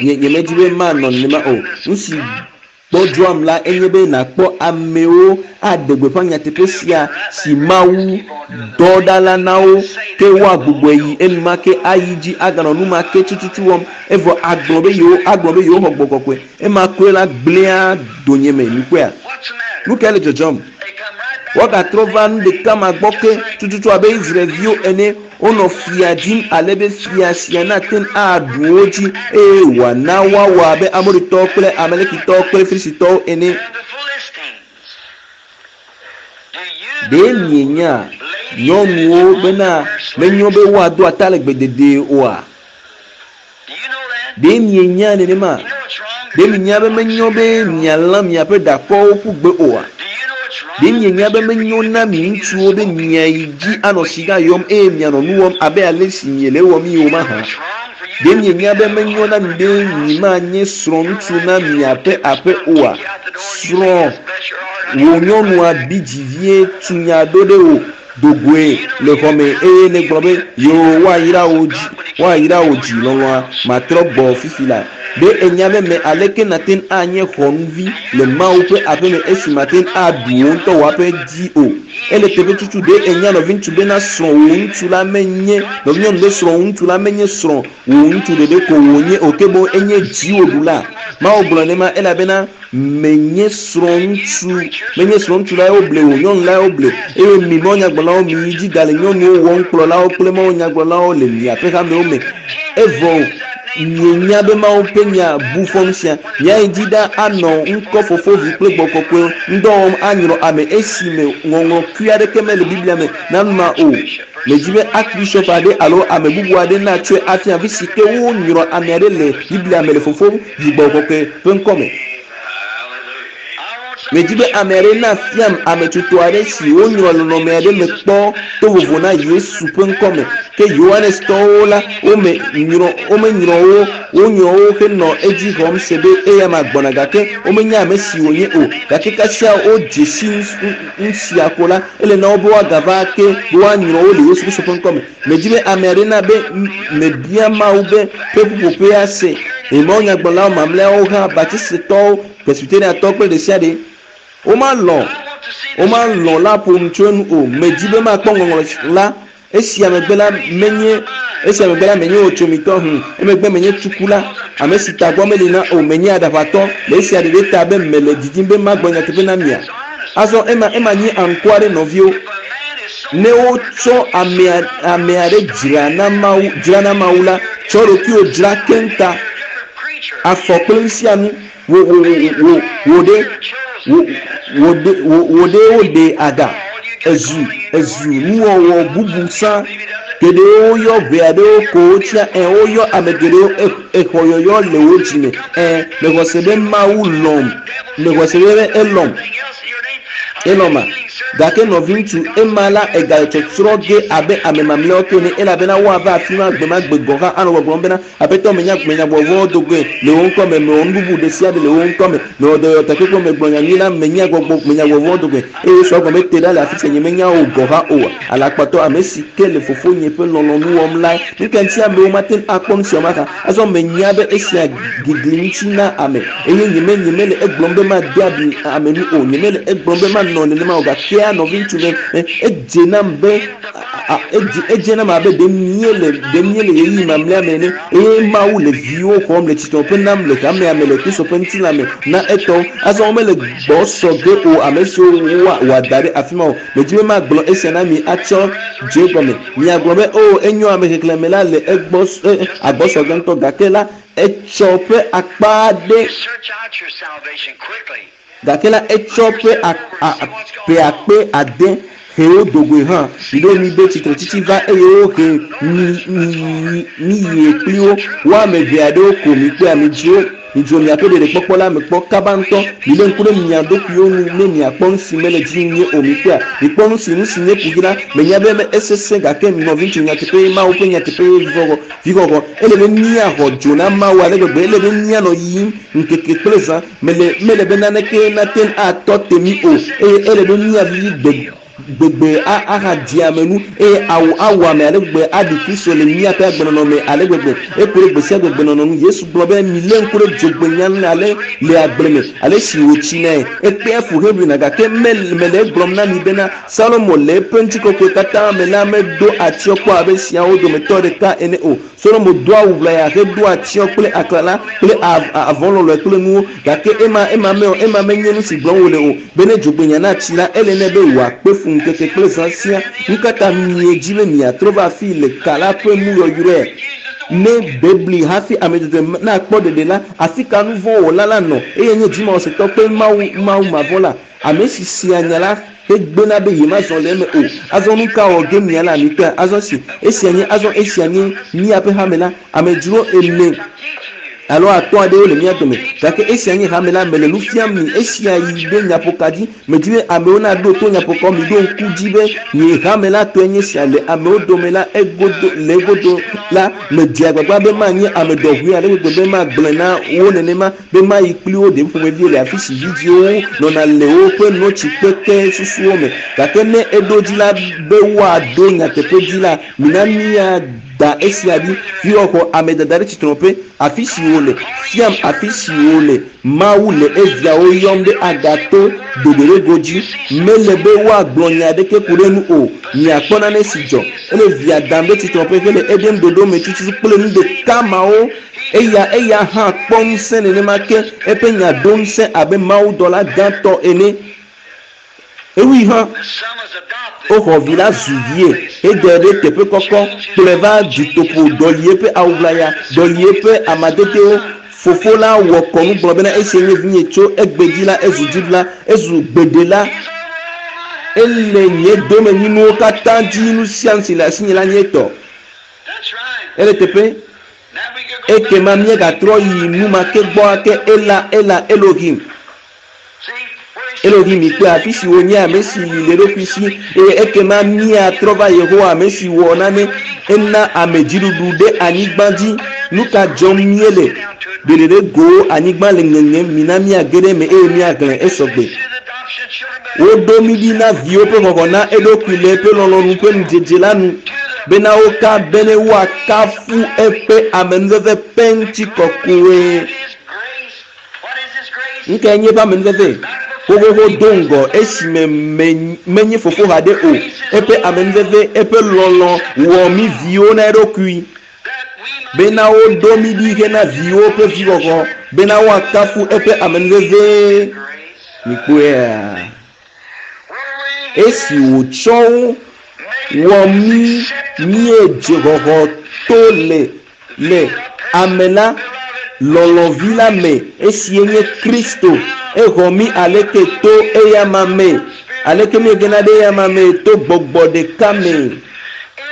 A: Nye, nyemedi be manɔ nenema o. Nu si gbɔdzɔam la enye be nàkpɔ amewo aɖe gbeƒã nyateƒe sia si Mawu dɔ ɖa la na wo, ke woagbugbɔe yi enumake ayi dzi aganɔ nu ma ke tututu wɔm, evɔ agblɔ be yewo agblɔ be yewoxɔ gbɔgbɔ kɔkɔe. Ema koe la gblẽa donyeme. Mikpɔea? Nu kae le dzɔdzɔm? Woagatrɔ va nu ɖeka ma gbɔ ke tututu abe Israel-viwo ene. Wonɔ fia dim ale be fia sia nate ŋu aɖu wo dzi eye wòana woawɔ abe Amoritɔwo kple Amalekitɔwo kple Filistitɔwo ene. Ɖe mienya nyɔnuwo bena menyo be woado atalegbe dedie oa? Ɖe mienya nenema? Ɖe mienya be menyo be mialã miaƒe ɖakɔwo ƒu gbe oa? Ɖe mienya be menyo na mi ŋutsuwo be miayi dzi anɔ siga yɔm eye mianɔ nu wɔm abe ale si miele ewɔmii o mahã? Ɖe mienya be menyo na mi be mimanye srɔ̃ŋutsu na miaƒe aƒe oa? Srɔ̃ wò nyɔnua bi dzi vie tu nya ɖo ɖe wò do goe le xɔ me eye nègblɔ be, Yoo, woayra wò dzi, woayra wò dzi lɔlɔ̃a, matrɔ gbɔ fifi la. Ɖe ènya be me aleke nàte ŋu anye xɔnuvi le Mawu ƒe aƒe me esi màte ŋu aɖu wò ŋutɔ wò aƒe dzi o? Ele teƒe tutu ɖe ènya nɔviŋutsu bena srɔ̃ wò ŋutsu la menye nɔvinyɔnu be srɔ̃ wò ŋutsu la menye srɔ̃ wò ŋutsu ɖeɖe ko wònye o ke boŋ enye dziwòɖula. Mawu gblɔ nenema elabena Menye srɔ̃ŋutsu, menye srɔ̃ŋutsu lae woble o, nyɔnu lae woble. Eye mi mawunyagblɔlawo, miyi dzi gale nyɔnuwo wɔm kplɔlawo kple mawunyagblɔlawo le miaƒe hamewo me. Evɔ mienya be Mawu ƒe nya bu fɔ nusia. Miayi dzi ɖa anɔ ŋkɔ Fofo, Vi kple Gbɔgbɔ Kɔkɔe ŋudɔ wɔm anyrɔ ame esime ŋɔŋlɔ kui aɖeke mele Biblia me na nu ma o. Medi be archbishop aɖe alo ame bubu aɖe natsɔe afia afi si ke wonyrɔ ame aɖe le Biblia me le Fofo, Vi, Gbɔgbɔ Kɔkɔe ƒe ŋkɔ me. Medi be ame aɖe nafiam ame tutu aɖe si wonyrɔ le nɔnɔme aɖe me kpɔ to vovo na Yesu ƒe ŋkɔ me. Ke Yohanes tɔwo la, wome nyrɔ, womenyrɔ wo, wonyrɔ wo henɔ edzi xɔm se be eyama gbɔna gake womenya ame si wònye o. Gake kasia wodze si nu sia ko la, ele na wo be woagava ake be woanyrɔ wo le Yesu Kristo ƒe ŋkɔ me. Medi be ame aɖe na be mebia Mawu be ƒe ƒuƒoƒea se. Eye mawunyagblɔlawo mamlɛawo hã, Baptistetɔwo, Presbyteriatɔwo kple ɖesiaɖe, womalɔ̃, womalɔ̃ la ƒo nu tso enu o. Medi be makpɔ ŋɔŋlɔ la Esia megbe la, menye, esia megbe la, menye wotsomitɔ, hũ, emegbe menye tsukula, ame si tagbɔ meli na o, menye aɖaʋatɔ, le esia ɖeɖe ta be mele didim be magblɔ nyateƒe na mia? Azɔ ema, ema nye aŋkɔa ɖe nɔviwo. Ne wotsɔ amea, ame aɖe dzra na Mawu, dzra na Mawu la, tsɔ ɖokuiwò dzra keŋta, afɔ kple nusianu, wò, wò, wò, wò, wò ɖe, wò, wò ɖe, wò, wò ɖe woɖe aga. Ezu, ezu nuwɔwɔ bubu sã. Geɖewo yɔ ʋɛ aɖewo ko wotsia, ẽ, woyɔ ame geɖewo, e, exɔ yɔyɔ le wò dzi me. Ẽ, mexɔ se be Mawu lɔ̃m. Mexɔ se be elɔ̃m. Elɔ̃ma? Gake nɔviŋutsu, ema la egale tsɔtsrɔ̃ ge abe ame mamlɛawo ke ene, elabena woava afima gbemagbe gɔ̃ hã anɔ gbɔgblɔm bena, Aƒetɔ, menya, menya gbɔgbɔ do goe le wò ŋkɔ me, mewɔ nu bubu ɖe sia ɖe le wò ŋkɔ me, mewɔ dɔyɔyɔ takpekpewo, megblɔ nya nyui la, menya gbɔgbɔ, menya gbɔgbɔ do goe. Eye Yesu agblɔ be, Te ɖa le afi sia, nyemenya wò gɔ̃ hã o, alakpatɔ, ame si ke le Fofonye ƒe lɔlɔ̃nu wɔm lae. Nu ka ŋuti amewo mate ŋu akpɔ nu sia mahã? Azɔ menya be esia gigli ŋuti na ame, eye nyeme, nyemele egblɔm be made abi ame nu o, nyemele egblɔm be manɔ nenema o, gakea, nɔviŋutsu, me, me, edze nam be, A, edze, edze nam abe ɖe míele, ɖe míele ɣeyiɣi mamlɛa me ene, eye Mawu le viwo xɔm le tsitrɔƒe nam le hamea me le Kristo ƒe ŋutilã me na etɔwo. Azɔ womele gbɔ sɔ ge o, ame siwo woa, wòada ɖe afi ma o. Medi be magblɔ esia na mi atsɔ dze egɔme. Miagblɔ be, Oo, enyo, ame xexlẽme la le egbɔ, e, agbɔ sɔ ge ŋutɔ, gake la, etsɔ ƒe akpa aɖe. Gake la etsɔ ƒe ƒe 600 he wo dogoe hã. Miɖo mi be tsitretsitsi va eye wohe mi mi yie kpli wo. Wo ame eve aɖewo ko mikpɔe midzro midzro miaƒe ɖeɖekpɔkpɔ la me kpɔ kaba ŋutɔ. Milé ŋku ɖe mia ɖokuiwo ŋu ne miakpɔ nu si mele dzi nyuie o. Mikpɔea? Mikpɔ nu si nu si nye kuxi la. Menya be esesẽ gake nɔviŋutsu nyateƒe Mawu ƒe nyateƒe vixɔxɔ vixɔxɔ. Ele be míaxɔ dzo na Mawu ale gbegbe. Ele be míanɔ yiyim ŋkeke kple zã. Mele mele be naneke nate ŋu atɔ te mí o eye ele be míavivi gbe gbegbe ahadzi ame nu eye awu awɔ ame ale gbegbe aɖi Kristo le míaƒe agbenɔnɔ me ale gbegbe. Eku ɖe gbe sia gbe gbenɔnɔ nu. Yesu gblɔ be milé ŋku ɖe dzogbenya ŋu ale le agble me ale si wòtsinae. Ekpea fu heʋlina gake mele mele egblɔm na mi bena Salomo le eƒe ŋutikɔkɔe katã me la medo atsyɔ̃ kpɔ abe siawo dometɔ ɖeka ene o. Solomo do awu ʋlaya hedo atsyɔ̃ kple aklala kple avɔ lɔlɔe kple nuwo. Gake ema ema me o, ema menye nu si gblɔm wòle o. Be ne dzogbenya natsi la, ele nɛ be wòakpe fu ŋkeke kple zã siaa. Nu ka ta miedzi be miatrɔ va afii le ka la ƒe nu yɔyrɔe? Ne bebli hafi ame dzɔdzɔe nakpɔ ɖeɖe la, afi ka nu vɔ̃ wɔla la nɔ? Eye nye dzimaxɔsetɔ kple Mawu Mawu mavɔ̃la, ame si sea nya la hegbena be yemazɔ le eme o. Azɔ nu ka wɔ ge miala mikpɔe? Azɔ si esia nye azɔ esia nye míaƒe hame la. Amedzro ene alo atɔ̃ aɖewo le mía dome gake esia nye hame la. Mele nu fiam mi esia yi ɖe nyaƒoka dzi. Medi be amewo naɖo to nyaƒoka. Miɖo ŋku dzi be nye hame la tɔe nye sia le amewo dome la egodo le egodo la medze agbagba be manye ame ɖɔʋui ale gbegbe be magblɔe na wo nenema be mayi kpli wo ɖevi ƒomeviwo le afi si vidziwo nɔna le woƒe notsi kpekpe susuwo me. Gake ne eɖo dzi la be woaɖo nyateƒe dzi la, mina míada esia ɖi. Viwɔxɔ ame dada ɖe tsitrɔƒe afi si wòle fiam afi si wòle Mawu le eviawo yɔm ɖe agato ɖoɖoɖego dzi. Mele be woagblɔ nya aɖeke ku ɖe enu o. Miakpɔ nane si dzɔ. Ele via dam ɖe tsitrɔƒe hele eɖem ɖoɖo me tututu kple nu ɖeka mawo. Eya eya hã kpɔ ŋusẽ nenema ke eƒe nya ɖo ŋusẽ abe mawudɔla gãtɔ ene. Ewui hã woxɔ vi la zu vie hede ɖe teƒe kɔkɔ kplɔe va dutoƒo ɖɔli eƒe awu ʋlaya, ɖɔli eƒe amadedewo. Fofo la wɔ kɔnu gblɔ bena esia nye vinye tso egbe dzi la ezu dziɖula, ezu gbeɖela. Ele nye domenyinuwo katã dzi nu sia nu si le asinye la nye etɔ. Ele teƒe ekema míagatrɔ yi nu ma ke gbɔ ake ela ela Elohim. Elohim mikpɔe afi si wònye ame si li le eɖokui si eye ekema míatrɔ va Yehowa ame si wɔ nane ena ame dziɖuɖu ɖe anyigba dzi. Nu ka dzɔm míele? Ɖeɖeɖe gowo anyigba le ŋeŋem mina míage ɖe eme eye míaxlẽ esɔgbe. Woɖo mí ɖi na viwo ƒe xɔxɔ na eɖokui le eƒe lɔlɔ̃nu ƒe nudzedze la nu bena woka bene woakafu eƒe amenuveve ƒe ŋutikɔkɔe. Nu kae nye eƒe amenuveve? Xoxoxo do ŋgɔ esime menye fofo haɖe o. Eƒe amenuveve, eƒe lɔlɔ̃ wɔ mí viwo na eɖokui bena woɖo mí ɖi hena viwo ƒe vixɔxɔ bena woakafu eƒe amenuveve. Mikpɔea? Esi wòtsɔ wo wɔ mí míedze xɔxɔ to le le ame la lɔlɔ̃vi la me esie nye Kristo. Exɔ mí aleke to eyama me? Aleke míegena ɖe eyama me? To gbɔgbɔ ɖeka me.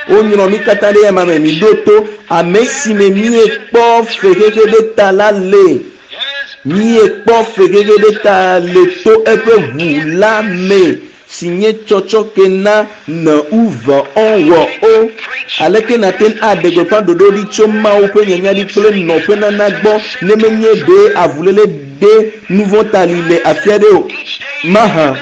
A: Wonyrɔ mí katã ɖe eyama me. Miɖo to ame si me míekpɔ fexexe ɖe ta la le. Míekpɔ fexexe ɖe ta le to eƒe ʋu la me si nye tsɔtsɔke na ne uve ɔ wɔ o. Aleke nàte ŋu aɖe gbeƒã ɖoɖo ɖi tso Mawu ƒe nyanya ɖi kple nɔƒenana gbɔ ne menye ɖe avuléle ɖe nuvɔ̃ ta li le afi aɖe o mahã?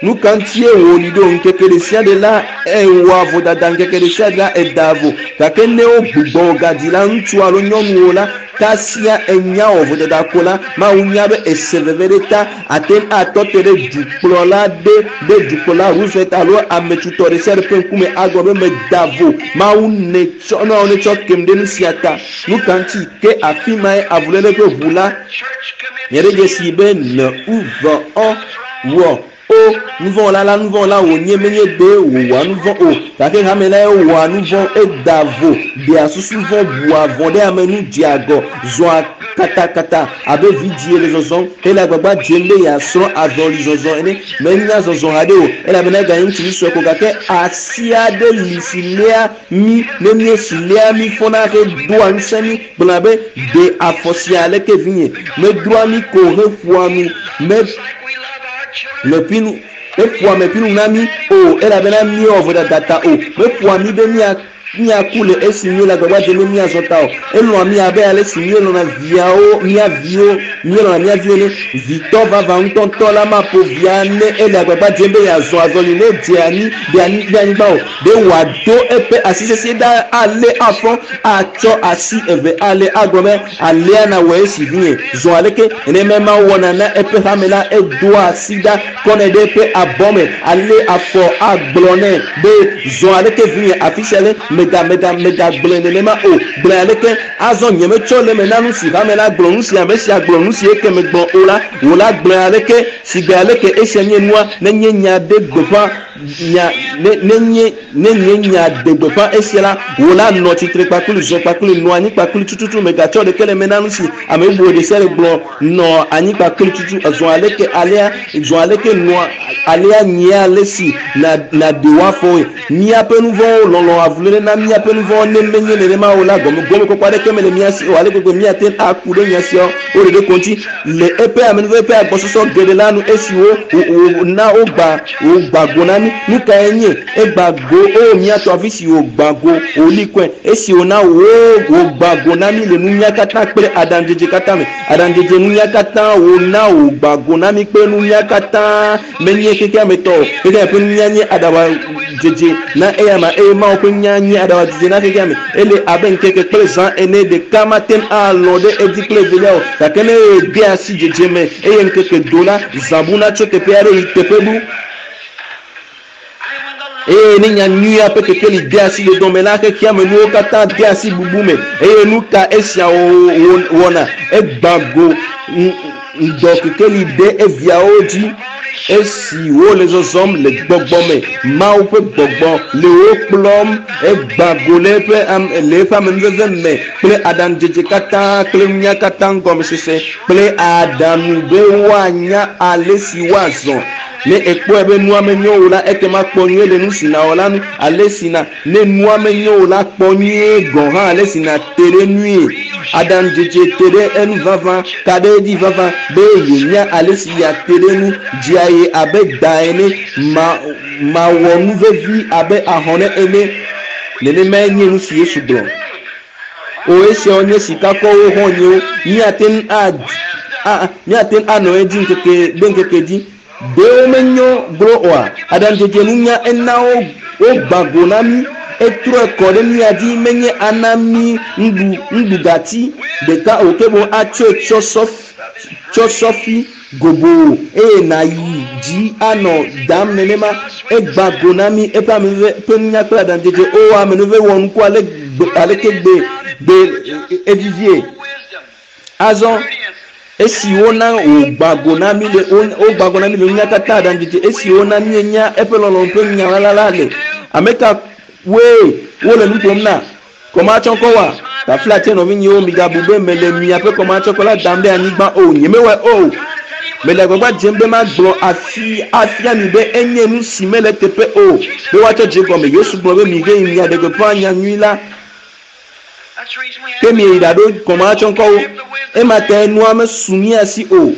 A: Nu ka ŋutie wòli ɖo? Ŋkeke ɖe sia ɖe la, èwɔa vodada, ŋkeke ɖe sia ɖe la, èdaa vo. Gake ne wogbugbɔ wò gadzi la, ŋutsu alo nyɔnuwo la, Kasia enya wɔ vodada ko la, Mawu nya be ese veve ɖe ta. Ate ŋu atɔ te ɖe dukplɔla ɖe, ɖe dukplɔla Roosevelt alo ame tutɔ ɖe sia ɖe ƒe ŋkume agblɔ be meda vo. Mawu netsɔ, Mawu netsɔ kem ɖe nu sia ta. Nu ka ŋuti? Ke afi mae avuléle ƒe ʋu la. Miaɖe dzesii be ne u ve ɔ wɔ o. nuvɔ̃wɔla la nuvɔ̃wɔla wònye menye be wòwɔa nuvɔ̃ o gake hame lae wɔa nuvɔ̃ eda vo ɖea susu vɔ̃ bua vɔ̃ ɖe ame nu dzea agɔ zɔa katakata abe vidzie le zɔzɔm hele agbagba dzem be yeasrɔ̃ azɔlizɔzɔ ene menya zɔzɔ haɖe o elabena eganye ŋutsuvi sue ko gake asi aɖe li si léa mí ne míesi léa mí fɔna hedoa ŋusẽ mí gblɔna be ɖe afɔ sia aleke vinye medroa mí ko heƒoa nu me meƒinu eƒoa meƒinu na mí o elabena míewɔ vodada ta o meƒoa mí be mía míaku le esi míele agbagba dzem be míazɔ ta o elɔ̃a mí abe ale si míelɔ̃na viawo mía viwo míelɔ̃na mía viwo ne vitɔ vavã ŋutɔŋutɔ la maƒo via ne ele agbagba dzem be yeazɔ azɔli ne dze anyi ɖe anyi ɖe anyigba o ɖe wòado eƒe asi sesĩe ɖa alé afɔ atsɔ asi eve alé agblɔ be alea na wɔ esi vinye zɔ aleke nenema Mawu wɔna na eƒe hame la edoa asi ɖa kɔnɛ ɖe eƒe abɔ me alé afɔ agblɔ nɛ be zɔ aleke vinye afi sia le mega mega mega gblɔe nenema o gblɔe aleke azɔ nye metsɔ le eme na nu si hame la gblɔ nu si ame sia gblɔ nu si eke megblɔ o la wò la gblɔe aleke sigbe aleke esia nye nua nenye nya ɖe gbeƒã nya ne nenye ne nye nya ɖe gbeƒã esia la wò la nɔ tsitre kpakple zɔ kpakple nɔ anyi kpakple tututu megatsɔ ɖeke le eme na nu si ame bubu ɖe sia ɖe gblɔ nɔ anyi kpakple tutu zɔ aleke alea zɔ aleke nɔa alea nyea ale si na naɖe wò afɔwoe míaƒe nuvɔ̃wo lɔlɔ avuléle na míaƒe nuvɔ̃wo ne menye nenema o la gɔme gɔmekpɔkpɔ aɖeke mele mía si o ale gbegbe míate ŋu aku ɖe nya siawo wo ɖeɖe ko ŋuti le eƒe amenuveve ƒe agbɔsɔsɔ geɖe la nu esi wo wo na wogba wògbã go na mí nu kae nye egbã go o míatɔ afi si wògbã go wòli kɔe esi wòna wo wògbã go na mí le nunya katã kple aɖaŋudzedze katã me aɖaŋudzedze nunya katã wòna wògbã go na mí kple nunya katã menye xexea me tɔ o xexea me ƒe nunya nye aɖaŋudzedze na eya ma eye Mawu ƒe nunya nye aɖaŋudzedze na xexea me ele abe ŋkeke kple zã ene ɖeka mate ŋu alɔ̃ ɖe edzi kple evelia o gake ne ede asi dzedze me eye ŋkeke do la zã buna tso teƒe aɖe yi teƒe bu eye ne nya nyuia ƒe kekeli de asi le dɔme la xexea me nuwo katã de asi bubu me eye nu ka esia wɔna egbã go ŋdɔ kekeli ɖe eviawo dzi esi wole zɔzɔm le gbɔgbɔ me Mawu ƒe gbɔgbɔ le wo kplɔm egbã go le eƒe le eƒe amenuveve me kple aɖaŋudzedze katã kple nunya katã gɔmesese kple aɖaŋu be woanya ale si woazɔ ne ekpɔe be nua menyo o la ekema kpɔ nyuie le nu si nawɔ la nu ale si na ne nua menyo o la kpɔ nyuie gɔ̃ hã ale si nate ɖe nue aɖaŋudzedze te ɖe enu vavã ka ɖe edzi vavã be yenya ale si yeate ɖe nu dzia ye abe da ene ma mawɔ nu vevi abe ahɔne ene nenemae nye nu si Yesu gblɔ o esiawo nye sikakɔwo xɔ̃nyewo míate ŋu a míate ŋu anɔ edzi ŋkeke ɖe ŋkeke dzi ɖewo menyo glo oa aɖaŋudzedze nunya ena wo wogbã go na mí etrɔe kɔ ɖe mía dzi menye ana mí ŋuɖu ŋuɖugati ɖeka o ke boŋ atsɔe tsɔ tsɔ sɔfi gobo eye nayi dzi anɔ dam nenema egbã go na mí eƒe amenuveve ƒe nunya kple aɖaŋudzedze o amenuveve wɔ nuku ale aleke gbe gbe evivie azɔ esi wona wògbã go na mí le wogbã go na mí le nunya katã aɖaŋudzedze esi wona míenya eƒe lɔlɔ̃nu ƒe nya la la le ame ka woe wole nu ƒom na kɔmatsɔkɔ wa taflatse nɔvinyewo migabu be mele miaƒe kɔmatsɔkɔ la dam ɖe anyigba o nyemewɔe o mele agbagba dzem be magblɔ afi afia mi be enye nu si mele teƒe o be woatsɔ dze gɔme Yesu gblɔ be mi ge yi miaɖe gbeƒã nya nyui la ke mieyi ɖaɖo kɔmatsɔkɔwo ema ta nua mesu mía si o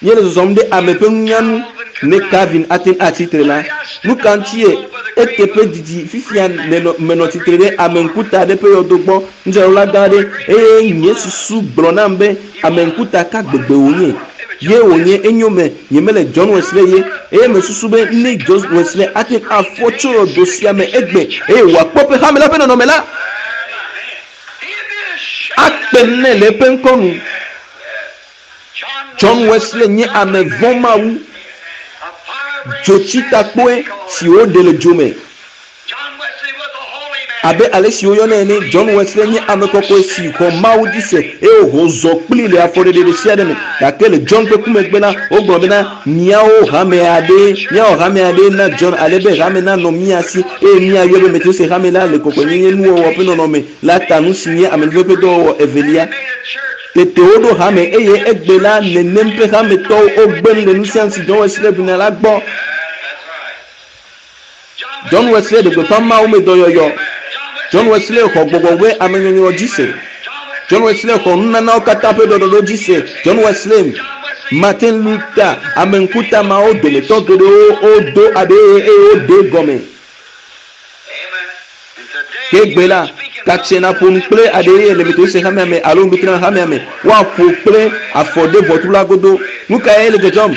A: míele zɔzɔm ɖe ame ƒe nunya nu ne Calvin ate ŋu atsitre la nu ka ŋutie eteƒe didi fifia menɔ tsitre ɖe ame ŋkuta aɖe ƒe yɔdo gbɔ nudzrala gã aɖe eye nye susu gblɔ nam be ame ŋkuta ka gbegbe wònye ye wònye enyo me nyemele John Wesley ye eye mesusu be ne John Wesley ate ŋu afɔ tso yɔdo sia me egbe eye wòakpɔ ƒe hame la ƒe nɔnɔme la akpe nɛ le eƒe ŋkɔ nu John Wesley nye ame vɔ̃ Mawu dzotsitakpoe si woɖe le dzo me. Abe ale si woyɔnɛ ene, John Wesley nye ame kɔkɔe si xɔ Mawu dzi se eye wòzɔ kplii le afɔɖeɖe ɖe sia ɖe me. Gake le John ƒe ku megbe la, wogblɔ bena, Míawo hame aɖee, míawɔ hame aɖee na John ale be hame nanɔ mía si eye míayɔe be Methodist hame la le kɔkɔenyenye nuwɔwɔ ƒe nɔnɔme la ta, nu si nye amenuveve ƒe dɔwɔwɔ evelia. Tete woɖo hame eye egbe la nenem ƒe hametɔwo wogbe nu le nu sia nu si John Wesley ʋlina la gbɔ. John Wesley ɖe gbeƒã Mawu me dɔyɔyɔ. John Wesley xɔ gbɔgbɔ ƒe amenyɔnyrɔ dzi se. John Wesley xɔ nunanawo katã ƒe ɖɔɖɔɖo dzi se. John Wesley, Martin Luther, ame ŋkuta mawo dometɔ geɖewo wodo aɖee eye woɖe egɔme. Ke egbe la, katse naƒo nu kple aɖee le Methodist hamea me alo Lutheran hamea me, woaƒo kple afɔ ɖe ʋɔtru la godo. Nu kae le dzɔdzɔm?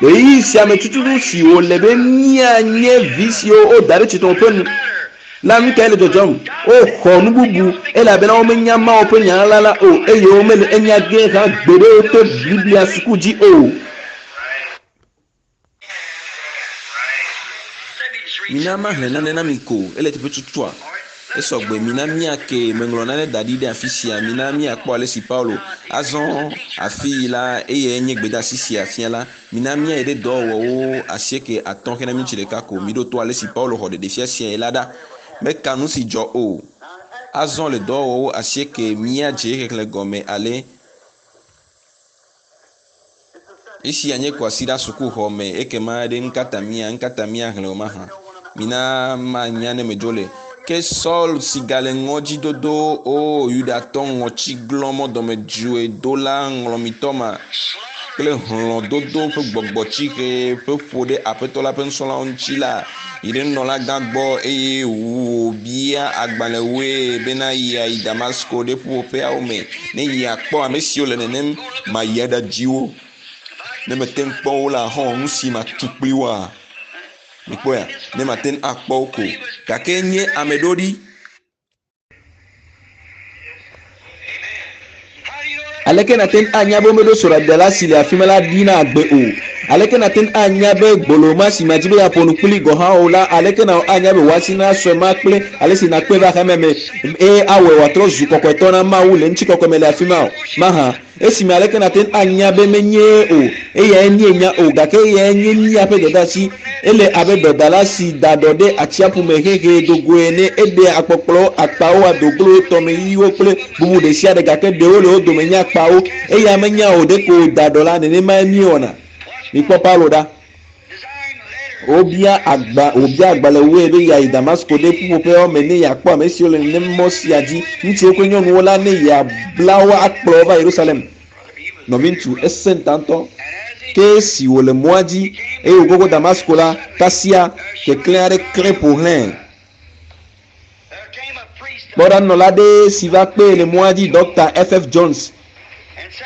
A: Ɣeyiɣi sia me tututu si wòle be míanye vi siwo woda ɖe tsitre ƒe nu la, nu kae le dzɔdzɔm? Woxɔ nu bubu elabena womenya Mawu ƒe Nya la la o eye womele enya ge hã gbeɖe to Biblia suku dzi o.
B: Mina maxlẽ nane na mi ko. Ele teƒe tutua? Esɔ gbe. Mina míake. Meŋlɔ nane da ɖi ɖe afi sia. Mina míakpɔ ale si Paulo azɔ afii la, eyae nye gbedeasi sia fia la. Mina míayi ɖe dɔwɔwɔwo 85 hena miniti ɖeka ko. Miɖo to ale si Paulo xɔ ɖeɖefia siae la ɖa. Meka nu si dzɔ o. Azɔ le dɔwɔwɔwo 8 míadze xexlẽ gɔme ale. Esia nye kwasiɖa sukuxɔ me ekema ɖe ŋkata mía ŋkata mía xlẽ o mahã. Mina manya ne medzo le. Ke Saul si gale ŋɔdzidodo o Yudatɔ ŋɔtsiglɔmɔ dɔmedzoedola ŋlɔmitɔ ma kple hlɔ̃dodo ƒe gbɔgbɔtsixe ƒe ƒo ɖe Aƒetɔ la ƒe nusrɔ̃lawo ŋuti la, yi ɖe nunɔlagã gbɔ eye wòbia agbalẽwoe bena yeayi Damasko ɖe ƒuƒoƒeawo me ne yeakpɔ ame siwo le nenem mayi aɖadzi wo. Ne mete ŋu kpɔ wo la, xɔ nu si matu kpli woa? Mikpɔea? Ne mate ŋu akpɔ wo ko. Gake nye ame ɖoɖi.
A: Aleke nàte ŋu anya be womeɖo srɔ̃ɖela si le afi ma la ɖi na agbe o? Aleke nàte ŋu anya be gbolo ma si màdi be yeaƒo nu kplii gɔ̃ hã o la, aleke nàwɔ anya be wò asi nasɔe ma kple ale si nàkpɔe va xexea me eye awɔe wòatrɔ zu kɔkɔetɔ na Mawu le ŋutikɔkɔe me le afi ma o mahã? Esime aleke nàte ŋu anya be menyee o? Eyae míenya o, gake eyae nye míaƒe dɔdeasi. Ele abe dɔdala si da ɖɔ ɖe atsiaƒu me hehee do goe ene. Eɖea akpɔkplɔwo, akpawo, adoglowo, tɔmeyiyiwo kple bubu ɖesiaɖe, gake ɖewo le wo dome nye akpawo. Eya menya o, ɖeko wòda ɖɔ la. Nenemae míewɔna. Mikpɔ Paulo ɖa. Wobia agba, wòbia agbalẽwoe be yeayi Damasko ɖe ƒuƒoƒeawo me ne yeakpɔ ame siwo le nenem mɔ sia dzi, ŋutsuwo kple nyɔnuwo la, ne yeabla wo akplɔ wo va Yerusalem. Nɔviŋutsu, esẽ ta ŋutɔ. Ke esi wòle mɔa dzi eye wògogo Damasko la, kasia keklẽ aɖe klẽ ƒo xlãe. Kpɔ ɖa, nunɔla aɖe si va kpee le mɔa dzi, Ɖɔkta FF. Jones,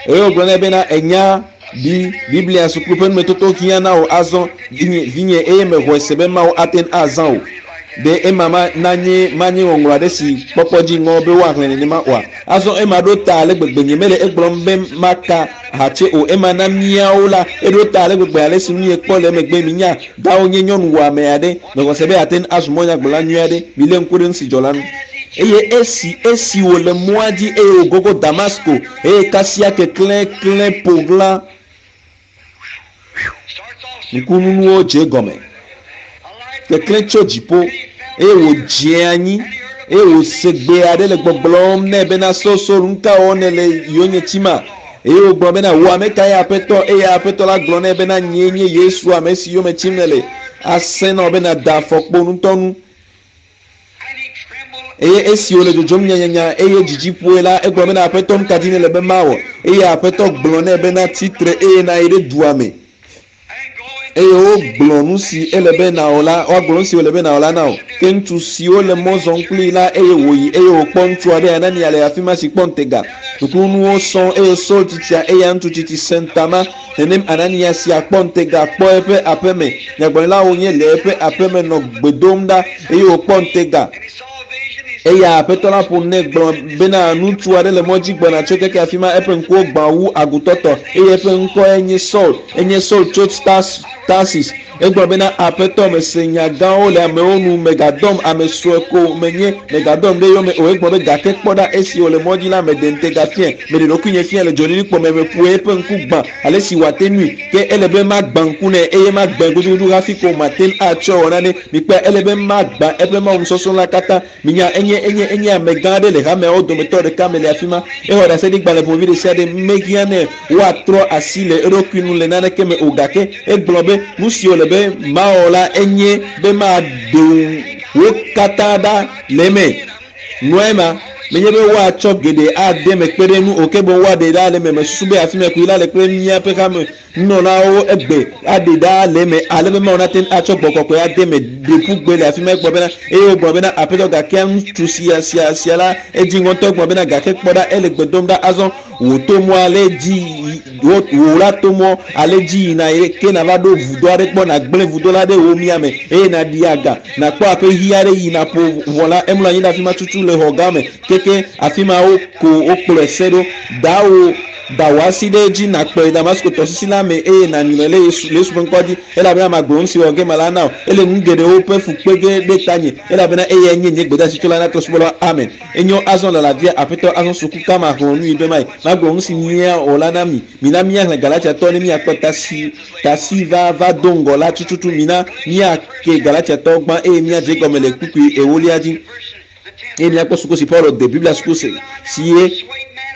A: eye wògblɔ nɛ bena, Ènya, bi, Biblia suku ƒe numetoto hiã na wò azɔ, vinye, vinye, eye mexɔe se be Mawu ate ŋu azã wò. Ɖe ema ma, nanye, manye ŋɔŋlɔ aɖe si kpɔkpɔ dzi ŋɔ be woaxlẽ nenema oa? Azɔ ema ɖo ta ale gbegbe, nyemele egblɔm be maka hatse o, ema na míawo la, eɖo ta ale gbegbe alesi míekpɔ le emegbe, minya, Dawo nye nyɔnu wɔame aɖe. Mexɔ se be yeate ŋu azu mɔnyagblɔla nyui aɖe. Milé ŋku ɖe nu si dzɔ la ŋu. Eye esi, esi wòle mɔa dzi eye wògogo Damasko, eye kasia keklẽ klẽ ƒo ɣla, ŋkununuwo dze egɔme. Keklẽ tso dziƒo, eye wòdze anyi, eye wòse gbe aɖe le gbɔgblɔm nɛ bena, Saul, Saul, nuka wɔm nèle yonye tima? Eye wògblɔ bena, Wò ame kae, Aƒetɔ? Eye Aƒetɔ la gblɔ nɛ bena, Nyee nye Yesu, ame si yome tim nèle. Asẽ na wò be nàda afɔkpo ŋutɔnu. Eye esi wòle dzodzom nyanyanya, eye dzidzi ƒoe la, egblɔ bena, Aƒetɔ, nu ka dim nèle be mawɔ? Eye Aƒetɔ gblɔ nɛ bena, Tsi tre eye nàyi ɖe dua me. Eye wogblɔ nu si ele be nàwɔ la, woagblɔ nu si wòle be nàwɔ la na wò. Ke ŋutsu siwo le mɔ zɔm kplii la, eye wòyi, eye wòkpɔ ŋutsu aɖe, Anania, le afi ma si kpɔ ŋutega. Ŋkunuwo sɔŋ, eye Saul tsitsia, eya ŋutsu tsitsi sẽ ta ma. Nenem Anania sia kpɔ ŋutega, kpɔ eƒe aƒe me. Nyagblɔɖila wònye le eƒe aƒe me nɔ gbe dom ɖa, eye wòkpɔ ŋutega. Eya aƒetɔ la ƒo nu nɛ gblɔ bena ŋutsu aɖe le mɔ dzi gbɔna tso keke afi ma eƒe ŋkuwo gbã wu agutɔtɔ eye eƒe ŋkɔe nye Saul enye Saul tso Tarsis. Egblɔ bena aƒetɔ mese nya gãwo le amewo nu megadɔm ame sue ko menye megadɔm ɖe yome o. Egblɔ be gake kpɔ ɖa esi wòle mɔ dzi la meɖe ŋutega fiae meɖe ɖokuinye fiae le dzolilikpɔ me meƒo eƒe ŋku gbã ale si wòate nui ke ele be magbã ŋku nɛ eye magbãe gudugudu hafi ko mate ŋu atsɔe wɔ nane. Mikpɔe ele be magbã eƒe mawu nusɔsrɔ̃ la katã. Minya enye enye enye amegã aɖe le hameawo dometɔ ɖeka me le afi ma. Exɔ ɖaseɖigbalẽ ƒomevi ɖe sia ɖe mehiã nɛ woatrɔ asi le eɖokui nu le naneke me o gake egblɔ be nu si wòle be mawɔ la enye be maɖe wo katã ɖa le eme. Nua ema menye be woatsɔ geɖe ade me kpe ɖe nu o ke boŋ woaɖe ɖa le eme. Mesusu be afi ma koe la le kple míaƒe hame nunɔlawo egbe aɖe ɖa le eme ale be Mawu nate ŋu atsɔ gbɔgbɔ kɔkɔe ade eme ɖe ƒu gbe le afi ma egblɔ bena eye wogblɔ bena aƒetɔ gake ŋutsu sia sia sia la edzi ŋutɔ gblɔ bena gake kpɔ ɖa ele gbe dom ɖa azɔ wò to mɔ ale dzi wò la to mɔ ale dzi yina ke nava ɖo vudo aɖe gbɔ nàgblẽ vudo la ɖe wò miame eye nàɖi aga nàkpɔ aƒe ɣi aɖe yi nàƒo ʋɔ la emlɔ anyi ɖe afi ma tutu le xɔ gã me keke afi ma woko wokplɔe se ɖo dawo da wò asi ɖe edzi nàkplɔe Damasko tɔsisi la me eye nànyrɔe le Yesu le Yesu ƒe ŋkɔ dzi elabena magblɔ nu si wɔ ge mala na wò ele nu geɖewo ƒe fu kpe ge ɖe tanye elabena eyae nye nye gbedeasi tso la na trɔ̃subɔlawo amen. Enyo azɔ le lavia aƒetɔ azɔ suku ka maxlẽ nu yi be mayi magblɔ nu si míawɔ la na mi mina míaxlẽ Galatiatɔwo ne míakpɔ tasi tasi va va do ŋgɔ la tututu mina míake Galatiatɔwo gbã eye míadze egɔme le kpukpui ewolia dzi eye míakpɔ suku si Paulo de Biblia suku si ye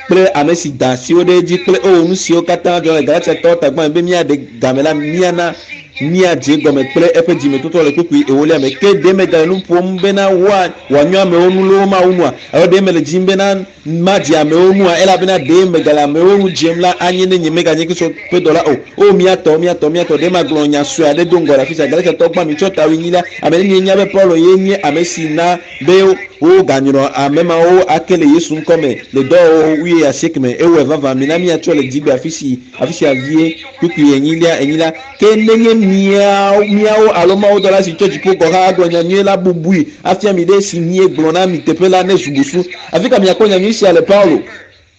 A: kple ame si da asiwo ɖe edzi kple o nu siwo katã dzɔ le Galatiatɔwo tagbã be míaɖe game la míana míadze gɔme kple eƒe dzimetɔtrɔ le kpukpui ewolia me. Ke ɖe megale nu ƒom bena wòanyo amewo nu loo Mawu nua alo ɖe mele dzim bena madze amewo nua elabena ɖe megale amewo nu dzem la anye ne nye meganye Kristo ƒe dɔla o. O míatɔ míatɔ míatɔ ɖe magblɔ nya sue aɖe do ŋgɔ le afi sia. Galatiatɔwo gbã mitsɔ ta wuenyi la ame ɖe mienya be Paulo ye nye ame si na be woganyrɔ ame mawo ake le Yesu ŋkɔ me le dɔwɔwɔ wuie asieke me. Ewɔe vavã mina míatsɔ le dzigbe afi si afi sia vie kpukpui enyilia enyilia ke nenye míawo alo mawudɔla si tso dziƒo gɔ̃ hã agblɔ nyanyui la bubui afia mi ɖe si míegblɔ na mi teƒe la ne zu busu. Afi ka miakpɔ nyanyui sia le Paulo?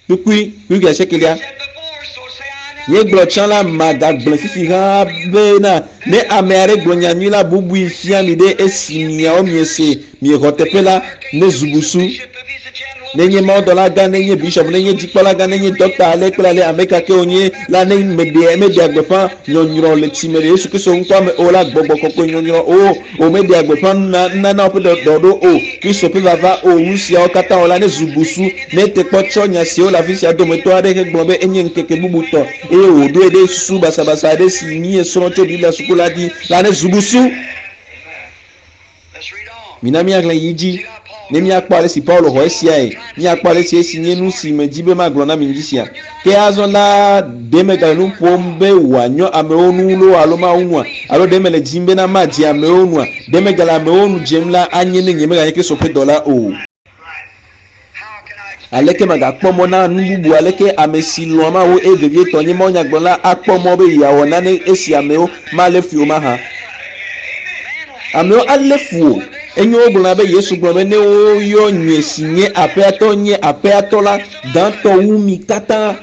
A: Kpukpui kpukpui asiekelia. Míegblɔ tsã la magagblẽ fifi hã bena ne ame aɖe gblɔ nyanyui la bubui fia mi ɖe esi miawo miese miexɔ teƒe la ne zu busu. Nenye mawudɔla gã, nenye bishop, nenye dzikpɔla gã, nenye dɔkta ale kple ale ame ka ke wònye la ne meɖe meɖea gbeƒã nyɔnyrɔ le tsi me le Yesu Kristo ŋkɔa me o la gbɔgbɔ kɔkɔe nyɔnyrɔ o o meɖea gbeƒã nunana woƒe ɖɔɖɔ o Kristo ƒe vava o nu siawo katã o la ne zu busu ne te kpɔ tsɔ nya siwo le afi sia dometɔ aɖe hegblɔ be enye ŋkeke bubutɔ eye wòɖoe ɖe susu basabasa aɖe si míesrɔ̃ tso Biblia suku la dzi la ne zu busu. Mina míaxlẽ yi dzi ne míakpɔ ale si Paulo xɔ esiae míakpɔ ale si esi nye nu si medzi be magblɔ na mi ŋdi sia. Ke azɔ la ɖe megale nu ƒom be wòanyɔ amewo nu loo alo Mawu nua alo ɖe mele dzim bena madze amewo nua ɖe megale amewo nu dzem la anye ne nye meganye Kristo ƒe dɔla o. Aleke magakpɔ mɔ na nu bubu aleke ame si lɔ̃a Mawu eye vevietɔ nye mawunyagblɔla akpɔ mɔ be yeawɔ nane esi amewo malé fui o mahã. Amewo alé fu o. Enye wogblɔna be Yesu gblɔ be ne woyɔ nye si nye aƒeatɔ nye aƒeatɔ la gãtɔ wu mi katã.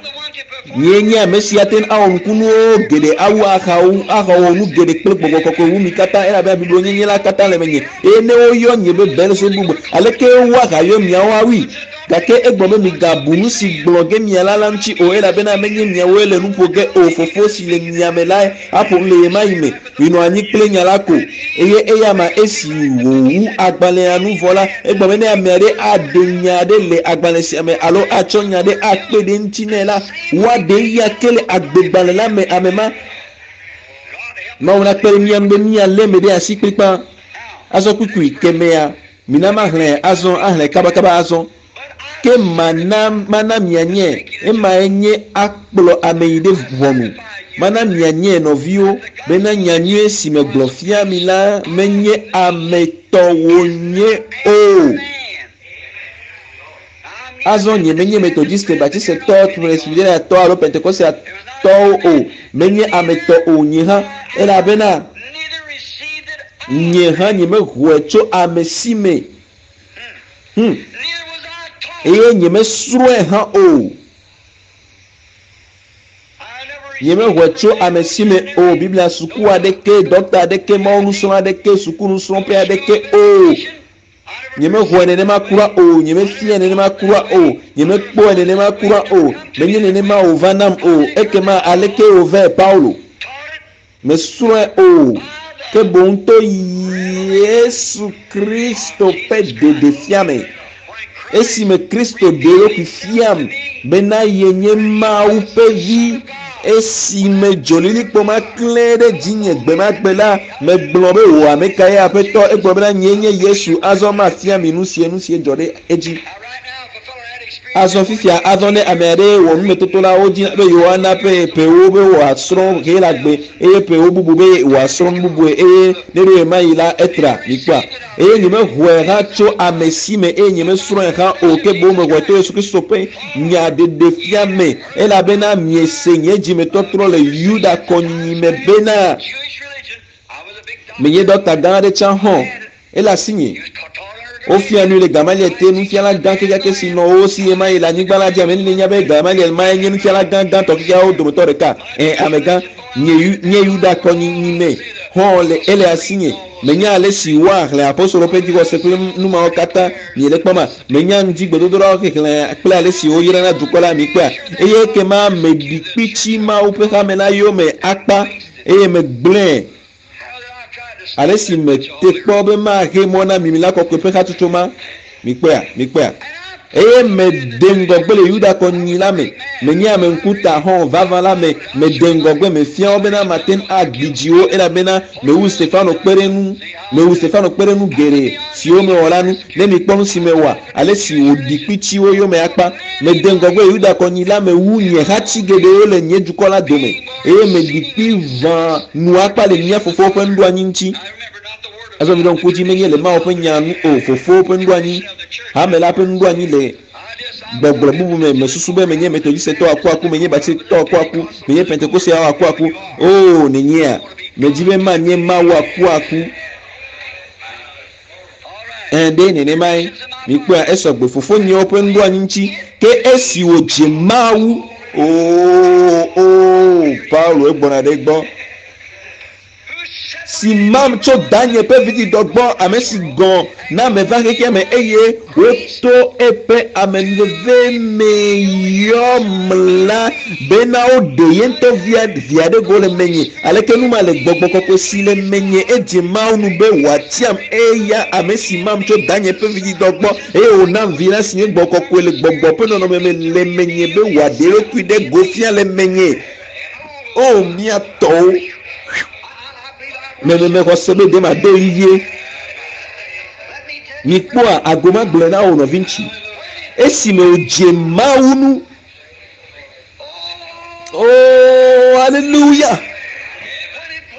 A: Nye nye ame si ate ŋu awɔ nukunuwo geɖe awu ahawo ahawɔ nu geɖe kple gbɔgbɔ kɔkɔe wu mi katã elabena blibo la katã le menye. Eye ne woyɔ nye be Belzebub aleke woahayɔ miawo awui? Gake egblɔ be migabu nu si gblɔ ge miala la ŋuti o elabena menye miawoe le nu ƒo ge o fofo si le mia me lae aƒo nu le ɣe ma ɣi me. Minɔ anyi kple nya la ko eye eya ma esi wòwu agbalẽa nu vɔ la egblɔ be ne ame aɖe aɖe nya aɖe le agbalẽ sia me alo atsɔ nya aɖe akpe ɖe ŋuti nɛ la woaɖe eya ke le agbegbalẽ la me ame ma. Mawu nakpe ɖe mía ŋu be míalé eme ɖe asi kplikpaa. Azɔ kpukpui kemɛa mina maxlẽ azɔ axlẽ kabakaba azɔ. Ke mana mana mianye emae nye akplɔ ame yi ɖe ʋɔnu. Mana mianye nɔviwo bena nyanyui si megblɔ fia mi la menye ame tɔ wònye o. Azɔ nye menye Methodiste, Baptistetɔ, Presbyteriatɔ alo Pentecostetɔwo o. Menye ame tɔ o nye hã elabena nye hã nyemexɔe tso ame si me. Eye nyemesrɔ̃e hã o. Nyemexɔe tso ame si me o. Biblia suku aɖeke, dɔkta aɖeke, Mawu nusrɔ̃la aɖeke, sukunusrɔ̃ƒe aɖeke o. Nyemexɔe nenema kura o. Nyemefiae nenema kura o. Nyemekpɔe nenema kura o. Menye nenema wòva nam o. Ekema aleke wòvae, Paulo? Mesrɔ̃e o, ke boŋ to Yesu Kristo ƒe ɖeɖefia me. Esime Kristo ɖe eɖokui fiam bena yenye Mawu ƒe Vi, esime dzolilikpo ma klẽ ɖe dzinye gbemagbe la, megblɔ be, Wò ame kae, Aƒetɔ? Egblɔ bena, Nyee nye Yesu, azɔ mafia mi nusie nusie dzɔ ɖe edzi. Azɔ fifia, azɔ ne ame aɖe wɔ numetoto la, wodina be yewoana ƒe ƒewo be wòasrɔ̃ Helagbe eye ƒewo bubu be wòasrɔ̃ nu bubue eye ne ɖo ɣemaɣi la, etra. Mikpɔa? Eye nyemexɔe hã tso ame si me eye nyemesrɔ̃e hã o, ke boŋ mexɔe to Yesu Kristo ƒe nya ɖeɖefia me, elabena miese nye dzimetɔtrɔ le Yuda kɔnyinyi me bena, menye ɖɔkta gã aɖe tsã hɔ̃. Ele asinye. Wofia nui le Gamaliel te, nufiala gã kekeake si nɔ wo si ɣemaɣi le anyigba la dzi. Ame nenie nya be Gamaliel mae nye nufiala gã gãtɔ kekeawo dometɔ ɖeka? Ẽ, amegã. Nye, nye Yuda kɔnyinyi me hɔ̃ le, ele asinye. Menya alesi woaxlẽ apostolo ƒe dzixɔse kple nu mawo katã. Miele kpɔma? Menya ŋdi gbedodoɖawo xexlẽ kple alesi woyrana dukɔ la. Mikpɔea? Eye ekema meɖi kpitsi Mawu ƒe hame la yome akpa, eye megblẽe. Ale si mete kpɔ be maxe mɔ na mimi la kɔkɔe ƒe hatsotso ma. Mikpɔea? Mikpɔea? Eye mede ŋgɔgbe le Yuda kɔnyinyi la me. Menye ame ŋkuta hɔ̃ vavã la me. Mede ŋgɔgbe, mefia wo bena mate ŋu agbi dzi wo, elabena mewu Stefano kpe ɖe nu, mewu Stefano kpe ɖe nu geɖe siwo mewɔ la nu. Ne mikpɔ nu si mewɔa, ale si wòɖi kpitsi wo yome akpa. Mede ŋgɔgbe le Yuda kɔnyinyi la me wu nye hati geɖewo le nye dukɔ la dome. Eye meɖi kpi ʋã nu akpa le mía fofowo ƒe nuɖoanyi ŋuti. Azɔ miɖo ŋku edzi, menye le Mawu ƒe nya nu o, fofowo ƒe nuɖoanyi, hame la ƒe nuɖoanyi le gbɔgblɔ bubu me. Mesusu be menye Metodistetɔ akuaku, menye Baptistetɔ akuaku, menye Pentekosteawo akuaku. Oo, nenyea? Medi be manye Mawu akuaku. Ẽ, ɖe nenemae. Mikpɔea, esɔ gbe fofonyewo ƒe nuɖoanyi ŋuti. Ke esi wòdze Mawu, oo, oo, Paulo egbɔna ɖe egbɔ, si mam tso danye ƒe vidzidɔ gbɔ, ame si gɔ̃ na meva xexea me, eye woto eƒe amenuveve me yɔm la, bena woɖe ye ŋutɔ via, via ɖe go le menye. Aleke nu ma le Gbɔgbɔ Kɔkɔe si le menye? Edze Mawu nu be wòatiam, eya ame si mam tso danye ƒe vidzidɔ gbɔ, eye wònam Vi la si nye Gbɔgbɔ Kɔkɔe le Gbɔgbɔ ƒe nɔnɔme me le menye be wòaɖe eɖokui ɖe go fia le menye. O, mía tɔwo! Me, me, mexɔ se be ɖe mado ɣli vie. Mikpɔa, ago magblɔe na wò nɔviŋutsu. Esime wòdze Mawu nu. Oh, aleluya!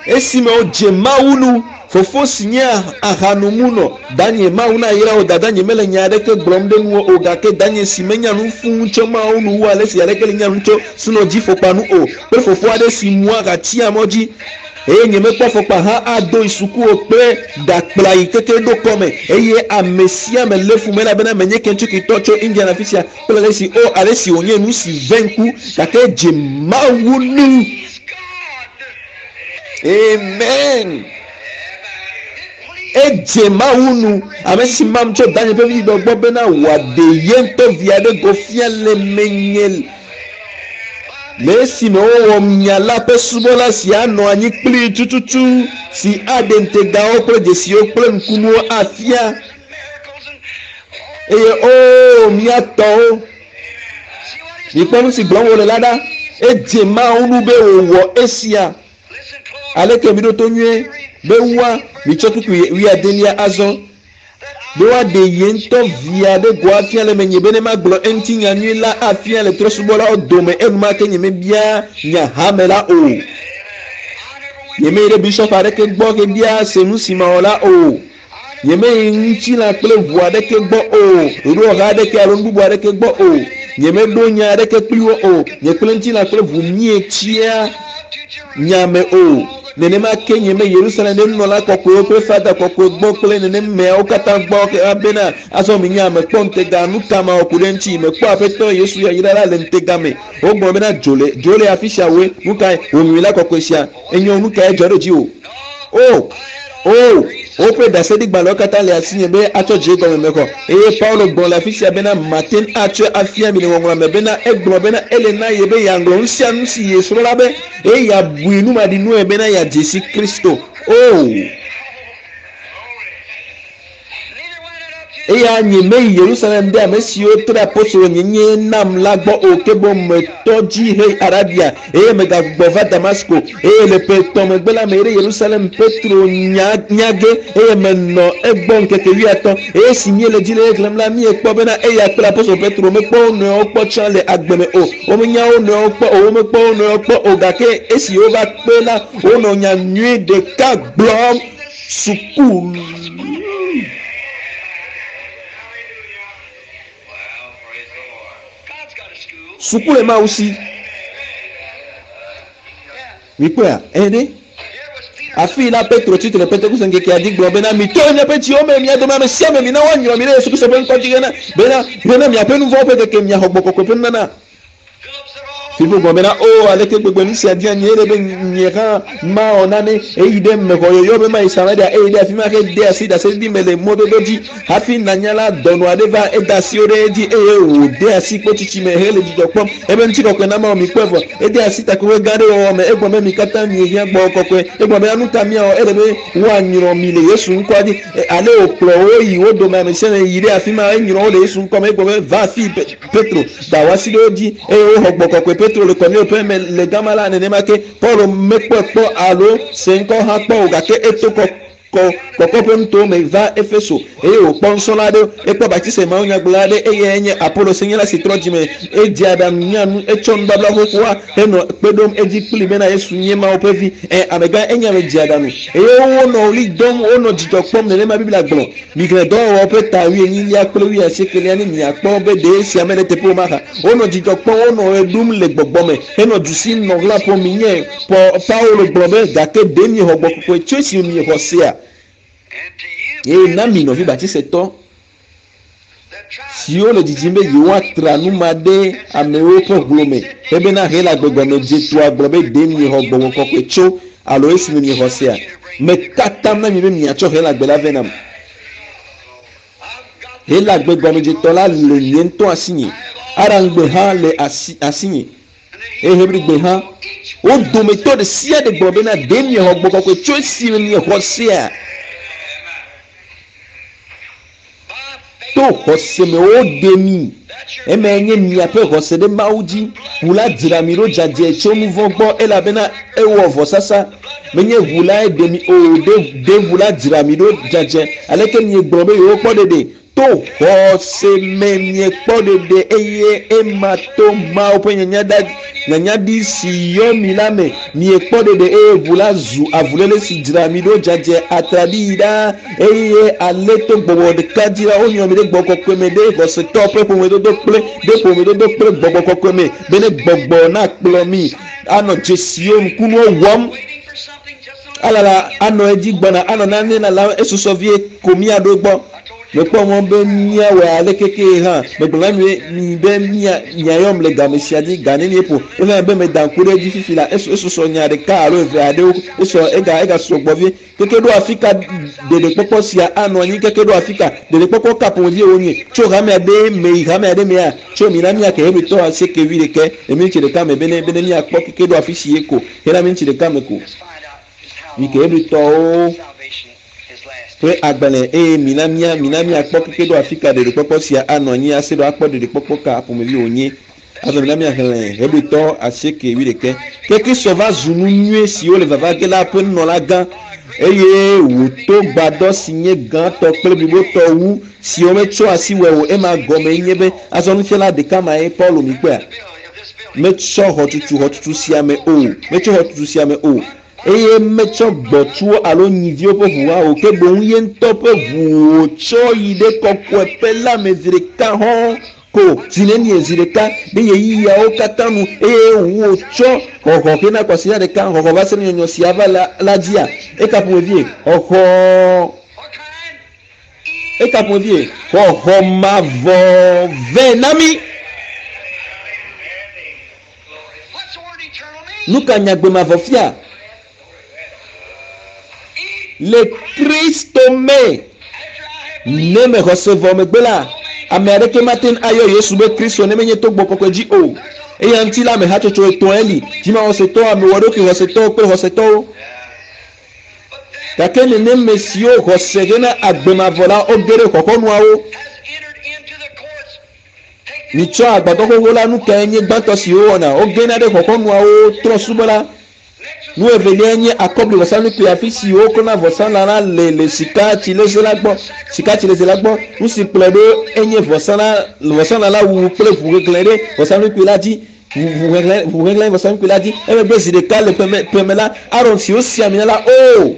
A: Esime wodze Mawu nu, fofo si nye ahanomunɔ, danye, Mawu nayra wò, dadanye mele nya aɖeke gblɔm ɖe nuwò o, gake danye si menya nu fũu tso Mawu nu wu ale si aleke le nya nu tso sunɔdzifɔkpa nu o, kple fofo aɖe si mua aha tsia mɔ dzi, Eye nyemekpɔ afɔkpa hã ado yi suku o kple ɖakpla yi keke ɖo kɔme. Eye ame sia ame lé fum elabena menye Kentucky-tɔ tso Indiana afi sia kple ale si, o, ale si wònye nu si ve ŋku, gake edze Mawu nu. Amen. Edze Mawu nu, ame si mam tso danye ƒe vidzidɔ gbɔ bena wòaɖe ye ŋutɔ via ɖe go fia le menye. Le esime wowɔ nya la ƒe subɔla si anɔ anyi kplii tututu, si aɖe ŋutegawo kple dzesiwo kple nukunuwo afia. Eye oo, mía tɔwo, mikpɔ nu si gblɔm wòle la ɖa. Edze Mawu ŋu be wòwɔ esia. Aleke miɖo to nyuie be woa, mitsɔ kpukpui wuiadelia azɔ. Be woaɖe ye ŋutɔ via ɖe go afia le menye bene magblɔ eŋuti nya nyui la afia le trɔ̃subɔlawo dome enumake nyemebia nya hame la o. Nyemeyi ɖe bisiɔp aɖeke gbɔ hebia se nu si mawɔ la o. Nyemeyi ŋutilã kple ʋu aɖeke gbɔ o, ɖoɖowɔha aɖeke alo nu bubu aɖeke gbɔ o. Nyemeɖo nya aɖeke kpli wo o. Nye kple ŋutilã kple ʋu míetsia nya me o. Nenema ke nye me Yerusalem ɖe nunɔla kɔkɔewo kple fada kɔkɔe gbɔ kple nenemeawo katã gbɔ ke bena azɔ menye ame kpɔ ŋutega nu ka mawɔ ku ɖe eŋuti mekpɔ Aƒetɔ Yesu yayra la le ŋutega me. Wogblɔ bena dzo le dzo le afi sia woe. Nu kae wò nyui la kɔkɔe sia enyo nu kae dzɔ ɖe dziwò? O! O! Woƒe ɖaseɖigbalẽwo katã le asinye be atsɔ dze gɔme mexɔ. Eye Paulo gblɔ le afi sia bena mate ŋu atsɔe afia mi le Ŋɔŋlɔa me bena egblɔ bena ele na ye be yeaŋlɔ nu sia nu si yesrɔ̃ la be eye yeabui numaɖinue bena yeadze si Kristo. O! Eya nyemeyi Yerusalem ɖe ame siwo tre apostolonyenye nam la gbɔ o, ke boŋ metɔ dzi heyi Arabia, eye megagbugbɔ va Damasko. Eye le ƒe etɔ̃ megbe la, meyi ɖe Yerusalem Petro nya nya ge, eye menɔ egbɔ ŋkeke wuiatɔ̃. Eye esi míele dzi le exlẽm la, míekpɔ bena eya kple apostolo Petro mekpɔ wo nɔewo kpɔ tsã le agbe me o. Womenya wo nɔewo kpɔ o, womekpɔ wo nɔewo kpɔ o, gake esi wova kpe la, wonɔ nya nyui ɖeka gblɔm. Suku. Suku le Mawu si. Mikpɔea? Ɛ̃ ɖe. Afii la, Petro tsi tre le Pentekoste ŋkekea dzi gblɔ bena, Mito le miaƒe dziwo me, mia dome ame sia ame, mina woanyrɔ mi ɖe Yesu Kristo ƒe ŋkɔ dzi hena bena, hena miaƒe nu vɔ̃wo ƒe keke, miaxɔ Gbɔgbɔ Kɔkɔe ƒe nunana. Filipo gblɔ bena, O, aleke gbegbe nu sia dia nyee ɖe be nye hã mawɔ nane! Eyi ɖe mexɔ yɔyɔ be mayi Samaria, eye ɖe afi ma hede asi ɖaseɖiɖi me le mɔdodo dzi. Hafi nanya la, dɔnɔ aɖe va, eda asiwo ɖe edzi, eye wòde asi kpotsitsi me hele dzidzɔ kpɔm. Eƒe ŋutikɔkɔe na Mawu mikpɔe vɔ. Ede asi takpekpe gã aɖe wɔwɔ me. Egblɔ be, Mi katã miehiã Gbɔgbɔ Kɔkɔe. Egblɔ bena, Nu ka míawɔ? Ele be woanyrɔ mi le Yesu ŋkɔa dzi. Ale wòkplɔ wo yi wo dome ame sia ame yi ɖe afi ma, enyrɔ wo le Yesu ŋkɔ me. Egblɔ be, Va afii, Petro da wò asi ɖe wo dzi eye woxɔ gbɔ kɔkɔe. Petro le Kornelio ƒe me le gama la, nenema ke Paulo mekpɔe kpɔ alo se ŋkɔ hã kpɔ o, gake eto kɔ kɔ kɔkɔ ƒe nutowo me va Efeso eye wòkpɔ nusrɔ̃la aɖewo. Ekpɔ Batise mawunyagblɔla aɖe, eyae nye Apolo senyala si trɔ dzime. Edze aɖaŋu nya nu, etsɔ nubabla xoxoa henɔ kpe ɖom edzi kplii bena Yesu nye Mawu ƒe Vi. Ẽ, amegã, enye ame dzeaɖaŋu. Eye wonɔ ɣli dom, wonɔ dzidzɔ kpɔm, nenema Biblia gblɔ. Mixlẽ Dɔwɔwɔwo ƒe ta wuienyilia kple wuiasiekelia ne miakpɔ be ɖe esia mele eteƒe o mahã. Wonɔ dzidzɔ kpɔm, wonɔ ɣe ɖum le gbɔgbɔ me, henɔ du sim nɔ ɣla ƒom. Minyae, Paulo gblɔ be, Gake ɖe miexɔ Gbɔgbɔ Kɔkɔe tso esime miexɔ sea? Eye na mi nɔvi Batisetɔ siwo le didim be yewoatra nu ma ɖe amewo ƒe hlo me hebena Helagbe gɔmedzetoa gblɔ be ɖe miexɔ Gbɔgbɔ Kɔkɔe tso alo esime miexɔ sea? Meka atam na mi be miatsɔ Helagbe la vɛ nam. Helagbe gɔmedzetɔ la le nye ŋutɔ asinye. Aramgbe hã le asi, asinye. Eye Hebrigbe hã. Wo dometɔ ɖe sia ɖe gblɔ bena, Ɖe miexɔ Gbɔgbɔ Kɔkɔe tso esime miexɔ sea? To xɔse me woɖe mi. Emae nye miaƒe xɔse ɖe Mawu dzi. Ʋu la dzra mi ɖo dzadzɛ tso nu vɔ̃ gbɔ elabena ewɔ vɔsasa. Menye ʋu lae ɖe mi o, ɖe, ɖe ʋu la dzra mi ɖo dzadzɛ. Aleke miegblɔ be yewokpɔ ɖeɖe? To xɔse me miekpɔ ɖeɖe eye ema to Mawu ƒe nyanya nyanyaɖi si yɔ mi la me. Miekpɔ ɖeɖe eye ʋu la zu avuléle si dzra mi ɖo dzadzɛ atraɖii ɖaa eye ale to gbɔgbɔ ɖeka dzi la wonyrɔ mi ɖe gbɔgbɔ kɔkɔe me ɖe xɔsetɔ ƒe ƒomedodo kple ɖe ƒomedodo kple gbɔgbɔ kɔkɔe me bene gbɔgbɔ nakplɔ mi anɔ dzesiwo ŋkunuwo wɔm. Alala anɔ edzi gbɔna anɔ nane lalam esusɔ vie ko míaɖo egbɔ. Mekpɔ mɔ be míawɔe aleke kee hã. Megblɔ na mi mi be mia miayɔm le game sia dzi ga nenie ƒo. Woxlẽ be meda ŋku ɖe edzi fifi la, esu esusɔ nya ɖeka alo eve aɖewo. Esɔ ega egasusɔ gbɔ vie. Keke ɖo afika ɖeɖekpɔkpɔ sia anɔ anyi? Keke ɖo afika ɖeɖekpɔkpɔ ka ƒomevie wonye? Tso hame aɖe me yi hame aɖe mea? Tso mina míake Hebritɔ asieke wuiɖekɛ le miniti ɖeka me bene bene míakpɔ keke ɖo afisi ye ko hena miniti ɖeka me ko. Mike Hebritɔwo ƒe agbalẽ eye mina mía mina míakpɔ keke ɖo afika ɖeɖekpɔkpɔ sia anɔ anyi ase ɖo akpɔ ɖeɖekpɔkpɔ ka ƒomevi wònye. Azɔ mina míaxlẽ Hebritɔ asieke wuiɖekɛ. Ke Kristo va zu nu nyui siwo le vava ge la ƒe nunɔlagã eye wòto gbadɔ si nye gãtɔ kple blibotɔ wu si wometsɔ asi wɔe o. Ema gɔmee nye be azɔ nufiala ɖeka mae Paulo mikpɔea? Metsɔ xɔtutu xɔtutu sia me o, metsɔ xɔtutu sia me o, eye metsɔ gbɔ̃tsuwo alo nyiviwo ƒe ʋu hã o, ke boŋ ye ŋutɔ ƒe ʋu wòtsɔ yi ɖe kɔkɔeƒe la me zi ɖeka hɔ̃. Ko zi nenie zi ɖeka ɖe ɣeyiɣiawo katã nu eye wòtsɔ xɔxɔ hena kwasiɖa ɖeka xɔxɔ va se ɖe nyɔnyɔ sia va la, la dzia? Eka ƒomevie xɔxɔ eka ƒomevie xɔxɔ mavɔ vɛ na mí. Nu ka nyagbe mavɔ fia? Le Kristo me. Ne mexɔ se vɔ megbe la, ame aɖeke mate ŋu ayɔ Yesu be Kristo ne menye to gbɔ kɔkɔe dzi o. Eya ŋuti la, ame hatsotso etɔ̃e li, dzimaxɔsetɔwo, amewɔɖokui xɔsetɔwo kple xɔsetɔwo. Gake nenem me siwo xɔ se hena agbe mavɔ la, woge ɖe xɔxɔnuawo. Mitsɔ agbadɔ xoxo la, nu kae nye gbãtɔ si wowɔna? Wogena ɖe xɔxɔnuawo trɔ̃subɔla. Nu evelia nye akɔbli vɔsamlekpui afi si woklɔna vɔsalã la le le sika tsileze la gbɔ. Sika tsileze la gbɔ. Nu si kplɔe ɖo enye vɔsalã vɔsalã la wuwu kple ʋu hehlẽ ɖe vɔsamlekpui la dzi. Ʋu hehlẽ ʋu hehlẽ vɔsamlekpui la dzi. Emegbe zi ɖeka le ƒeme ƒeme la, Aron si wosi ami na la o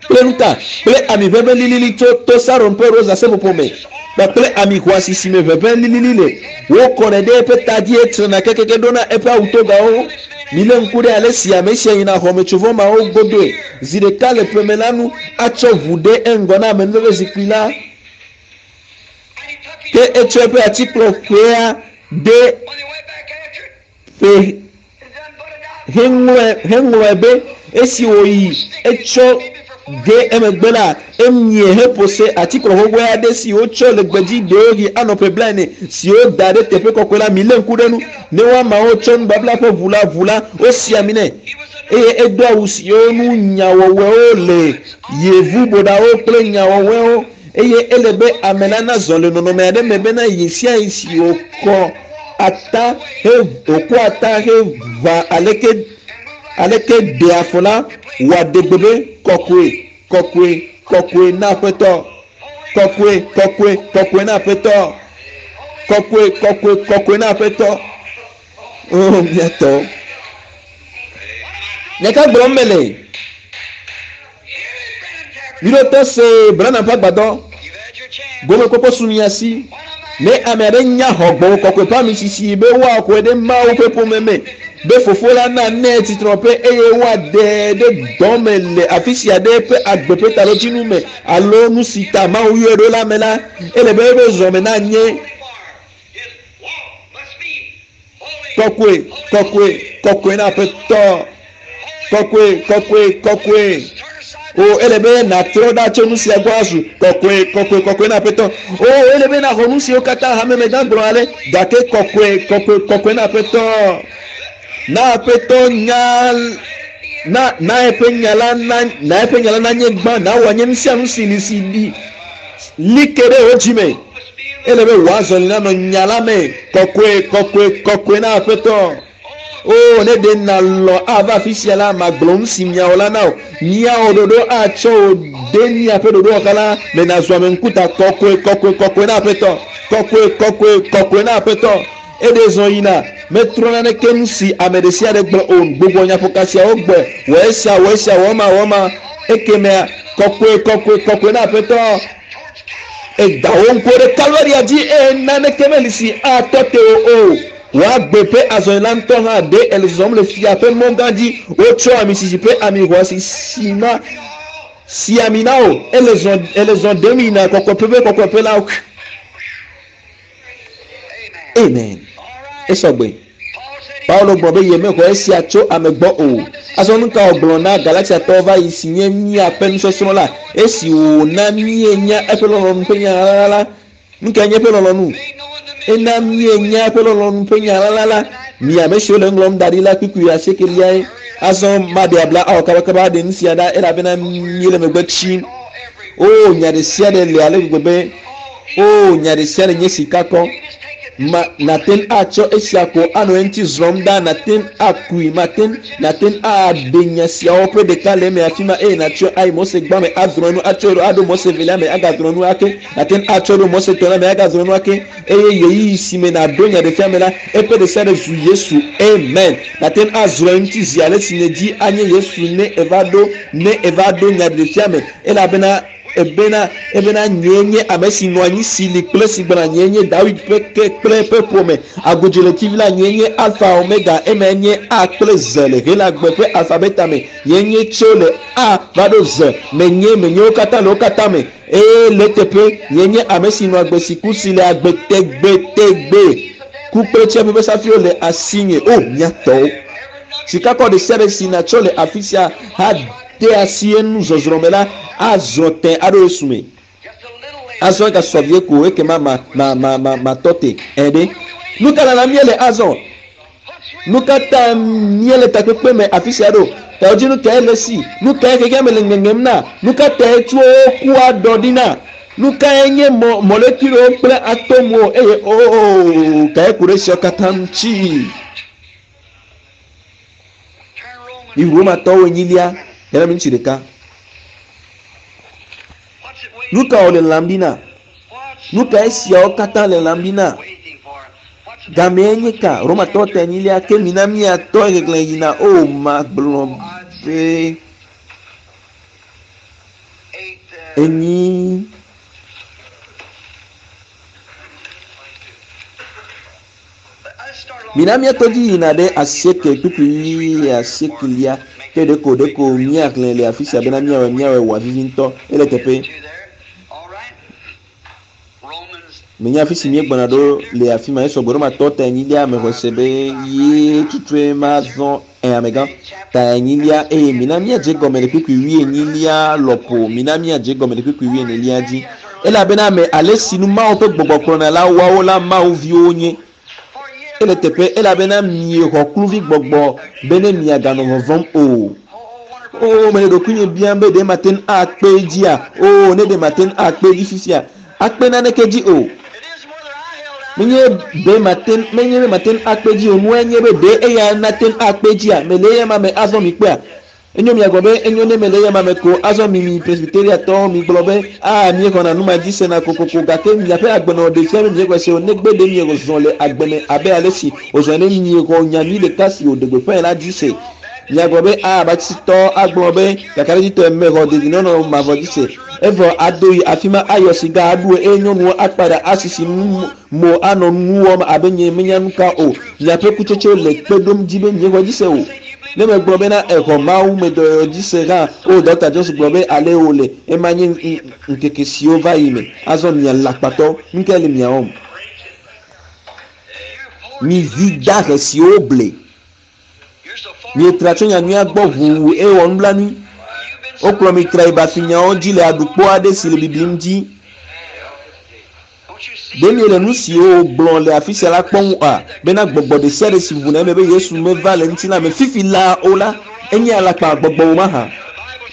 A: kple nu ka? Kple ami ʋeʋẽ lilili tso to Saron ƒe rosa seƒoƒo me kpakple ami xɔasi si me ʋeʋẽ lilili le. Wokɔnɛ ɖe eƒe ta dzi hetrena kekeke ɖona eƒe awutogawo. Milé ŋku ɖe ale si ame sia yina xɔmetsovɔ mawo godoe zi ɖeka le ƒeme la nu atsɔ ʋu ɖe eŋgɔ na amenuveve zikpui la. Ke etsɔ eƒe atikplɔ ƒea ɖe ƒe heŋlɔe heŋlɔe be esi wòyi etsɔ ge emegbe la emie heƒo se atikplɔ xoxoe aɖe si wotsɔ le gbedzi ɖewohĩ anɔ ƒe blaene si woda ɖe teƒe kɔkɔe la milé ŋku ɖe nu ne woamawo tsɔ nubabla ƒe ʋu la ʋu la wosi ami nɛ eye edo awu siwo nu nyawɔwɔewo le yevuboɖawo kple nyawɔwɔewo eye ele be ame la nazɔ le nɔnɔme aɖe me bena yi sia yi si wòkɔ ata he wòkɔ ata heʋã aleke aleke ɖe afɔ la wòaɖe gbe be kɔkɔe kɔkɔe kɔkɔe na aƒetɔ kɔkɔe kɔkɔe kɔkɔe na aƒetɔ kɔkɔe kɔkɔe kɔkɔe na aƒetɔ o miatɔ nya ka gblɔm mele miɖo to se Branham ƒe agbadɔ gomekpɔkpɔ su mia si ne ame aɖe nya xɔ gbɔgbɔ kɔkɔe ƒe ami sisi be woaxɔe ɖe Mawu ƒe ƒome me be fofo la na nɛ tsitrɔƒe eye woaɖe ɖe dɔ me le afi sia ɖe eƒe agbe ƒe taɖodzinu me alo nu si ta Mawu yɔe ɖo la me la ele be eƒe zɔme nanye kɔkɔe kɔkɔe kɔkɔe na aƒetɔ kɔkɔe kɔkɔe kɔkɔe o ele be nàtrɔ ɖa tso nu sia gbɔ azu kɔkɔe kɔkɔe kɔkɔe na aƒetɔ o ele be nàxɔ nu siwo katã hamemegã gblɔ ale gake kɔkɔe kɔkɔe kɔkɔe na aƒetɔ na aƒetɔ nya na na eƒe nya la na na eƒe nya la nanye gbã na wòanye nu sia nu si li si li li ke ɖe wò dzi me ele be wòazɔli nanɔ nya la me kɔkɔe kɔkɔe kɔkɔe na aƒetɔ o ne ɖe nalɔ ava afi sia la magblɔ nu si miawɔ la na wò miawɔ ɖoɖo atsɔ wò de miaƒe ɖoɖowɔxa la me nàzu ame ŋkuta kɔkɔe kɔkɔe kɔkɔe na aƒetɔ kɔkɔe kɔkɔe kɔkɔe na aƒetɔ eɖe zɔ yina metrɔ naneke nu si ame ɖe sia ɖe gblɔ o gbogbo nyaƒoka siawo gbɔe wɔ esia wɔ esia wɔ ema wɔ ema ekemea kɔkɔe kɔkɔe kɔkɔe na aƒetɔ eda wo ŋkuwo ɖe Kalvaria dzi eye naneke meli si atɔ te wo o wòagbe ƒe azɔli la ŋutɔ hã ɖe ele zɔzɔm le fia ƒe mɔ gã dzi wotsɔ ami sisi ƒe ami xɔasi si ma si ami na wo ele zɔ ele zɔ ɖem yina kɔkɔƒe ƒe kɔkɔƒe la amen esɔgbe Paulo gblɔ be yemexɔ esia tso ame gbɔ o azɔ nu ka wògblɔ na Galatiatɔwo va yi si nye míaƒe nusɔsrɔ̃ la esi wòna míenya eƒe lɔlɔ̃nu ƒe nya la la nu kae nye eƒe lɔlɔ̃nu ena míenya eƒe lɔlɔ̃nu ƒe nya la la mi ame siwo le ŋlɔm da ɖi la kpukpui asiekeliae azɔ maɖe abla awɔ kabakaba aɖe nu sia ɖa elabena míele megbe tsim o nya ɖe sia ɖe le ale gbegbe be o nya ɖe sia ɖe nye sika kɔ ma nate ŋu atsɔ esia ko anɔ eŋuti zrɔ̃m ɖa nate ŋu akui mate ŋu nate ŋu aɖe nya siawo ƒe ɖeka le eme afi ma eye natsɔ ayi Mose gbã me azrɔ̃ nu atsɔ ɖo aɖo Mose velia me agazrɔ̃ nu ake nate ŋu atsɔ ɖo Mose tɔ̃lia me agazrɔ̃ nu ake eye ɣeyiɣi si me nàɖo nya ɖe fia me la eƒe ɖe sia ɖe zu Yesu amen nate ŋu azrɔ̃ eŋuti zi ale si nèdzi anye Yesu ne eva ɖo ne eva ɖo nya ɖe fia me elabena. Ebena ebena nyee nye ame si nɔ anyi si li kple si gbɔna nyee nye Dawid ƒe ke kple eƒe ƒome. Agodziletivi la nyee nye Alfa Omega emae nye A kple Z le Helagbe ƒe alfabeta me. Nyee nye tso le A va ɖo Z. Menye menye wo katã le wo katã me. Eye le eteƒe nyee nye ame si nɔ agbe si ku si le agbe tegbetegbe. Ku kple tsiaƒe ƒe safiwo le asinye. O mía tɔwo. Sikakɔ ɖe sia ɖe si natsɔ le afi sia hade asi enu zɔzrɔ̃ me la azɔ tẽ aɖo Yesu me. Azɔ egasɔ vie ko ekema ma ma ma ma matɔ te. Ɛ ɖe. Nu ka lalam míele azɔ? Nu ka ta míele takpekpe me afi sia ɖo? Taɖodzinu kae le esi? Nu kae xexea me le ŋeŋem na? Nu ka tae tsuwo kua ɖɔ ɖi na? Nu kae nye mɔ molekulewo kple atomwo eye oo kae ku ɖe esiawo katã ŋuti? Mi Romatɔwo enyilia hena miniti ɖeka. Nu ka wòle lãm ɖi na? Nu ka esiawo katã le lãm ɖi na? Gamee nye ka? Romatɔwo ta enyilia ke mina míatɔ xexlẽ yina o magblɔ be enyi. Mina míatɔ dzi yina ɖe asieke kpukpui asiekelia ke ɖeko ɖeko míaxlẽ le afi sia bena míawɔe míawɔe wòavivi ŋutɔ. Ele teƒe. Menye afi si míegbɔna ɖo le afi ma esɔgbɔ ɖo matɔ ta enyilia mexɔe se be ye tutue mazɔ ɛ amegã ta enyilia eye mina míadze gɔme le kpukpui wuienyilia lɔƒo mina míadze gɔme le kpukpui wuienelia dzi elabena ame ale si nu Mawu ƒe gbɔgbɔ kplɔna la woawo la Mawu viwo nye. Ele teƒe elabena miexɔ kluvi gbɔgbɔ be ne miaganɔ vɔvɔ̃m o. O mele ɖokuinye biam be ɖe mate ŋu akpe dzia? O ne ɖe mate ŋu akpe dzi fifia? Akpe naneke dzi o. Menye be mate menye be mate ŋu akpe dzi o. Nua nye be ɖe eya nate ŋu akpe dzia? Mele eya ma me azɔ mi kpea. Enyo miagblɔ be enyo ne mele eya ma me ko azɔ mi mi presbyteriatɔwo mi gblɔ be a miexɔna nu ma dzi sena kokoko gake miaƒe agbenɔnɔ ɖe fia be miexɔe se o negbe ɖe miezɔ le agbe me abe ale si wòzɔ ene miexɔ nyanyui ɖeka si wòɖe gbeƒãe la dzi se. Miagblɔ be a batistɔ agblɔ be kakaɖedzitɔe mexɔ dedinɔnɔ mavɔ dzi se. Evɔ ado yi afi ma ayɔ siga aɖu eye nyɔnuwo akpa ɖa asisi nu mo anɔ nu wɔm abe nye menya nu ka o. Miaƒe kutsetsewo le kpe ɖom dzi be miexɔ dzi se o. Ne megblɔ bena exɔ Mawu me dɔyɔyɔ dzi se hã o Dr. Johnson gblɔ be ale wòle ema nye ŋkeke siwo va yi me. Azɔ mia lakpatɔ nu kae le mia wɔm? Mi vi dahe siwo ble. Mietra tso nyanyuia gbɔ ʋuu eye wɔ nublanui. Wokplɔ mi tra yi bafinyawo dzi le aɖukpo aɖe si le bibim dzi. Ɖe miele nu siwo wògblɔ le afi sia la kpɔm oa? Bena gbɔgbɔ ɖe sia ɖe si ʋuna eme be Yesu meva le ŋutilã me fifi laa o la, enye alakpa gbɔgbɔ wo mahã.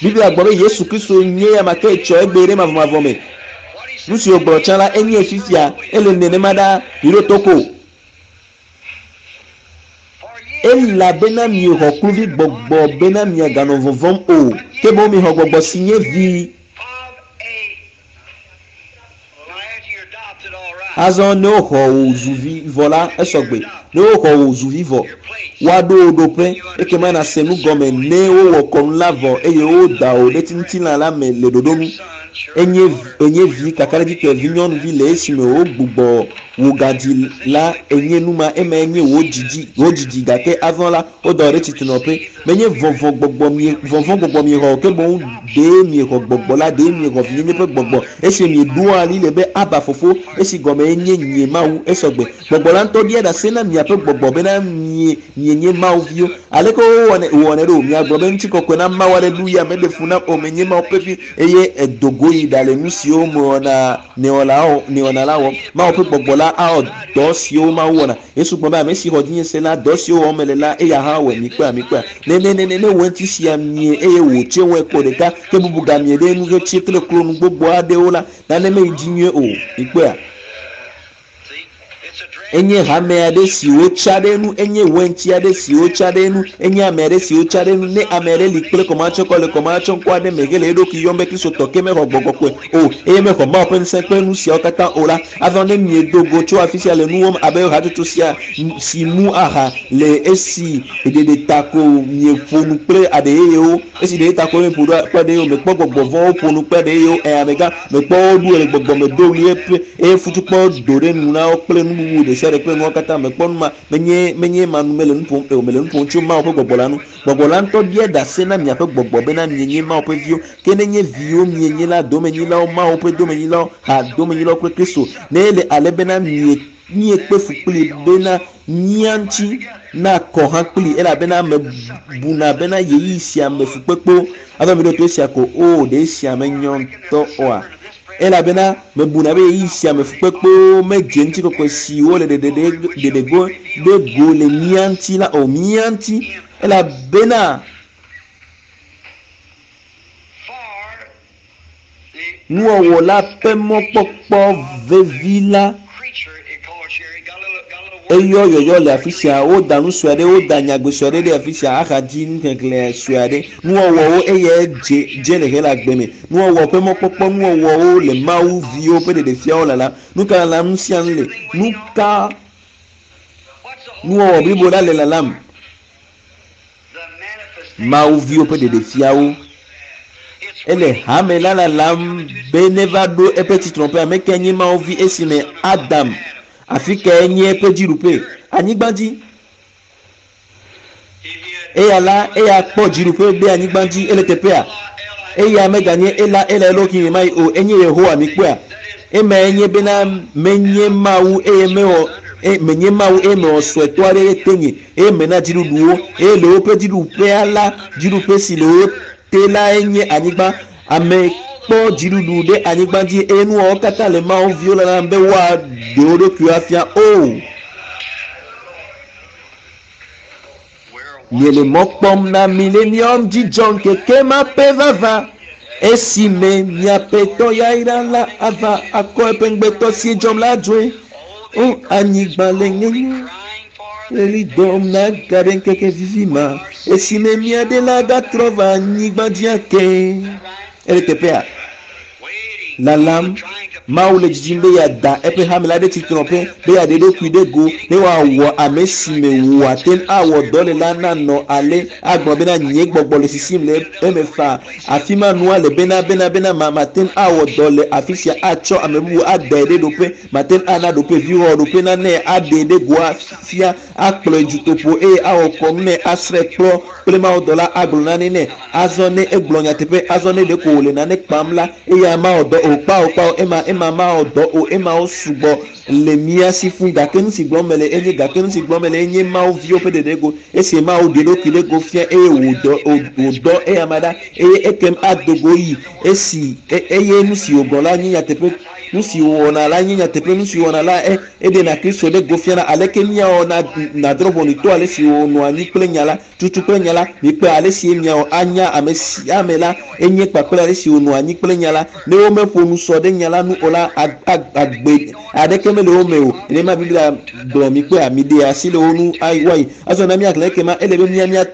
A: Biblia gblɔ be Yesu Kristo nye ya ma ke tsɔ egbe ɖe mavɔmavɔ me. Nu si wògblɔ tsã la enye fifia ele nenema ɖaa miɖo to ko. Elabena miexɔ kluvi gbɔgbɔ bena miaganɔ vɔvɔ̃m o, ke boŋ miexɔ gbɔgbɔ si nye vi. Azɔ ne woxɔ wò zu vi vɔ la esɔgbe. Ne woxɔ wò zu vi vɔ, woaɖo wò ɖoƒe ekema nàse nu gɔme ne wowɔ kɔnu la vɔ eye woda wò ɖe ŋutilã la me le ɖoɖo nu. Enye enye vi kakaɖedzitɔe vi nyɔnuvi le esime wogbugbɔ wò gadzi la enye nu ma emae nye wò dzidzi wò dzidzi gake azɔ la woda wò ɖe tsitrenɔƒe. Menye vɔvɔ̃ gbɔgbɔ mie vɔvɔ̃ gbɔgbɔ miexɔ o ke boŋ ɖee miexɔ gbɔgbɔ la ɖee miexɔ vinyenye ƒe gbɔgbɔ esi mieɖoa ali le be Aba fofo esi gɔme enye nye Mawu esɔgbe. Gbɔgbɔ la ŋutɔ ɖia ɖase na miaƒe gbɔgbɔ bena mie mienye Mawu viwo. Aleke wowɔnɛ wowɔnɛ ɖo? Miagblɔ be ŋutikɔkɔe na Mawu aleluya meɖe fu nam o menye Mawu ƒe vi eye edo go yi ɖa le nu siwo mewɔna newɔna la wɔm. Mawu ƒe gbɔgbɔ la awɔ dɔ siwo Mawu wɔna. Yesu gblɔ be ame si xɔ dzinye se la dɔ siwo wɔm mele la eya hã wɔe. Mikpɔe mikpɔe. Ne ne ne ne ne wɔ ŋuti sia mie eye wòtse wɔe kpɔ ɖeka ke bubu gamie ɖe nu hetsi kple klo nu gbogbo aɖewo la nane meyi dzi nyuie o. Mikpɔea? Enye hame aɖe si wotsa ɖe enu, enye wɛntsi aɖe si wotsa ɖe enu, enye ame aɖe si wotsa ɖe enu. Ne ame aɖe li kple kɔmatsɔkɔ le kɔmatsɔŋkɔ aɖe me hele eɖokui yɔm be Kristotɔ ke mexɔ gbɔgbɔ kɔkɔe o eye mexɔ Mawu ƒe ŋusẽ kple nu siawo katã o la, azɔ ne miedo go tso afi sia le nu wɔm abe hatsotso sia si mu aha le esi ɖeɖe ta ko mieƒo nu kple aɖe yeyewo, esi ɖeɖe ta ko mieƒo nu kple aɖe yeyewo, mekpɔ gbɔgbɔ vɔ̃wo ƒo nu kple aɖe yeyewo, ɛ amegã, mekpɔ woɖu le gbɔgbɔ me do ɣli eƒe eye futukpɔ do ɖe nu na wo kple nu bubu ɖe sia ɖe kple nuwo katã. Mekpɔ nu ma, menye menye ma nu mele nu ƒom o, mele nu ƒom tso Mawu ƒe gbɔgbɔ la nu. Gbɔgbɔ la ŋutɔ bia ɖase na miaƒe gbɔgbɔ bena mienye Mawu ƒe viwo. Ke nenye viwo mienye la, domenyilawo, Mawu ƒe domenyilawo, ha domenyilawo kple Kristo. Ne ele ale bena mie miekpe fu kpli bena mía ŋuti nakɔ hã kpli elabena mebuna bena ɣeyiɣi sia me fukpekpewo azɔ mi ɖo to esia ko o ɖe esia menyɔ ŋutɔ oa elabena mebuna be ɣeyiɣi sia me fukpekpewo medze ŋutikɔkɔe siwo le ɖeɖego ɖe go le mía ŋuti la o mía ŋuti elabena nuwɔwɔ la ƒe mɔkpɔkpɔ vevi la eyɔ yɔyɔ le afi sia woda nu sue aɖe woda nyagbe sue aɖe ɖe afi sia axadzi nuxexlẽ sue aɖe nuwɔwɔwo eye dze dze le helagbe me nuwɔwɔ ƒe mɔkpɔkpɔ nuwɔwɔwo le Mawu viwo ƒe ɖeɖefiawo lalam nu ka lalam nu sia nu le nu ka nuwɔwɔ blibo la le lalam Mawu viwo ƒe ɖeɖefiawo ele hame la lalam be neva ɖo eƒe tsitrɔƒe ame ke nye Mawu vi esime Adam afi kae nye eƒe dziɖuƒe anyigba dzi eya la eya kpɔ dziɖuƒe ɖe anyigba dzi ele teƒea eya meganye ela ela eɖokui me ma yi o enye Yehowa mi kpɔa ema enye bena menye Mawu eye mewɔ menye Mawu eye mewɔ suetɔ aɖe ɖe tenye eye mena dziɖuɖuwo eye le woƒe dziɖuƒea la dziɖuƒe si le wo te la enye anyigba ame kpɔ dziɖuɖu ɖe anyigba dzi eye nuwɔwɔ katã le Mawu viwo lalam be woaɖe wo ɖokuiwo afia o. Miele mɔ kpɔm na milenium dzidzɔ ŋkeke ma ƒe vava esime miaƒe tɔ yayra la ava akɔ eƒe ŋugbetɔ si dzɔm la dzoe. O anyigba le ŋeŋe ɣli dɔm na gaɖe ŋkeke vivi ma esime mia ɖe la gatrɔ va anyigba dzi ake. Ele teƒea lalam Mawu le dzidzim be yeada eƒe hame la ɖe tsitrɔƒe be yeaɖe eɖokui ɖe go ne woawɔ ame si me wòate ŋu awɔ dɔ le la nanɔ ale agblɔ bena nye gbɔgbɔ le sisim le eme faa afi ma nua le bena bena bena ma mate ŋu awɔ dɔ le afi sia atsɔ ame bubu adae ɖe ɖoƒe mate ŋu ana ɖoƒe viwɔ ɖoƒe nane aɖee ɖe go afia akplɔe dutoƒo eye awɔ kɔnu nɛ asrɔ̃e kplɔ kple mawudɔla agblɔ nane nɛ azɔ ne egblɔ nyateƒe azɔ ne ɖeko wòle nane kpam la eya mawɔ dɔ o kpao kpao ema ema mawɔ dɔ o ema wo sugbɔ le mía si fũ gake nu si gblɔm mele enye gake nu si gblɔm mele enye Mawu viwo ƒe ɖeɖe go esi Mawu ɖe eɖokui ɖe go fia eye wòdɔ wòdɔ eya ma ɖa eye ekem ado go yi esi eye nu si wògblɔ la nye nyateƒe nu si wòwɔna la nye nyateƒe nu si wòwɔna la eɖena Kristo ɖe go fiana aleke míawɔ na nadrɔ̃ ʋɔnu to ale si wònɔ anyi kple nya la tutu kple nya la mikpe ale si miawɔ anya ame sia ame la enye kpakple ale si wònɔ anyi kple nya la ne womeƒo nu sɔ ɖe nya la nu o la agbe aɖeke mele wo me o nenema Biblia gblɔ mikpea miɖe asi le wo nu woayi azɔ na míaxlẽ ekema ele be mía mía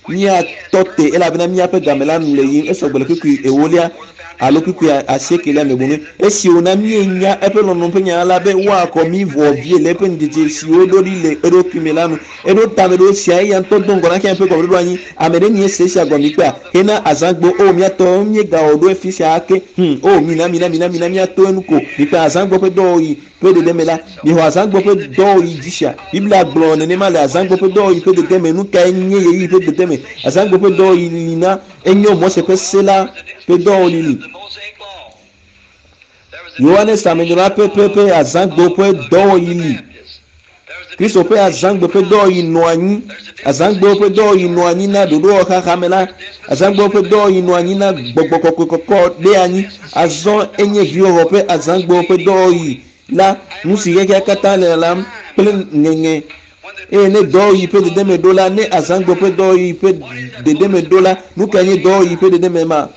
A: míatɔ te elabena míaƒe game la nu le yiyim esɔgbe le kpukpui ewolia alo kpukpui asiekelia me boŋu esi wòna míenya eƒe lɔlɔ̃ ƒe nya la be woakɔ mí vɔ vie le eƒe ŋudzedze si woɖo ɖi le eɖokui me la nu eɖo tame ɖo sia eya ŋutɔ do ŋgɔ na xeya ƒe gɔmeɖoɖo anyi ame ɖe nye se sia gɔme kpea hena azãgbo o míatɔ míegawɔ ɖo efi sia ake o mina mina mina mina míato enu ko mikpe azãgbo ƒe dɔwɔɣi ƒe dede me la mixɔ azãgbo ƒe dɔwɔɣi dzi sia Biblia gblɔ nenema le azãgbo ƒe dɔwɔɣi ƒe dede me nu kae nye ɣeyiɣi ƒe dede me azãgbo ƒe dɔwɔɣi li na enyo Mose ƒe se la ƒe dɔwɔɣi li Yohanes amenyrɔla ƒe azãgbo ƒe dɔwɔɣi li Kristo ƒe azãgbe ƒe dɔwɔɣi nɔ anyi azãgbewo ƒe dɔwɔɣi nɔ anyi na ɖoɖowɔxaxa me la azãgbewo ƒe dɔwɔɣi nɔ anyi na gbɔgbɔ kɔkɔe kɔkɔ ɖe anyi azɔ enye viwɔwɔ ƒe azãgbewo ƒe dɔwɔɣi la nu si xexea katã le lalam kple ŋeŋe eye ne dɔwɔɣi ƒe dedeme ɖo la ne azãgbe ƒe dɔwɔɣi ƒe dedeme ɖo la nu kae nye dɔwɔɣi ƒe dedeme ma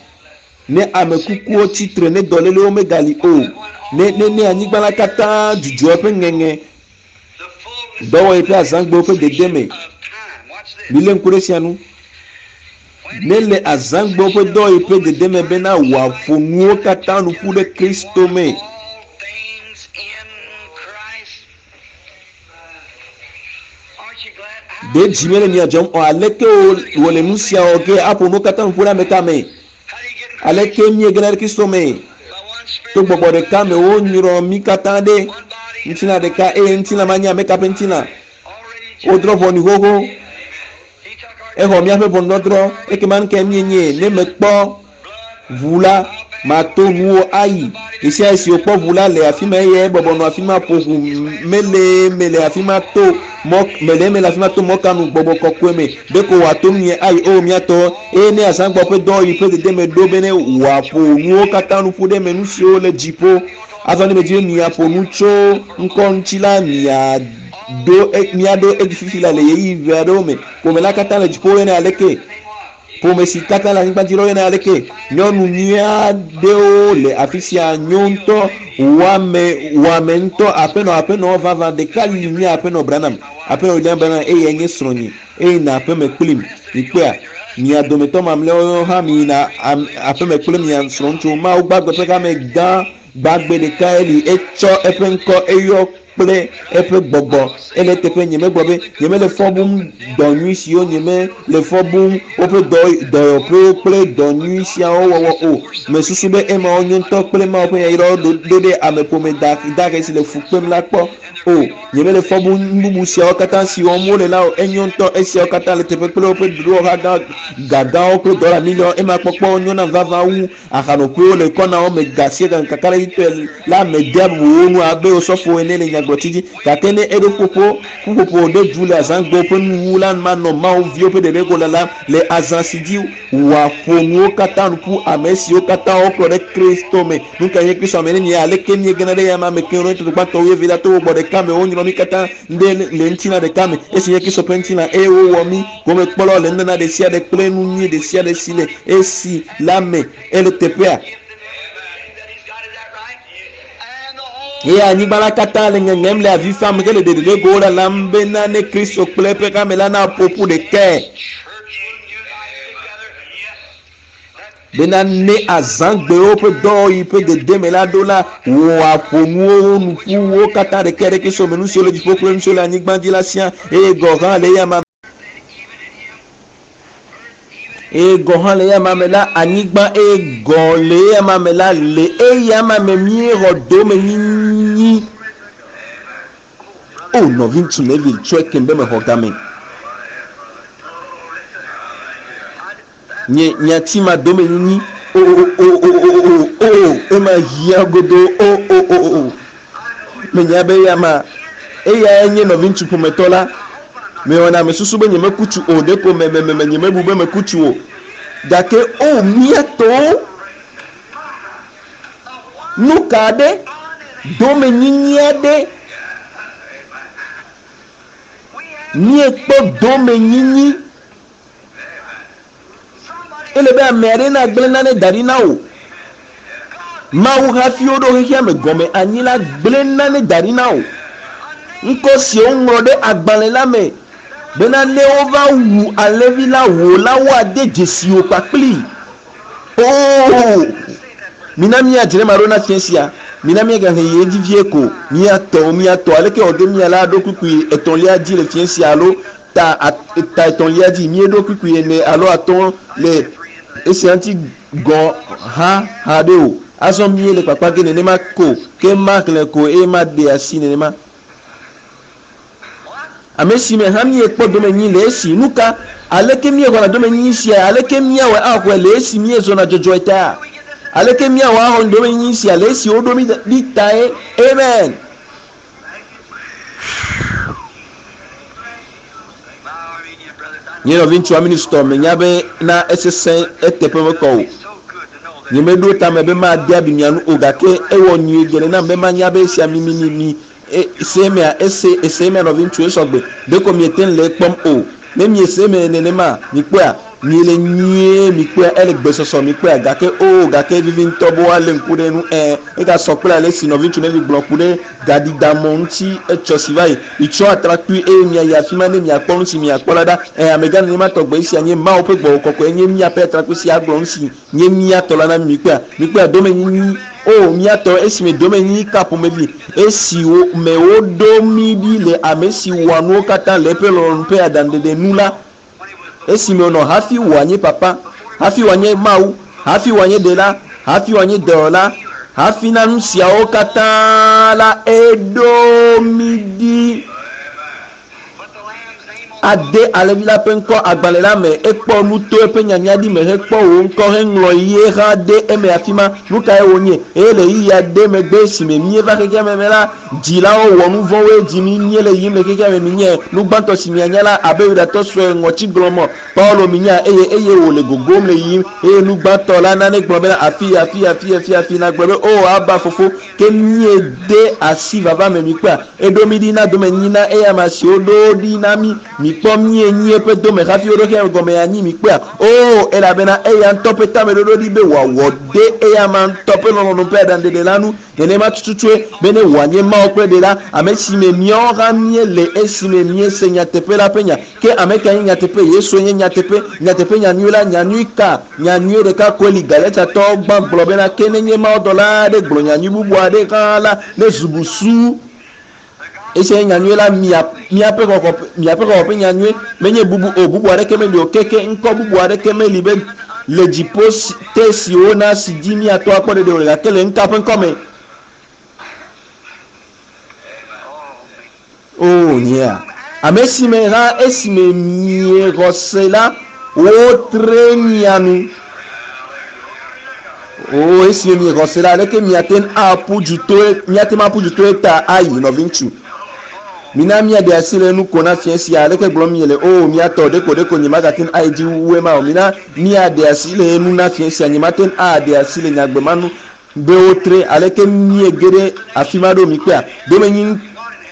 A: ne ame kukuwo tsitre ne dɔlélewo megali o ne ne ne anyigba la katã dzudzɔ eƒe ŋeŋe. Dɔwɔɣi ƒe azãgbewo ƒe dedeme. Milé ŋku ɖe esia ŋu. Ne le azãgbewo ƒe dɔwɔɣi ƒe dedeme bena wòaƒo nuwo katã nu ƒu ɖe Kristo me. Ɖe dzi mele mia dzɔm o. Aleke wòle nu sia wɔ ge aƒo nuwo katã nu ƒu ɖe ame ka me? Aleke míegena ɖe Kristo me? To gbɔgbɔ ɖeka me wonyrɔ mí katã ɖe ŋutilã ɖeka eye ŋutilã ma nye ame ka ƒe ŋutilã? Wodrɔ̃ ʋɔnu xoxo. Exɔ míaƒe ʋɔnudɔdrɔ̃. Ekema nu kae míenye? Ne mekpɔ ʋu la, mato nuwo ayi. Ɣesiaɣi si wòkpɔ ʋu la le afi ma eye ebɔbɔ nɔ afi ma ƒo ʋu mele eme le afi ma to mɔ mele eme le afi ma to mɔ ka nu gbɔgbɔ kɔkɔe me. Ɖeko wòato nunye ayi o míatɔ. Eye ne azãgbɔ ƒe dɔwɔɣi ƒe dedeme ɖo be ne wòaƒo nuwo katã nu ƒu ɖe eme nu siwo le dziƒo. Azɔ ne medzi be miaƒo nu tso ŋkɔ ŋuti la, miaɖo miaɖo edzi fifi la le ɣeyiɣi ʋɛ aɖewo me. Ƒome la katã le dziƒo woyɔnɛ aleke? Ƒome si katã le anyigba dzi la woyɔnɛ aleke? Nyɔnu nyui aɖewo le afi sia nyo ŋutɔ, wɔame wɔame ŋutɔ, aƒenɔ aƒenɔ vavã ɖeka li nye aƒenɔ Branham, aƒenɔ William Branham eye nye srɔ̃nye eye na aƒeme kplim. Mikpɔea? Mia dometɔ mamlɛawo hã miyina aƒeme kple mia srɔ̃ŋutsuwo. Mawu gbagbe ƒe hame gã gbagbe ɖekae li etsɔ eƒe ŋkɔ eyɔ kple eƒe gbɔgbɔ. Ele eteƒe nyemegblɔ be nyemele fɔ bum dɔ nyui siwo nyemele fɔ bum woƒe dɔ dɔyɔƒewo kple dɔ nyui siawo wɔwɔ o. Mesusu be emawo nyo ŋutɔ kple Mawu ƒe yayrawo ɖo ɖe ameƒome dahe si le fu kpem la kpɔ o. Nyemele fɔ bum nu bubu siawo katã si wɔm wole la o. Enyo ŋutɔ esiawo katã le teƒe kple woƒe ɖoɖowɔha gã gagãwo kple dɔla miliɔn ema kpɔkpɔ nyo nam vavã wu ahanoƒewo le kɔnawo me gasie kakaɖedzitɔe la medea bubu wo ŋu abe osɔfo ene le nyagblɔtsi dzi. Gake ne eɖo ƒoƒo ƒuƒoƒo ɖe du le azãgbewo ƒe nuwuwu la manɔ Mawu viwo ƒe ɖeɖego la la le azã si dzi wòaƒo nuwo katã nu ƒu ame siwo katã wokplɔ ɖe Kristo me. Nu kae nye Kristo ame ne mia aleke míegena ɖe eya ma me ke Korintotɔ gbãtɔ wuievelia to gbɔgbɔ ɖeka me wonyrɔ mí katã ɖe le ŋutilã ɖeka me esi nye Kristo ƒe ŋutilã eye wowɔ mí gomekpɔlawo le nunana ɖe sia ɖe kple nu nyui ɖe sia ɖe si le esi la me ele teƒea. Eye anyigba la katã le ŋeŋem le avi fam hele ɖeɖeɖegowo lalam bena ne Kristo kple eƒe hame la naƒo ƒu ɖekae. Bena ne azãgbewo ƒe dɔwɔɣi ƒe dedeme la ɖo la, wòaƒo nuwo nu ƒu wo katã ɖekae ɖe Kristo me, nu siwo le dziƒo kple nu siwo le anyigba dzi la siaa eye gɔ̃ hã le eya ma eye gɔ̃ hã le eya ma me la anyigba eye gɔ̃ le eya ma me la le eya ma me míexɔ domenyinyi. O nɔviŋutsu Neville tsɔe kem be mexɔ game. Nye nyati ma domenyinyi o o o o o o o ema hiã godo o o o o menya be eya ma eyae nye nɔviŋutsu ƒometɔ la. Mewɔna mesusu be nyemeku tsu o ɖeko me me me nyemebu be meku tsu o. Gake o míatɔwo nu ka ɖe domenyinyi aɖe míekpɔ domenyinyi. Ele be ame aɖe nagblẽ nane da ɖi na wò. Mawu hafi woɖo xexea me gɔme anyi la gblẽ nane da ɖi na wò. Ŋkɔ si woŋlɔ ɖe agbalẽ la me bena ne wova wu alẽvi la wò la woade dzesi wò kpakpli. Oo, mina míadzre ma ɖo na fiẽ sia. Mina míagahe yi edzi vie ko. Míatɔ míatɔ aleke wòge mía la ɖo kpukpui etɔ̃lia dzi le fiẽ sia alo ta ta etɔ̃lia dzi. Míeɖo kpukpui ene alo atɔ̃ le esia ŋuti gɔ̃ hã haɖe o. Azɔ míele kpakpa ge nenema ko ke maxlẽ ko eye maɖe asi nenema. Ame si me hã míekpɔ domenyi le esi. Nu ka? Aleke míexɔna domenyinyi sia? Aleke míawɔe axɔe le esi míezɔna dzɔdzɔe ta? Aleke míawɔ axɔ domenyinyi sia le esi woɖo mí ɖi tae? Amen. Nye nɔviŋutsu aministɔ menya be na esesẽ eteƒe mekɔ o. Nyemeɖo tame be made abi mia nu o gake ewɔ nyuie geɖe nam be manya be esia mi mi mi mi ese emea ese ese emea nɔviŋutsu esɔgbe ɖeko miete ŋu le ekpɔm o. Ne miese eme nenema mikpɔea. Miele nyuie mikpɔe ele gbesɔsɔ mikpɔe gake o gake vivi ŋutɔ be woalé ŋku ɖe nu ɛ egasɔ kple ale si nɔviŋutsu ne mi gblɔ ku ɖe gaɖiɖamɔ ŋuti etsɔ si va yi mitsɔ atrakpui eye miayi afi ma ne miakpɔ nu si miakpɔ la ɖa ɛ amegã nenema tɔgbe esia nye Mawu ƒe gbɔgbɔ kɔkɔe nye miaƒe atrakpui si agblɔ nu si nye miatɔ la na mi mikpɔea mikpɔea domenyinyi o miatɔ esime domenyinyi ka ƒomevi esi me woɖo mi ɖi le ame si wɔa nuwo katã le eƒe lɔlɔ̃nu ƒe aɖaŋuɖeɖe nu la esime wònɔ hafi wòanye papa hafi wòanye Mawu hafi wòanye ɖela hafi wòanye dɔwɔla hafi na nu siawo katã la eɖo mi ɖi ade alẽvi la ƒe ŋkɔ agbalẽ la me ekpɔ nu to eƒe nyanya ɖi me hekpɔ wò ŋkɔ heŋlɔ ye hã de eme afi ma nu kae wònye eye le ɣeyiɣi aɖe megbe esime míeva xexea me me la dzilawo wɔ nu vɔ̃woe dzi mi míele yiyim le xexea me minye nu gbãtɔ si mianya la abe yudatɔ sue ŋɔtsi gblɔmɔ Paulo minya eye eye wòle gogom le yiyim eye nu gbãtɔ la nane gblɔ bena afi afi afi afi afi na gblɔ be o aba fofo ke míede asi vava me mikpɔa eɖo mi ɖi na domenyi na eya ma si woɖo ɖi na mi mikpɔ míenyi eƒe dome hafi woɖo xexea gɔme anyi mikpɔa o elabena eya ŋutɔ ƒe tameɖoɖo ɖi be wòawɔ de eya ma ŋutɔ ƒe lɔlɔ̃nu ƒe aɖaŋuɖeɖe la nu nenema tututue bene wòanye Mawu kple ɖela ame si me míawo hã míele esime míese nyateƒe la ƒe nya ke ame ka nye nyateƒe Yesu nye nyateƒe nyateƒe nyanyui la nyanyui ka nyanyui ɖeka koe li Galatiatɔwo gbã gblɔ bena ke nenye mawudɔla aɖe gblɔ nyanyui bubu aɖe hã la ne zubusu esia nye nyanyui la miaƒe xɔxɔ miaƒe xɔxɔ ƒe nyanyui menye bubu o bubu aɖeke meli o keke ŋkɔ bubu aɖeke meli be le dziƒo te si wona si dzi miatɔ akpɔ ɖeɖe o gake le ŋka ƒe ŋkɔ me o nyea ame si me hã esime miexɔ se la wotre mia nu o esime miexɔ se la aleke miate ŋu aƒu du to miate ŋu aƒu du to eta ayi nɔviŋutsu mina miaɖe asi le nu ko na fia sia aleke gblɔm miele o miatɔ ɖeko ɖeko nye magate ŋu ayi dzi wu ema o mina miaɖe asi le nu na fia sia nye mate ŋu aɖe asi le nyagbe ma nu be wotre aleke miege ɖe afi ma ɖo mikpea domenyi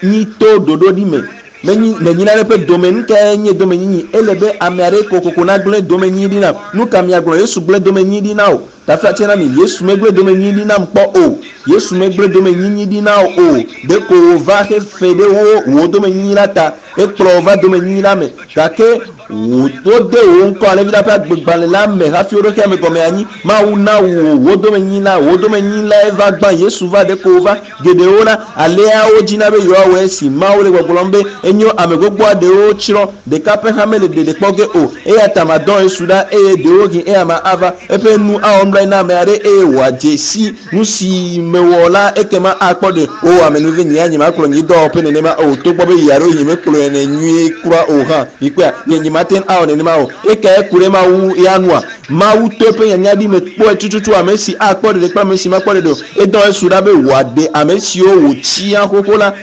A: nyi to ɖoɖo ɖi me menyi menyi nane ƒe dome nu kae nye domenyinyi ele be ame aɖe kokoko nagblẽ domenyi ɖi nam nu ka miagblɔ Yesu gblẽ domenyi ɖi na o taflatse na mi Yesu megblẽ domenyi ɖi nam kpɔ o Yesu megblẽ domenyinyi ɖi na o ɖeko wòva hefe ɖe wo wò domenyinyi la ta ekplɔ wò va domenyinyi la me gake wode wò ŋkɔ alẽvi la ƒe agbegbalẽ la me hafi woɖo xexea me gɔme anyi Mawu na wò wò domenyinyi la wò domenyinyi lae va gbã Yesu va ɖeko wòva geɖewo la alea wodzina be yewoawɔ esi Mawu le gbɔgblɔm be enyo ame gbogbo aɖewo tsrɔ̃ ɖeka ƒe hã mele ɖeɖe kpɔ ge o eya ta madɔ Yesu ɖa eye ɖewohĩ eya ma ava eƒe nu awɔ nublanui na ame aɖe eye wòadze si nu si mewɔ la ekema akpɔ ɖe o amenuve nye ya nyemakplɔ nye dɔwɔƒe nenema o togbɔ be yi alo nye mekplɔe ne nyuie kura o hã mikpɔa nye nyemate ŋu awɔ nenema o ekae ku ɖe Mawu ya nua Mawu to eƒe nyanya ɖi me kpɔe tututu ame si akpɔ ɖeɖe kple ame si makpɔ ɖeɖe o edɔ Yesu ɖa be wòaɖe ame siwo wòtsia xoxo la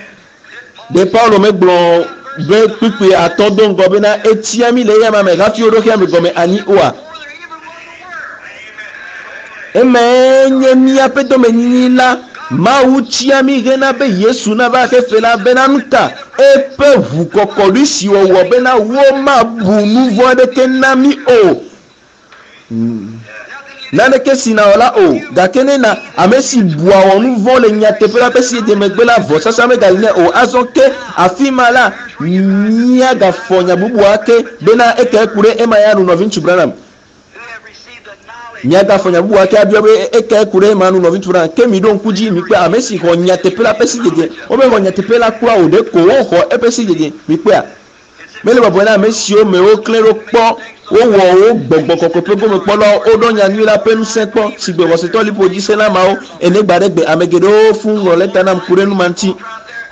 A: ɖe Paulo megblɔ be kpukpui atɔ̃ do ŋgɔ bena etia mi le eya ma me hafi woɖo xexea me gɔme anyi oa emae nye míaƒe domenyinyi la Mawu tia mi hena be Yesu nava xefe la bena nu ka eƒe ʋukɔkɔɖi si wòwɔ bena womabu nu vɔ̃ aɖeke na mí o naneke si nawɔ la o gake ne na ame si bua wɔ nu vɔ̃ le nyateƒe la ƒe si megbe la vɔsasa megali nɛ o azɔ ke afi ma la míagafɔ nya bubu ake bena ekae ku ɖe ema ya nu nɔviŋutsu Branham míagafɔ nya bubu ake abiɔ be ekae ku ɖe ema nu nɔviŋutsu Branham ke mi ɖo ŋku dzi mikpɔe ame si xɔ nyateƒe la ƒe sidzedze womexɔ nyateƒe la kura o ɖeko woxɔ eƒe sidzedze mikpɔea mele bɔbɔe na ame siwo me woklẽ ɖo kpɔ wowɔ wo gbɔgbɔ kɔkɔe ƒe gomekpɔlawo woɖɔ nyanyui la ƒe ŋusẽ kpɔ si gbe xɔsetɔ liƒo dzi se la mawo ene gba ɖe gbe ame geɖewo fũ ŋlɔ lɛta nam ku ɖe nu ma ŋuti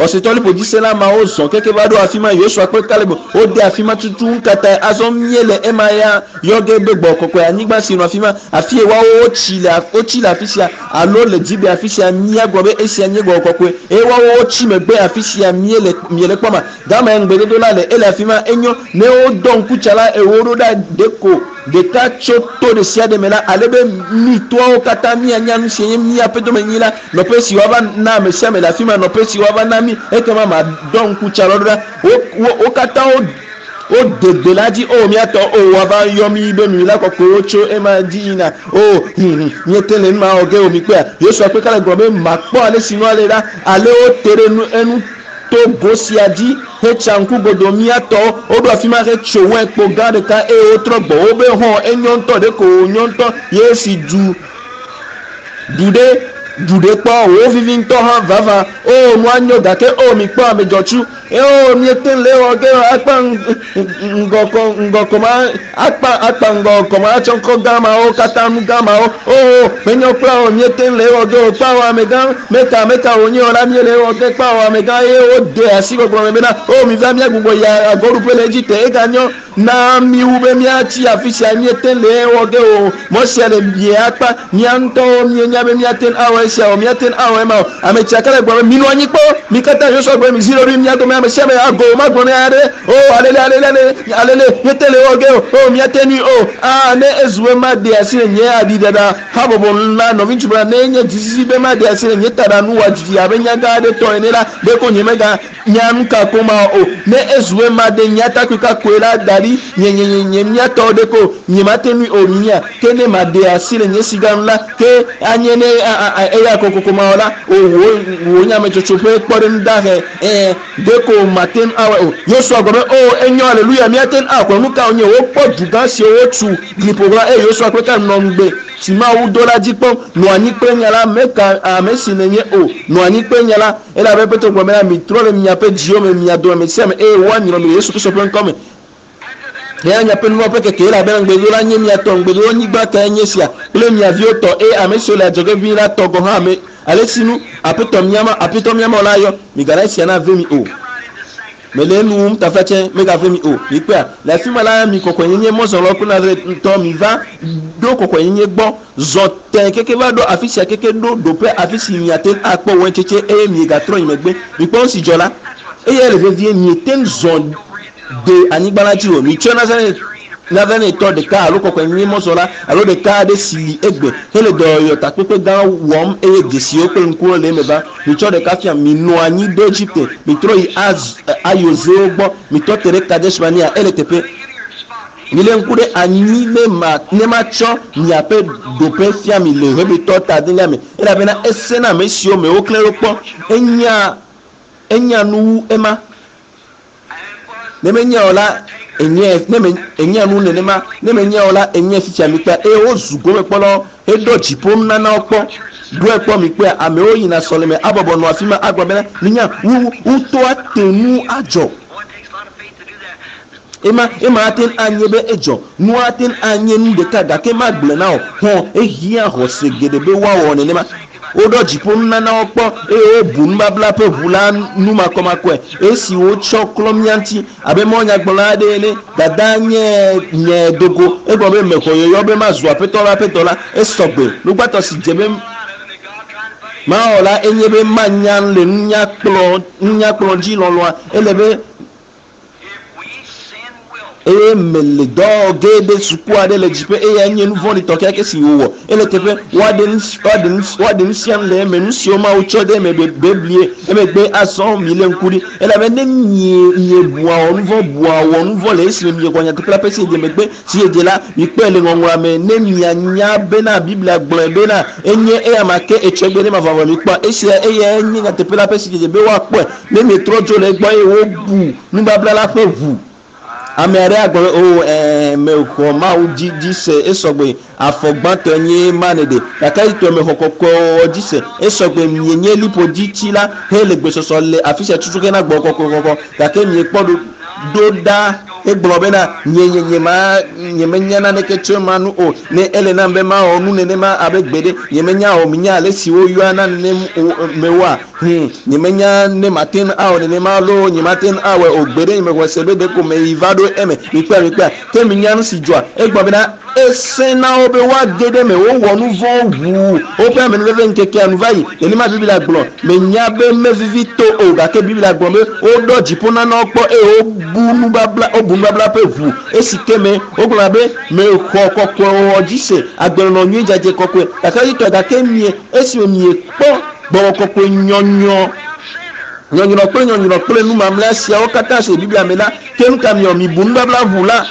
A: xɔsetɔ liƒo dzi se la mawo zɔ keke va ɖo afi ma Yosua kple Kaleb wode afi ma tutu ŋkata azɔ míele ema ya yɔ ge be gbɔ kɔkɔe anyigba si nɔ afi ma afi ye woawo wotsi le wotsi le afi sia alo le dzibe afi sia míagblɔ be esia nye gbɔgbɔ kɔkɔe eye woawo wotsi megbe afi sia míele miele kpɔ ma gama ŋugbedodo la le ele afi ma enyo ne wodɔ ŋkutsala ewo ɖo ɖa ɖeko ɖeka tso to ɖe sia ɖe me la ale be mi toawo katã mianya nu si nye míaƒe domenyi la nɔƒe si woava na ame sia ame le afi ma nɔƒe si woava na mi ekema madɔ ŋkutsalawo ɖo ɖa wo wo wo katã wo Wode gbe la dzi o míatɔ o woava yɔ mi be mi la kɔkɔewo tso ema dzi yina o míete le nu ma wɔ ge o mi kpɔa. Yosua kpe Kaleb gblɔ be makpɔ ale si nua le ɖa ale wote ɖe nu enu to go sia dzi hetsa ŋku godo míatɔwo woɖo afi ma hetso wɛn kpo gã ɖeka eye wotrɔ gbɔ wobe hɔn enyo ŋutɔ ɖeko wònyo ŋutɔ ye si du du ɖe du ɖe kpɔ wo vivi ŋutɔ hã vava o nua nyo gake o mi kpɔ ame dzɔtsu o miete le wɔ ge akpa ŋgɔkɔ ŋgɔkɔma akpa akpa ŋgɔkɔma atsɔ ŋkɔ gã mawo katã nu gã mawo o menyo kpla o miete le wɔ ge o kpa o amegã meka meka wònye o la miele wɔ ge kpa o amegã eye wode asi gbɔgblɔ me bena o mi va míagbugbɔ yi agɔɖuƒe le Egipte eganyo na mi wu be míatsi afi sia míete le wɔ ge o mɔ sia le bie akpa mía ŋutɔwo míenya be míate ŋu awɔ esia o míate ŋu awɔ ema o ame tsia ke le gblɔ be minɔ anyi kpɔ mi katã Yosua gblɔ be mi zi ɖoɖoe mía dome ame sia ame ago magblɔ ne aɖe o alele alele alele alele míete le wɔ ge o o míate nui o aa ne ezu be maɖe asi le nye aɖiɖaɖa habɔbɔ la nɔviŋutsu bena ne nye dzizizĩ be maɖe asi le nye taɖa nu wa dzidzi abe nyagã aɖe tɔ ene la ɖeko nye mega nya nu ka ko ma o ne ezu be maɖe nye atakpui kakoe la da ɖi nye nye nye nye míatɔ ɖe ko nye mate nui o mia ke ne maɖe asi le nye siga nu la ke anye ne eya kokoko ma wɔ la o wo wo nyametsotso ƒe kpɔɖeŋu dahe ɛɛ ɖeko mate ŋu awɔe o Yosua gblɔ be o enyo aleluya míate ŋu akplɔ nu ka wònye wokpɔ dugã siwo wotu glikpo ɣla eye Yosua kple Kaleb nɔ ŋugbe si Mawu do la dzi kpɔm nɔ anyi kple nya la meka ame si nenye o nɔ anyi kple nya la elabe Petro gblɔ bena mitrɔ le miaƒe dziwo me mia dome ame sia ame eye woanyrɔ mi le Yesu Kristo ƒe ŋkɔ me hena miaƒe nu vɔ̃ ƒe keke elabena ŋugbedodo la nye mia tɔ ŋugbedodo nyigba kae nye sia kple mia viwo tɔ eye ame siwo le adzɔge ʋĩi la tɔ gɔ̃ hã ame ale si nu aƒetɔ miama aƒetɔ miama la yɔ migana esia nave mi o mele enu wum taflatsɛ megave mi o mikpɔa le afi ma la mi kɔkɔenyenye mɔzɔlawo kple Nazaretɔ mi va ɖo kɔkɔenyenye gbɔ zɔ tẽ keke va ɖo afi sia keke ɖo ɖoƒe afi si miate ŋu akpɔ wɛntsetse eye miegatrɔ yi megbe mikpɔ nu si dzɔ la eye le vevie miete ŋu zɔ de anyigba la dzi o mitsɔ Nazaretɔ ɖeka alo kɔkɔenyenye mɔzɔla alo ɖeka aɖe si li egbe hele dɔyɔyɔ takpekpe gã wɔm eye dzesiwo kple ŋkuwo le eme va mitsɔ ɖeka fia minɔ anyi ɖo Egipte mitrɔ yi ayozewo gbɔ mitɔ te ɖe Kadesh Barnea ele teƒe mile ŋku ɖe anyi ne ma ne matsɔ miaƒe ɖoƒe fia mi le Hebritɔ ta adelia me elabena ese na ame siwo me woklẽ ɖo kpɔ enya enya nu wu ema ne menya o la enye ne me enya nu nenema ne menya o la enye fifia mi kpea eye wozu gomekpɔlawo heɖɔ dziƒo nunanawo kpɔ ɖoe kpɔ mi kpea amewo yina sɔleme abɔbɔ nɔ afi ma agblɔ bena minya wu wotɔ ate ŋu adzɔ ema ema ate ŋu anye be edzɔ nua ate ŋu anye nu ɖeka gake magblɔe na o hɔn ehiã xɔse geɖe be woawɔ nenema woɖɔ dziƒo nunanawo kpɔ eye wobu nubabla ƒe ʋu la numakɔmakɔe esi wotsɔ klɔ mía ŋuti abe mɔnyagblɔla aɖe ene dada nye nye dogo egblɔ be mexɔ yɔyɔ be mazu aƒetɔ la ƒe dɔla esɔgbe nugbãtɔ si dze be mawɔ la enye be manya le nunyakplɔ nunyakplɔ dzi lɔlɔa ele be eye mele dɔ ge ɖe suku aɖe le dziƒe eye nye nu vɔ̃ɖitɔ kekeake si wòwɔ ele teƒe woaɖe nu woaɖe nu woaɖe nu sia nu le eme nu siwo Mawu tsɔ ɖe eme be beblie emegbe azɔ mi le ŋku ɖi elabe ne mie miebua wɔ nu vɔ̃ bua wɔ nu vɔ̃ le esime miexɔ nyateƒe la ƒe sidzedze megbe sidzedze la mikpɔe le ŋɔŋlɔa me ne mianya bena Biblia gblɔe bena enye eya ma ke etsɔgbe ne mavɔvɔ mikpɔa esia eyae nye nyateƒe la ƒe sidzedze be woakpɔe ne mietrɔ dzo le egbɔ eye wobu nubabla la ƒe ʋu ame aɖe agblɔ be o ɛɛ mexɔ Mawu dzi dzi se esɔgbe afɔ gbãtɔe nye ma ne ɖe gake etɔ mexɔ kɔkɔewɔwɔ dzi se esɔgbe mienye liƒo dzi tsi la hele gbesɔsɔ le afi sia tutu hena gbɔ kɔkɔkɔkɔ gake miekpɔ ɖo ɖo ɖa egblɔ bena nye nye nye ma nye menya naneke tso ema nu o ne ele nam be mawɔ nu nenema abe gbe ɖe nye menya o minya ale si woyɔa na nenem mewoa nye menya ne mate ŋu awɔ nenema loo nye mate ŋu awɔe o gbe ɖe nye mexɔe se be ɖeko meyi va ɖo eme mikpɔe mikpɔe ke minya nu si dzɔa egblɔ bena ese na wo be woage ɖe eme wowɔ nu vɔ̃ ʋuu woƒe amenuveve ŋkekea nu va yi nenema Biblia gblɔ menya be mevivi to o gake Biblia gblɔ be woɖɔ dziƒo nanawo kpɔ eye wobu nubabla wobu nubabla ƒe ʋu esi ke me wogblɔna be mexɔ kɔkɔewɔwɔ dzi se agbenɔnɔ nyui dzadze kɔkɔe gake yitɔ gake mie esime miekpɔ gbɔgbɔ kɔkɔe nyɔnyɔ. Nyɔnyrɔ kple nyɔnyrɔ kple nu mamlɛa siawo katã si le Biblia me la, ke nu ka miwɔ? Mibu nubabla ŋu la,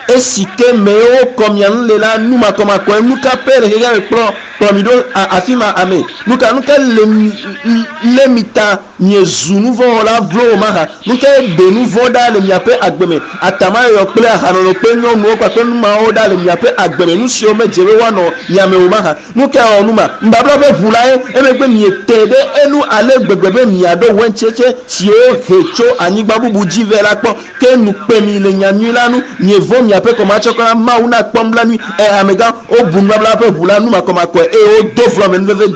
A: esi ke me wokɔ mia ŋu le la, nu makɔmakɔe, nu ka pɛ le xexea me kplɔ kplɔ mi ɖo afi ma? Ame, nu ka nu ka le mi lé mi ta miezu nuvɔ̃wɔla vlowo mahã? Nu kae ɖe nu vɔ̃ ɖa le miaƒe agbe me? Atamayɔyɔ kple ahanono kple nyɔnuwo kpakple nu mawo ɖa le miaƒe agbe me, nu siwo medze be woanɔ mia me o mahã? Nu kae wɔ nu ma? Nubabla ƒe ʋu lae. Emegbe miete ɖe enu ale gbegbe be miaɖo waintsetse siwo he tso anyigba bubu dzi vɛ la kpɔ. Ke nu kpe mi le nya nyui la nu. Mievɔ̃ miaƒe kɔmatsɔkɔ la. Mawu nakpɔ nublanui. Ẽ, amegã, wobu nubabla ƒe ʋu la nu makɔmakɔe eye wodo vlo amenuveve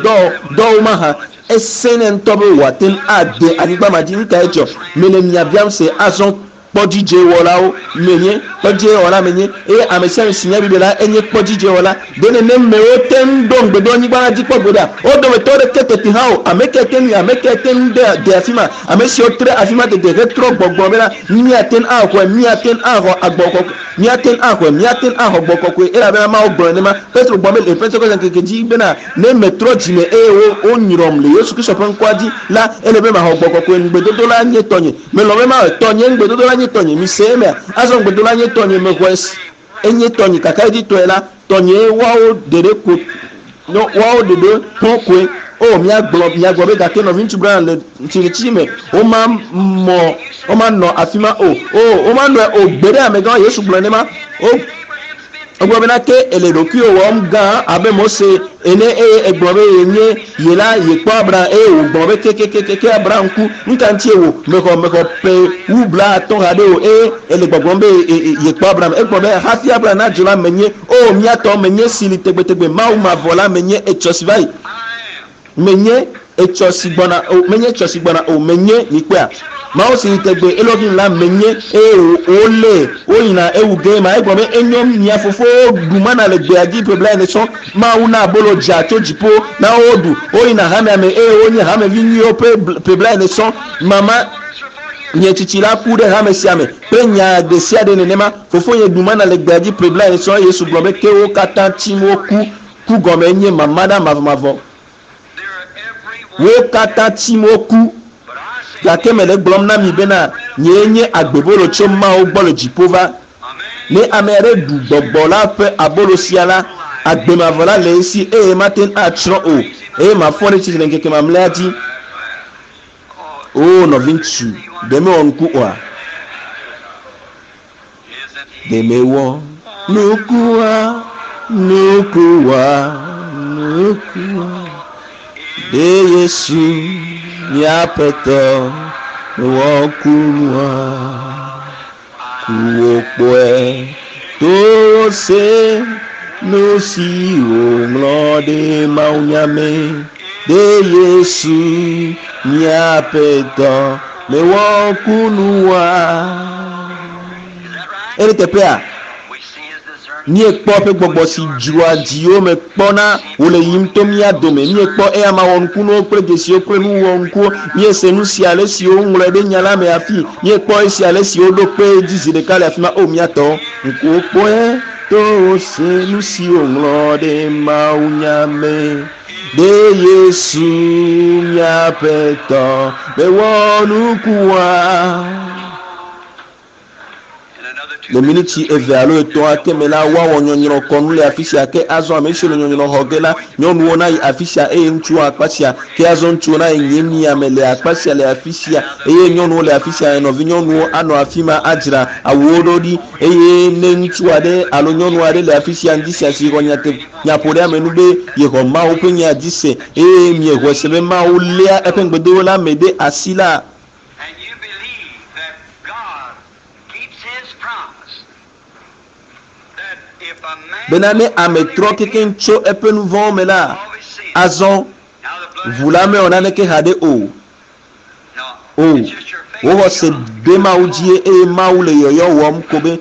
A: dɔwo mahã. Esẽnɛ ŋutɔ be wòate ŋu ade anyigba ma dzi. Nu kae dzɔ? Mele mia biam se azɔ. Kpɔdzidzewɔlawo menye, kpɔdzidzewɔla menye, eye ame sia ame si nya Biblia la, enye kpɔdzidzewɔla. Ɖe nenem mewo te ŋu ɖo ŋugbedonyigba la dzi kpɔ gbeɖea? Wo dometɔ ɖeke teti hã o. Ame kae te ŋui? Ame kae te ŋu de afi ma? Ame siwo tre afi ma dede hetrɔ gbɔgblɔ bena, Míate ŋu axɔe, míate ŋu axɔ agbɔ kɔkɔe, míate ŋu axɔe, míate ŋu axɔ gbɔ kɔkɔe, elabena Mawu gblɔ nenema. Petro gblɔ be le Pentekoste ŋkeke dzi bena, Ne metrɔ dzime eye wonyrɔm le Yesu Kristo ƒe ŋkɔa dzi la, ele be maxɔ gbɔ kɔkɔe. Ŋugbedodo la nye tɔnye. Melɔ̃ be mawɔe. Tɔnye, ŋugbedodo la nye tɔnye. Mise emea? Azɔ ŋugbedodo la nye tɔnye. Mexɔe se. Enye tɔnye. Kakaɖedzitɔe la, tɔnyee woawo ɖeɖe ko, no, woawo ɖeɖe hɔ̃ koe. O, míagblɔ, miagblɔ be, Gake Nɔviŋutsu Branham le tsitretsitsi me, woma mɔ, womanɔ afima o. O, womanɔe o gbeɖe, amegã, Yesu gblɔe nenema. O. Egblɔ bena, Ke èle ɖokuiwò wɔm gã abe Mose ene, eye ègblɔ be yenye ye la, yekpɔ Abraham, eye wògblɔ be, Kekekeke Abraham ku, nu ka ŋutie wò mexɔ mexɔ ƒe wu blaatɔ̃ haɖe o, eye èle gbɔgblɔm be yekpɔ Abraham? Egblɔ be, Hafi Abraham nadzo la, menye, Oo, mía tɔ, menye si li tegbetegbe, Mawu mavɔ la, menye etsɔ si va yi. Menye etsɔ si gbɔna o, menye etsɔ si gbɔna o, menye, mikpɔea? Mawu si li tegbee, Elohim la, menye, eye wolée, woyina ewu gee ma. Egblɔ be, Enyo, mia fofowo ɖu mana le gbea dzi ƒe blaene sɔŋ. Mawu na abolo dza tso dziƒo na wo woɖu. Woyina hamea me eye wonye hamevi nyuiwo ƒe ƒe blaene sɔŋ. Mama nye tsitsi la ku ɖe hame sia me kple nya ɖesiaɖe nenema. Fofonye ɖu mana le gbea dzi ƒe blaene sɔŋ. Yesu gblɔ be, Ke wo katã tsim woku. Ku gɔmee nye mama ɖa mavɔmavɔ. Wo katã tsim woku. Gake mele egblɔm na mi bena, nyee nye agbebolo tso Mawu gbɔ le dziƒo va. Ne ame aɖe ɖu gbɔgbɔ la ƒe abolo sia la, agbe mavɔ la le esi eye mate ŋu atsrɔ̃ o, eye mafɔ ɖe tsitre le ŋkeke mamlɛa dzi. Oo nɔviŋutsu, ɖe mewɔ nuku oa? Ɖe mewɔ nukua, nukua, nukua. Ɖe Yesu mía Aƒetɔ mewɔ kunua? Kuwo kpɔe towo se nu si wòŋlɔ ɖe mawunya me. Ɖe Yesu mía Aƒetɔ mewɔ kunua? Ele teƒea, míekpɔ eƒe gbɔgbɔ si dzroa dziwo me kpɔna wòle yiyim to mía dome. Míekpɔ eyama wɔnukunuwo kple dzesiwo kple nu wɔnukuwo. Míese nu sia ale si woŋlɔe ɖe nya la me hafi. Míekpɔ esia ale si woɖo kpe edzi zi ɖeka le afi ma. O, mía tɔwo, ŋkuwo kpɔe, towo se nu si woŋlɔ ɖe mawunya me. Ɖe Yesu, mía Aƒetɔ, mewɔ nukua? Le miniti eve alo etɔ̃ ake me la, woawɔ nyɔnyrɔkɔnu le afi sia. Ke azɔ ame siwo le nyɔnyrɔ xɔ ge la, nyɔnuwo nayi afi sia eye ŋutsuwo akpa sia. Ke azɔ ŋutsuwo nayi nye mia me le akpa sia le afi sia eye nyɔnuwo le afi sia. Nɔvinyɔnuwo anɔ afi ma adzra awuwo ɖo ɖi. Eye ne ŋutsu aɖe alo nyɔnu aɖe le afi sia ŋdi sia si xɔ nyate nyaƒoɖeamenu be yexɔ Mawu ƒe nya dzi se eye miexɔe se be Mawu léa eƒe ŋugbedodo la me ɖe asi la,
C: And you believe that God keeps His promise, that if a man
A: Bena ne
C: will
A: ame
C: truly
A: trɔ kekeŋ
C: repent
A: tso eƒe nu vɔ̃wo me la,
C: of his sins,
A: azɔ
C: now the blood
A: ʋu
C: has
A: la
C: nothing
A: mewɔ
C: to do.
A: naneke haɖe o.
C: No,
A: O,
C: it's just your faith
A: wò
C: in
A: xɔse
C: God.
A: ɖe Mawu dzie eye Mawu le yɔyɔ wɔm ko be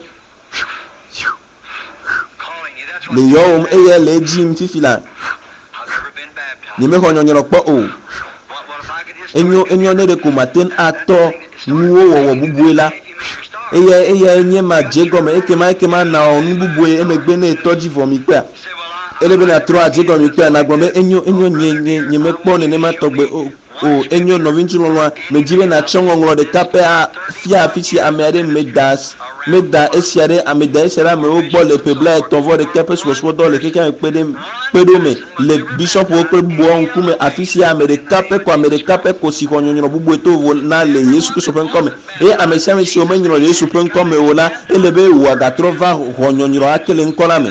C: Calling you. That's what
A: le
C: the
A: yɔwòm
C: baptism.
A: eye le edzi yim fifi la.
C: I've never been baptized.
A: Nyemexɔ nyɔnyrɔ kpɔ o.
C: What, what if I could just start
A: Enyo,
C: to
A: enyo ne
C: different?
A: ɖeko mate ŋu
C: That, that
A: atɔ
C: thing that started
A: nuwo
C: making
A: wɔwɔ
C: you
A: bubue la,
C: that you make your start.
A: eyae, eyae nye ma
C: You got
A: dze
C: your
A: gɔme. Ekema, ekema nawɔ nu bubue emegbe ne etɔ dzi vɔ mi kpea.
C: You say, well, I,
A: Ele be
C: I, I
A: nàtrɔ
C: never
A: adze
C: been
A: gɔme
C: into
A: kpea,
C: like
A: nàgblɔ be
C: that.
A: enyo,
C: Oh,
A: enyo, nye,
C: brother
A: nye,
C: dear, I
A: nyemekpɔ
C: want you to
A: nenema
C: show
A: tɔgbe
C: me
A: o.
B: O, enyo nɔviŋutsu lɔlɔ̃a, medzi be nàtsɔ ŋɔŋlɔ ɖeka pɛ afia afi si ame aɖe meda meda esia ɖe ame da esia ɖe amewo gbɔ le ƒe 31 ƒe subɔsubɔdɔ le xexea me kpe ɖe kpe ɖo me le bishɔpuwo kple bubuawo ŋkume afi sia ame ɖeka pɛ ko ame ɖeka pɛ ko si xɔ nyɔnyrɔ bubue to vovo na le Yesu Kristo ƒe ŋkɔme. Eye ame sia ame si womenyrɔ le Yesu ƒe ŋkɔme o la, ele be wòagatrɔ va xɔ nyɔnyrɔ ake le ŋkɔ la me.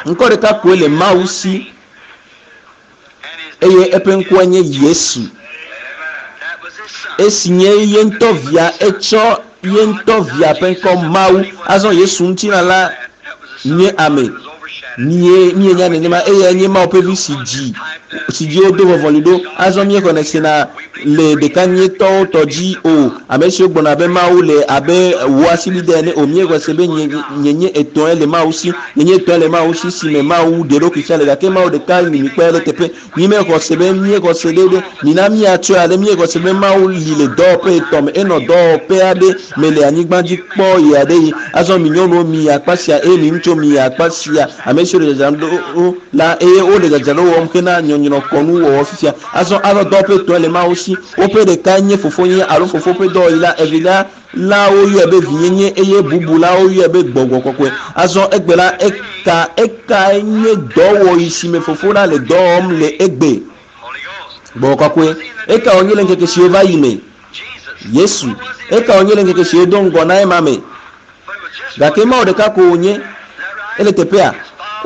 B: Ŋkɔ ɖeka koe le Mawu si eye eƒe ŋkɔe nye Yesu. Esi nye ye ŋutɔ via, etsɔ ye ŋutɔ via ƒe ŋkɔ Mawu. Azɔ Yesu ŋutilã la nye ame. Mie mienya nenema eyae nye Mawu ƒe vi si dzi si dzi wodo vɔvɔli ɖo. Azɔ míexɔnɛ sena le ɖekanyetɔwo tɔ dzi o. Ame siwo gblɔna be Mawu le abe wò asibidɛ ene o. Míexɔe se be nye nyenye etɔ̃e le Mawu si. Nyenye etɔ̃e le Mawu si si me Mawu ɖe eɖokui fia le gake Mawu ɖeka li mikpɔe le teƒe. Mímexɔ se be míexɔ se ɖe ɖe mina míatsɔe ale míexɔ se be Mawu li le dɔwɔƒe etɔ̃ me. Enɔ dɔwɔƒe aɖe me le anyigba dzi kpɔ ɣe aɖe ɣi. Azɔ mi nyɔnuwo miyi akpa sia eye mi ŋutsuwo miyi akpa sia. Ame siwo le dzadzram ɖo la eye wole dzadzraɖo wɔm hena nyɔnyrɔkɔnu wɔwɔ fifia. Azɔ azɔ dɔwɔƒe etɔ̃e le Mawu si. Woƒe ɖekae nye fofonye alo fofo ƒe dɔwɔɣi la, evelia la woyɔe be vinyenye eye bubu la woyɔe be gbɔgbɔ kɔkɔe. Azɔ egbe la eka ekae nye dɔwɔɣi si me fofo la le dɔ wɔm le egbe. Gbɔgbɔ kɔkɔe. Eka wònye le ŋkeke siwo va yi me? Yesu. Eka wònye le ŋkeke siwo do ŋgɔ na ema me? Gake Mawu ɖeka ko wònye. Ele teƒea.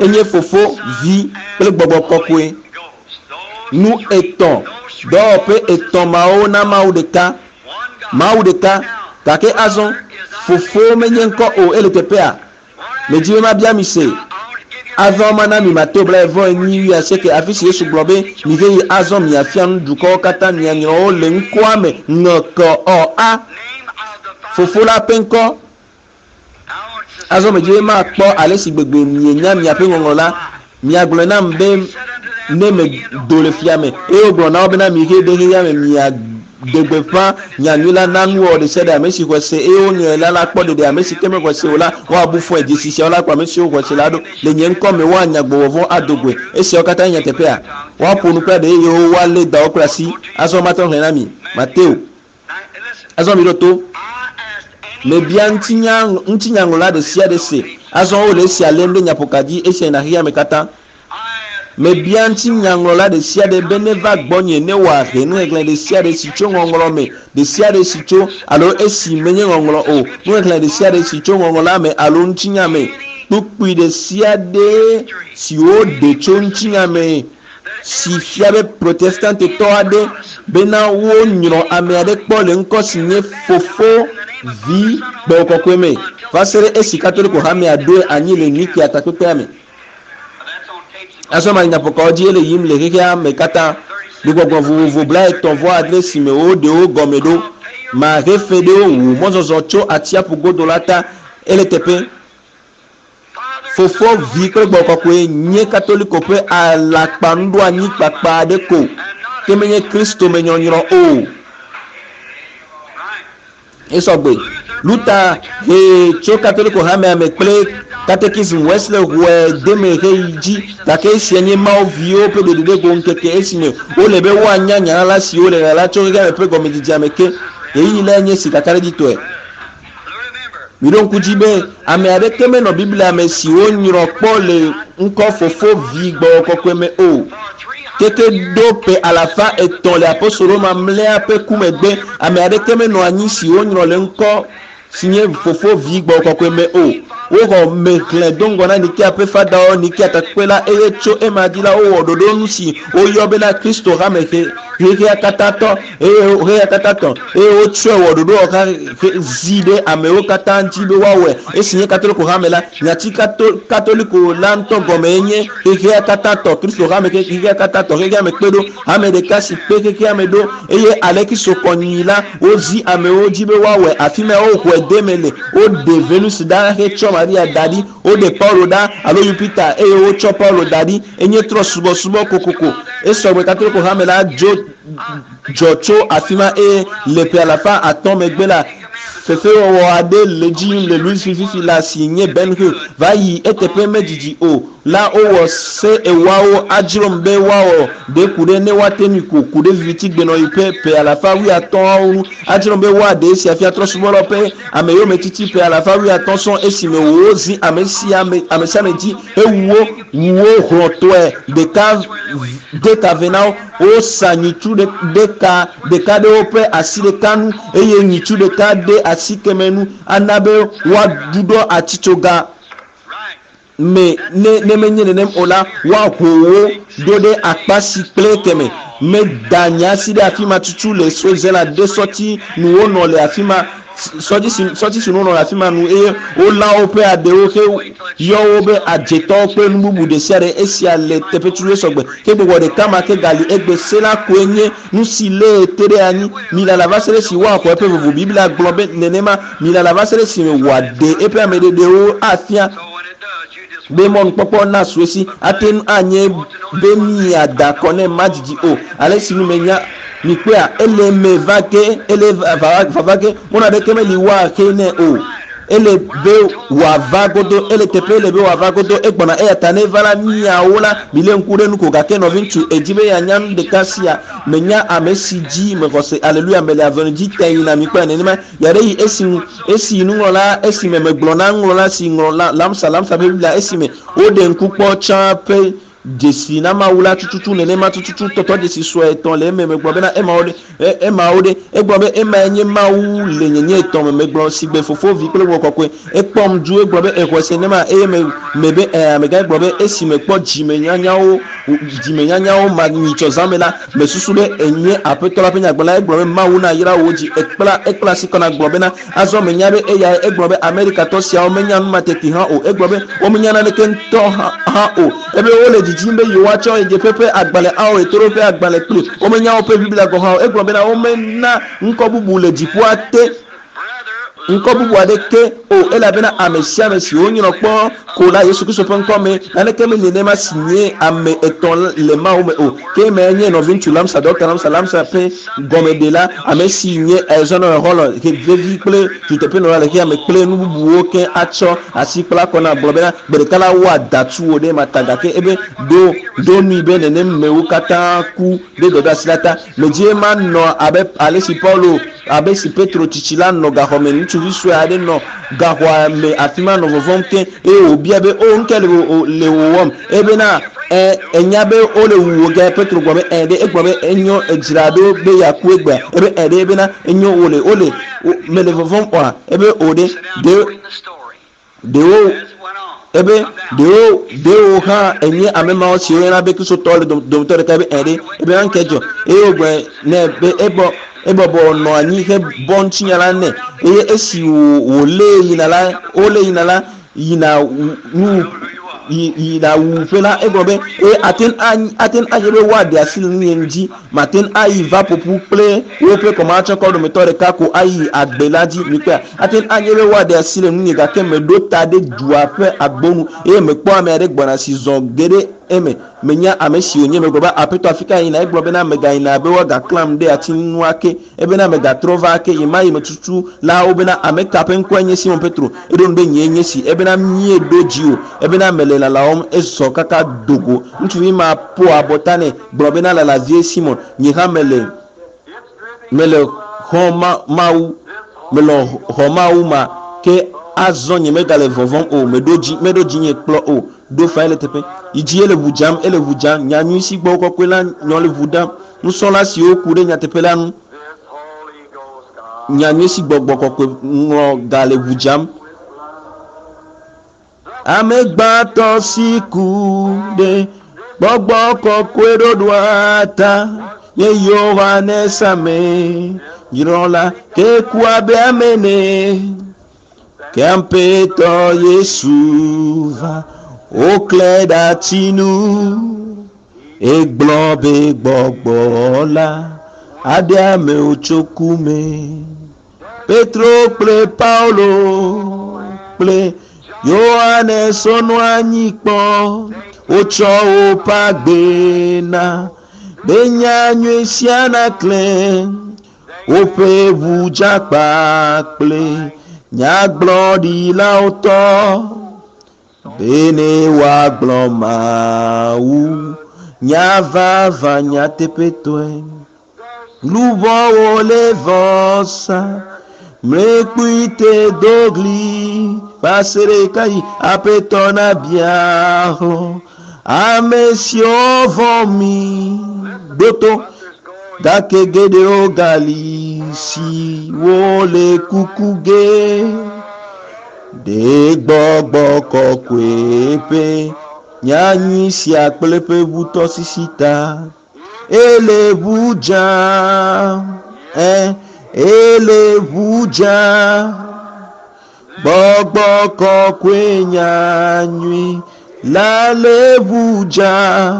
B: Enye fofo, vi kple gbɔgbɔ kɔkɔe. Nu etɔ̃, dɔwɔƒe etɔ̃ mawo na Mawu ɖeka. Mawu ɖeka. Gake azɔ, fofo menye ŋkɔ o, ele teƒea. Medzi be mabia mi se. Azɔ mana mi Mateo 24:28, afi si Yesu gblɔ be, mive yi azɔ miafia nu dukɔwo katã mianyrɔ wo le ŋkɔa me ŋkɔ a. Fofo la ƒe ŋkɔ. Azɔ medzi be makpɔ ale si gbegbe mienya miaƒe ŋɔŋlɔ la. Miagblɔe nam be ne medo le fia me eye wogblɔ na wo bena mihe ɖe xexea me miaɖe gbeƒã nyanyui la na nuwɔwɔ ɖe sia ɖe ame si xɔe se eye wonyrɔe la la kpɔ ɖeɖe ame si ke mexɔe se o la woabu fɔe dzesi siawo la kplɔ ame siwo xɔe se la ɖo le nye ŋkɔ me woanya gbɔgbɔ vɔ̃ ado goe. Esiawo katã nye nyateƒea? Woaƒo nu kple aɖe eye woalé dawo kple asi. Azɔ mate ŋu xlẽ na mi. Mateo. Azɔ miɖo to. Mebia ŋutinya ŋutinyaŋlɔla ɖe sia ɖe se. Azɔ wole esia lém ɖe nyaƒoka dzi esia yina xexea me katã. Mebia ŋutinyaŋlɔla ɖe sia ɖe be neva gbɔnye ne wòahe nuxexlẽ ɖe sia ɖe si tso ŋɔŋlɔ me ɖe sia ɖe si tso alo esi menye ŋɔŋlɔ o. Nuxexlẽ ɖe sia ɖe si tso ŋɔŋlɔ la me alo ŋutinya me. Kpukpui ɖe sia ɖe si woɖe tso ŋutinya me si fia be protestantetɔ aɖe bena wonyrɔ ame aɖe kpɔ le ŋkɔ si nye fofo vi gbɔgbɔ kɔkɔe me va se ɖe esi katoliko hamea ɖoe anyi le Nikea takpekpea me. Azɔ ma nyaƒokawo dzi ele yim le xexea me katã. Gbegbɔgblɔ vovovo 38 si me woɖe wo gɔme ɖo. Mahe fe ɖe wo wu mɔzɔzɔ tso atsiaƒu godo la ta ele teƒe. Fofo, vi kple gbɔgbɔ kɔkɔe nye katoliko ƒe alakpanuɖoanyi kpakpa aɖe ko ke menye Kristo me nyɔnyrɔ o. Esɔgbe. Luther he tso katoliko hamea me kple katekism Wesley ʋue deme heyi dzi gake esia nye Mawu viwo ƒe ɖeɖeɖego ŋkeke esime wole be woanya nya la si wole ɣaɣla tso xexea me ƒe gɔmedzedzea me ke. Ɣeyiɣi lae nye si kakaɖedzitɔe. Miɖo ŋku dzi be ame aɖeke menɔ Biblia me si wonyrɔ kpɔ le ŋkɔ fofo vi gbɔgbɔ kɔkɔe me o. Keke ɖo ƒe 300 le apostolo mamlɛa ƒe ku megbe ame aɖeke menɔ anyi si wonyrɔ le ŋkɔ si nye fofo vi gbɔgbɔ kɔkɔe me o. Woxɔ mexlẽ do ŋgɔ na Nikea ƒe fadawo Nikea takpekpe la eye tso ema dzi la wowɔ ɖoɖo nu si woyɔ bena Kristo hame xexea katã tɔ eye xexea katã tɔ eye wotsɔe wɔ ɖoɖo wɔxa zi ɖe amewo katã dzi be woawɔe. Esi nye katoliko hame la, nyati katoliko la ŋutɔ gɔme nye xexea katã tɔ Kristo hame xexea katã tɔ xexea me kpe ɖo hame ɖeka si kpe xexea me ɖo eye ale Kristo kɔnyi la wozi amewo dzi be woawɔe. Afi ma woxɔe de me le woɖe Venus ɖa hetsɔ Maria da ɖi, woɖe Paulo ɖa alo Jupiter eye wotsɔ Paulo da ɖi. Enye trɔ subɔsubɔ kokoko. Esɔgbe katoliko hame la dzo dzɔ tso afi ma eye le ƒe 500 megbe la Fefewɔwɔ aɖe le dzi yim le Louisville fifi la si nye Ben Hur va yi eteƒe medzidzi o la wowɔ se ewoawo adzrom be woawɔ ɖe ku ɖe ne woate ŋui ko ku ɖe vivitigbenɔɣi ƒe ƒe alafa wuiatɔ̃awo ŋu adzrom be woaɖe esia fia trɔ̃subɔlawo ƒe ameyometiti ƒe alafa wuiatɔ̃ sɔŋ esime wozi ame sia ame sia ame dzi hewu wo wu wo hlɔ̃tɔe ɖeka de ta ve na wo wosa nyitsu ɖeka ɖeka ɖe woƒe asi ɖeka nu eye nyitsu ɖeka ɖe asi keme nu ana be woaɖuɖɔ atitsoga me ne ne menye nenem o la woaho wo ɖo ɖe akpa si kple keme meda nye asi ɖe afi ma tutu le Switzerland ɖe sɔti nu wonɔ le afi ma sɔdzi si sɔti si nu wonɔ le afi ma nu eye wolã woƒe aɖewo he yɔ wo be adzetɔwo kple nu bubu ɖe sia ɖe esia le teƒe tutu sɔgbe ke gbɔgbɔ ɖeka ma ke gali egbe se la koe nye nu si lée te ɖe anyi milala va se ɖe si woaxɔ eƒe vovo biblia gblɔ be nenema milala va se ɖe si me wòaɖe eƒe ameɖeɖewo afia be mɔnukpɔkpɔ na su esi ate ŋu anye be miada kɔ ne madzidzi o ale si nu menya mikpɔa ele me va ge ele vava ge mɔnu aɖeke meli woaxe nɛ o ele be wòava godo ele teƒe ele be wòava godo egbɔna eya ta ne va la miawo la milé ŋku ɖe nu ko gake nɔvi ŋutsu edzi be yeanya nu ɖeka sia menya ame si dzi mexɔ se aleluya mele azɔli dzi te yina mikpɔe nenema ya ɖe yi esi esi nuŋlɔla esime megblɔ na nuŋlɔla si ŋlɔ la lamsa lamsa ƒe biblia esime woɖe ŋku kpɔ tsã ƒe dzesi na mawu la tututu nenema tututu tɔtɔ dzesi sue etɔ̃ le eme megblɔ bena emawo ɖe emawo ɖe egblɔ be emae nye mawu le nyenye etɔ̃ me megblɔ si gbe fofo vi kple gbɔgbɔ kɔkɔe ekpɔm du egblɔ be exɔe se nema eye me me be ɛ amegã gblɔ be esi mekpɔ dzimenyanyawo dzimenyanyawo ma nyitsɔ zã me la mesusu be enye aƒetɔ la ƒe nyagblɔla egblɔ be mawu na yra wo dzi ekpla ekpla asi kɔ na gblɔ bena azɔ menya be eya egblɔ be amerikatɔ siawo menya nu ma teti hã o egblɔ be womenya naneke ŋutɔ hã o ebe wole dzidzim be yewoatsɔ ɣedzeƒe ƒe agbalẽ awɔ ɣetoɖoƒe agbalẽ kpli womenya woƒe biblia gɔ̃ hã o egblɔ bena womena ŋkɔ bubu le dziƒoa te ŋkɔ bubu aɖeke o elabena ame sia ame si wonyrɔ kpɔ ko la yesu kristu ƒe ŋkɔ me naneke meli nenema si nye ame etɔ̃ le mawu me o ke eme nye nɔviŋutsu lamsa dɔkta lamsa lamsa ƒe gɔmeɖela ame si nye ezɔnɔ xɔlɔ vevi kple duteƒenɔla le xexea me kple nu bubuwo ke atsɔ asi kpla kɔ na gblɔ bena gbe ɖeka la woada tu wo ɖe ma ta gake ebe ɖo ɖo nui be nenem mewo katã ku ɖe dɔdeasi la ta medie manɔ abe ale si paulo abe si petro tsitsi la nɔ gaxɔ me ŋutsuvi sue aɖe nɔ gaxɔa me afi ma nɔ vɔvɔm ke eye wòbia be o nu ke le le wòwɔm ebena ɛ enya be wole wu wò ge petro gblɔ be ɛ ɖe egblɔ be enyo edzra ɖo be yeaku egbea ebe ɛ ɖe ebena enyo wòle wole mele vɔvɔm oa ebe o ɖe ɖe ɖewo ebe ɖewo ɖewo hã enye ame mawo siwo yɔna be kristotɔ le dometɔ ɖeka ebe ɛ ɖe ebe nanke dzɔ eye wògblɔ nɛ be ebɔ ebɔbɔ nɔ anyi hebɔ ŋutinya la nɛ eye esi wòlé yina la wolé yina la yina nu yina wuƒe la egblɔ be eye ate ŋu ate ŋu anye be woaɖe asi le nunye dzi mate ŋu ayi va ƒoƒu kple woƒe kɔmatsɔkɔ dometɔ ɖeka ko ayi agbe la dzi mikpɔa ate ŋu anye be woaɖe asi le nunye gake meɖo ta ɖe dua ƒe agbonu eye mekpɔ ame aɖe gbɔna si zɔ ge ɖe eme menya ame si wònye megblɔ be aƒetɔ afi ka yina egblɔ bena megayina be woagaklam ɖe ati nu ake ebena megatrɔ va ake yi ma yi metutu la wobena ame ka ƒe ŋkɔe nye simon petro eɖo nu be nyee nye si ebena míeɖo dzi o ebena mele lalawɔm ezɔ kaka dogo ŋutsuvi ma ƒo abɔta nɛ gblɔ bena lalavie simon nye hã mele mele xɔ ma mawu mele xɔ mawu ma ke azɔ nye megale vɔvɔm o meɖo dzi meɖo dzinye kplɔ o ɖo fa ele teƒe yi dzi ele ʋu dzam ele ʋu dzam nyanyui si gbɔ kɔkɔe la nyɔ le ʋu dam nusrɔ̃la siwo ku ɖe nyateƒe la ŋu nyanyui si gbɔgbɔ kɔkɔe ŋlɔ ga le ʋu dzam ame gbãtɔ si ku ɖe gbɔgbɔ kɔkɔe ɖoɖoa ta nye yohanes ame nyrɔla ke ku abe ame ene ke aƒetɔ yesu va woklẽ ɖe ati nu egblɔ be gbɔgbɔ la aɖe amewo tso ku me petro kple paulo kple yohanes wonɔ anyi kpɔ wotsɔ woƒe agbe na be nyanyui sia naklẽ.
A: Woƒe ʋu dzakpa kple nyagblɔɖilawo tɔ bene woagblɔ Mawu nya vavã nyateƒetɔe. Luʋɔwo le vɔsa mlekpui te do ɣli va se ɖe ɣekaɣi Aƒetɔ nabia hlɔ̃ ame siwo vɔ̃ mi. Ɖo to gake geɖewo gali siwo le kuku ge ɖe gbɔgbɔ kɔkɔe ƒe nyanyui sia kple eƒe ʋutɔsisi ta. Ele ʋu dzam, ɛ, ele ʋu dzam. Gbɔgbɔ kɔkɔe nyanyui la le ʋu dzam.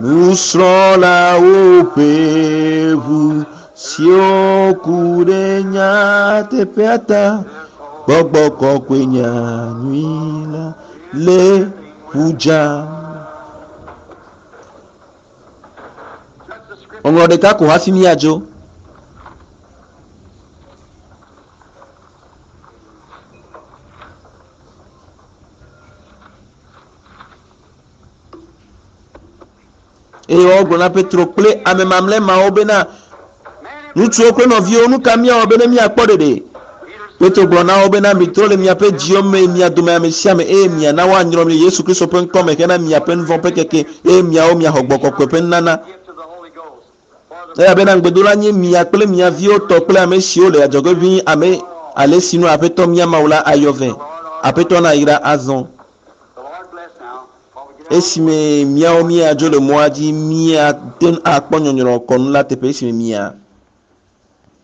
A: Nusrɔ̃lawo ƒe ʋu siwo ku ɖe nyateƒea ta. Gbɔgbɔ kɔkɔe nyanyui la le ʋu dzam. Ŋɔŋlɔ ɖeka ko hafi míadzo. Eye wogblɔ na Petro kple ame mamlɛ mawo bena, Ŋutsuwo kple nɔviwo, nu ka míawɔ bene míakpɔ ɖeɖe? Petro gblɔ na wo bena, Mitrɔ le miaƒe dziwo me, mia dome ame sia ame, eye miana woanyrɔ mi le Yesu Kristo ƒe ŋkɔ me hena miaƒe nu vɔ̃ ƒe keke, eye miawo miaxɔ Gbɔgbɔ Kɔkɔe ƒe nunana. Elabena ŋugbedola nye mia kple mia viwo tɔ kple ame siwo le adzɔge ʋĩi, ame ale si nu Aƒetɔ mía Mawu la ayɔ vɛ. Aƒetɔ nayra azɔ. Esime míawo míadzo le mɔa dzi, míate ŋu akpɔ nyɔnyrɔ̃kɔnu la teƒe esime mia.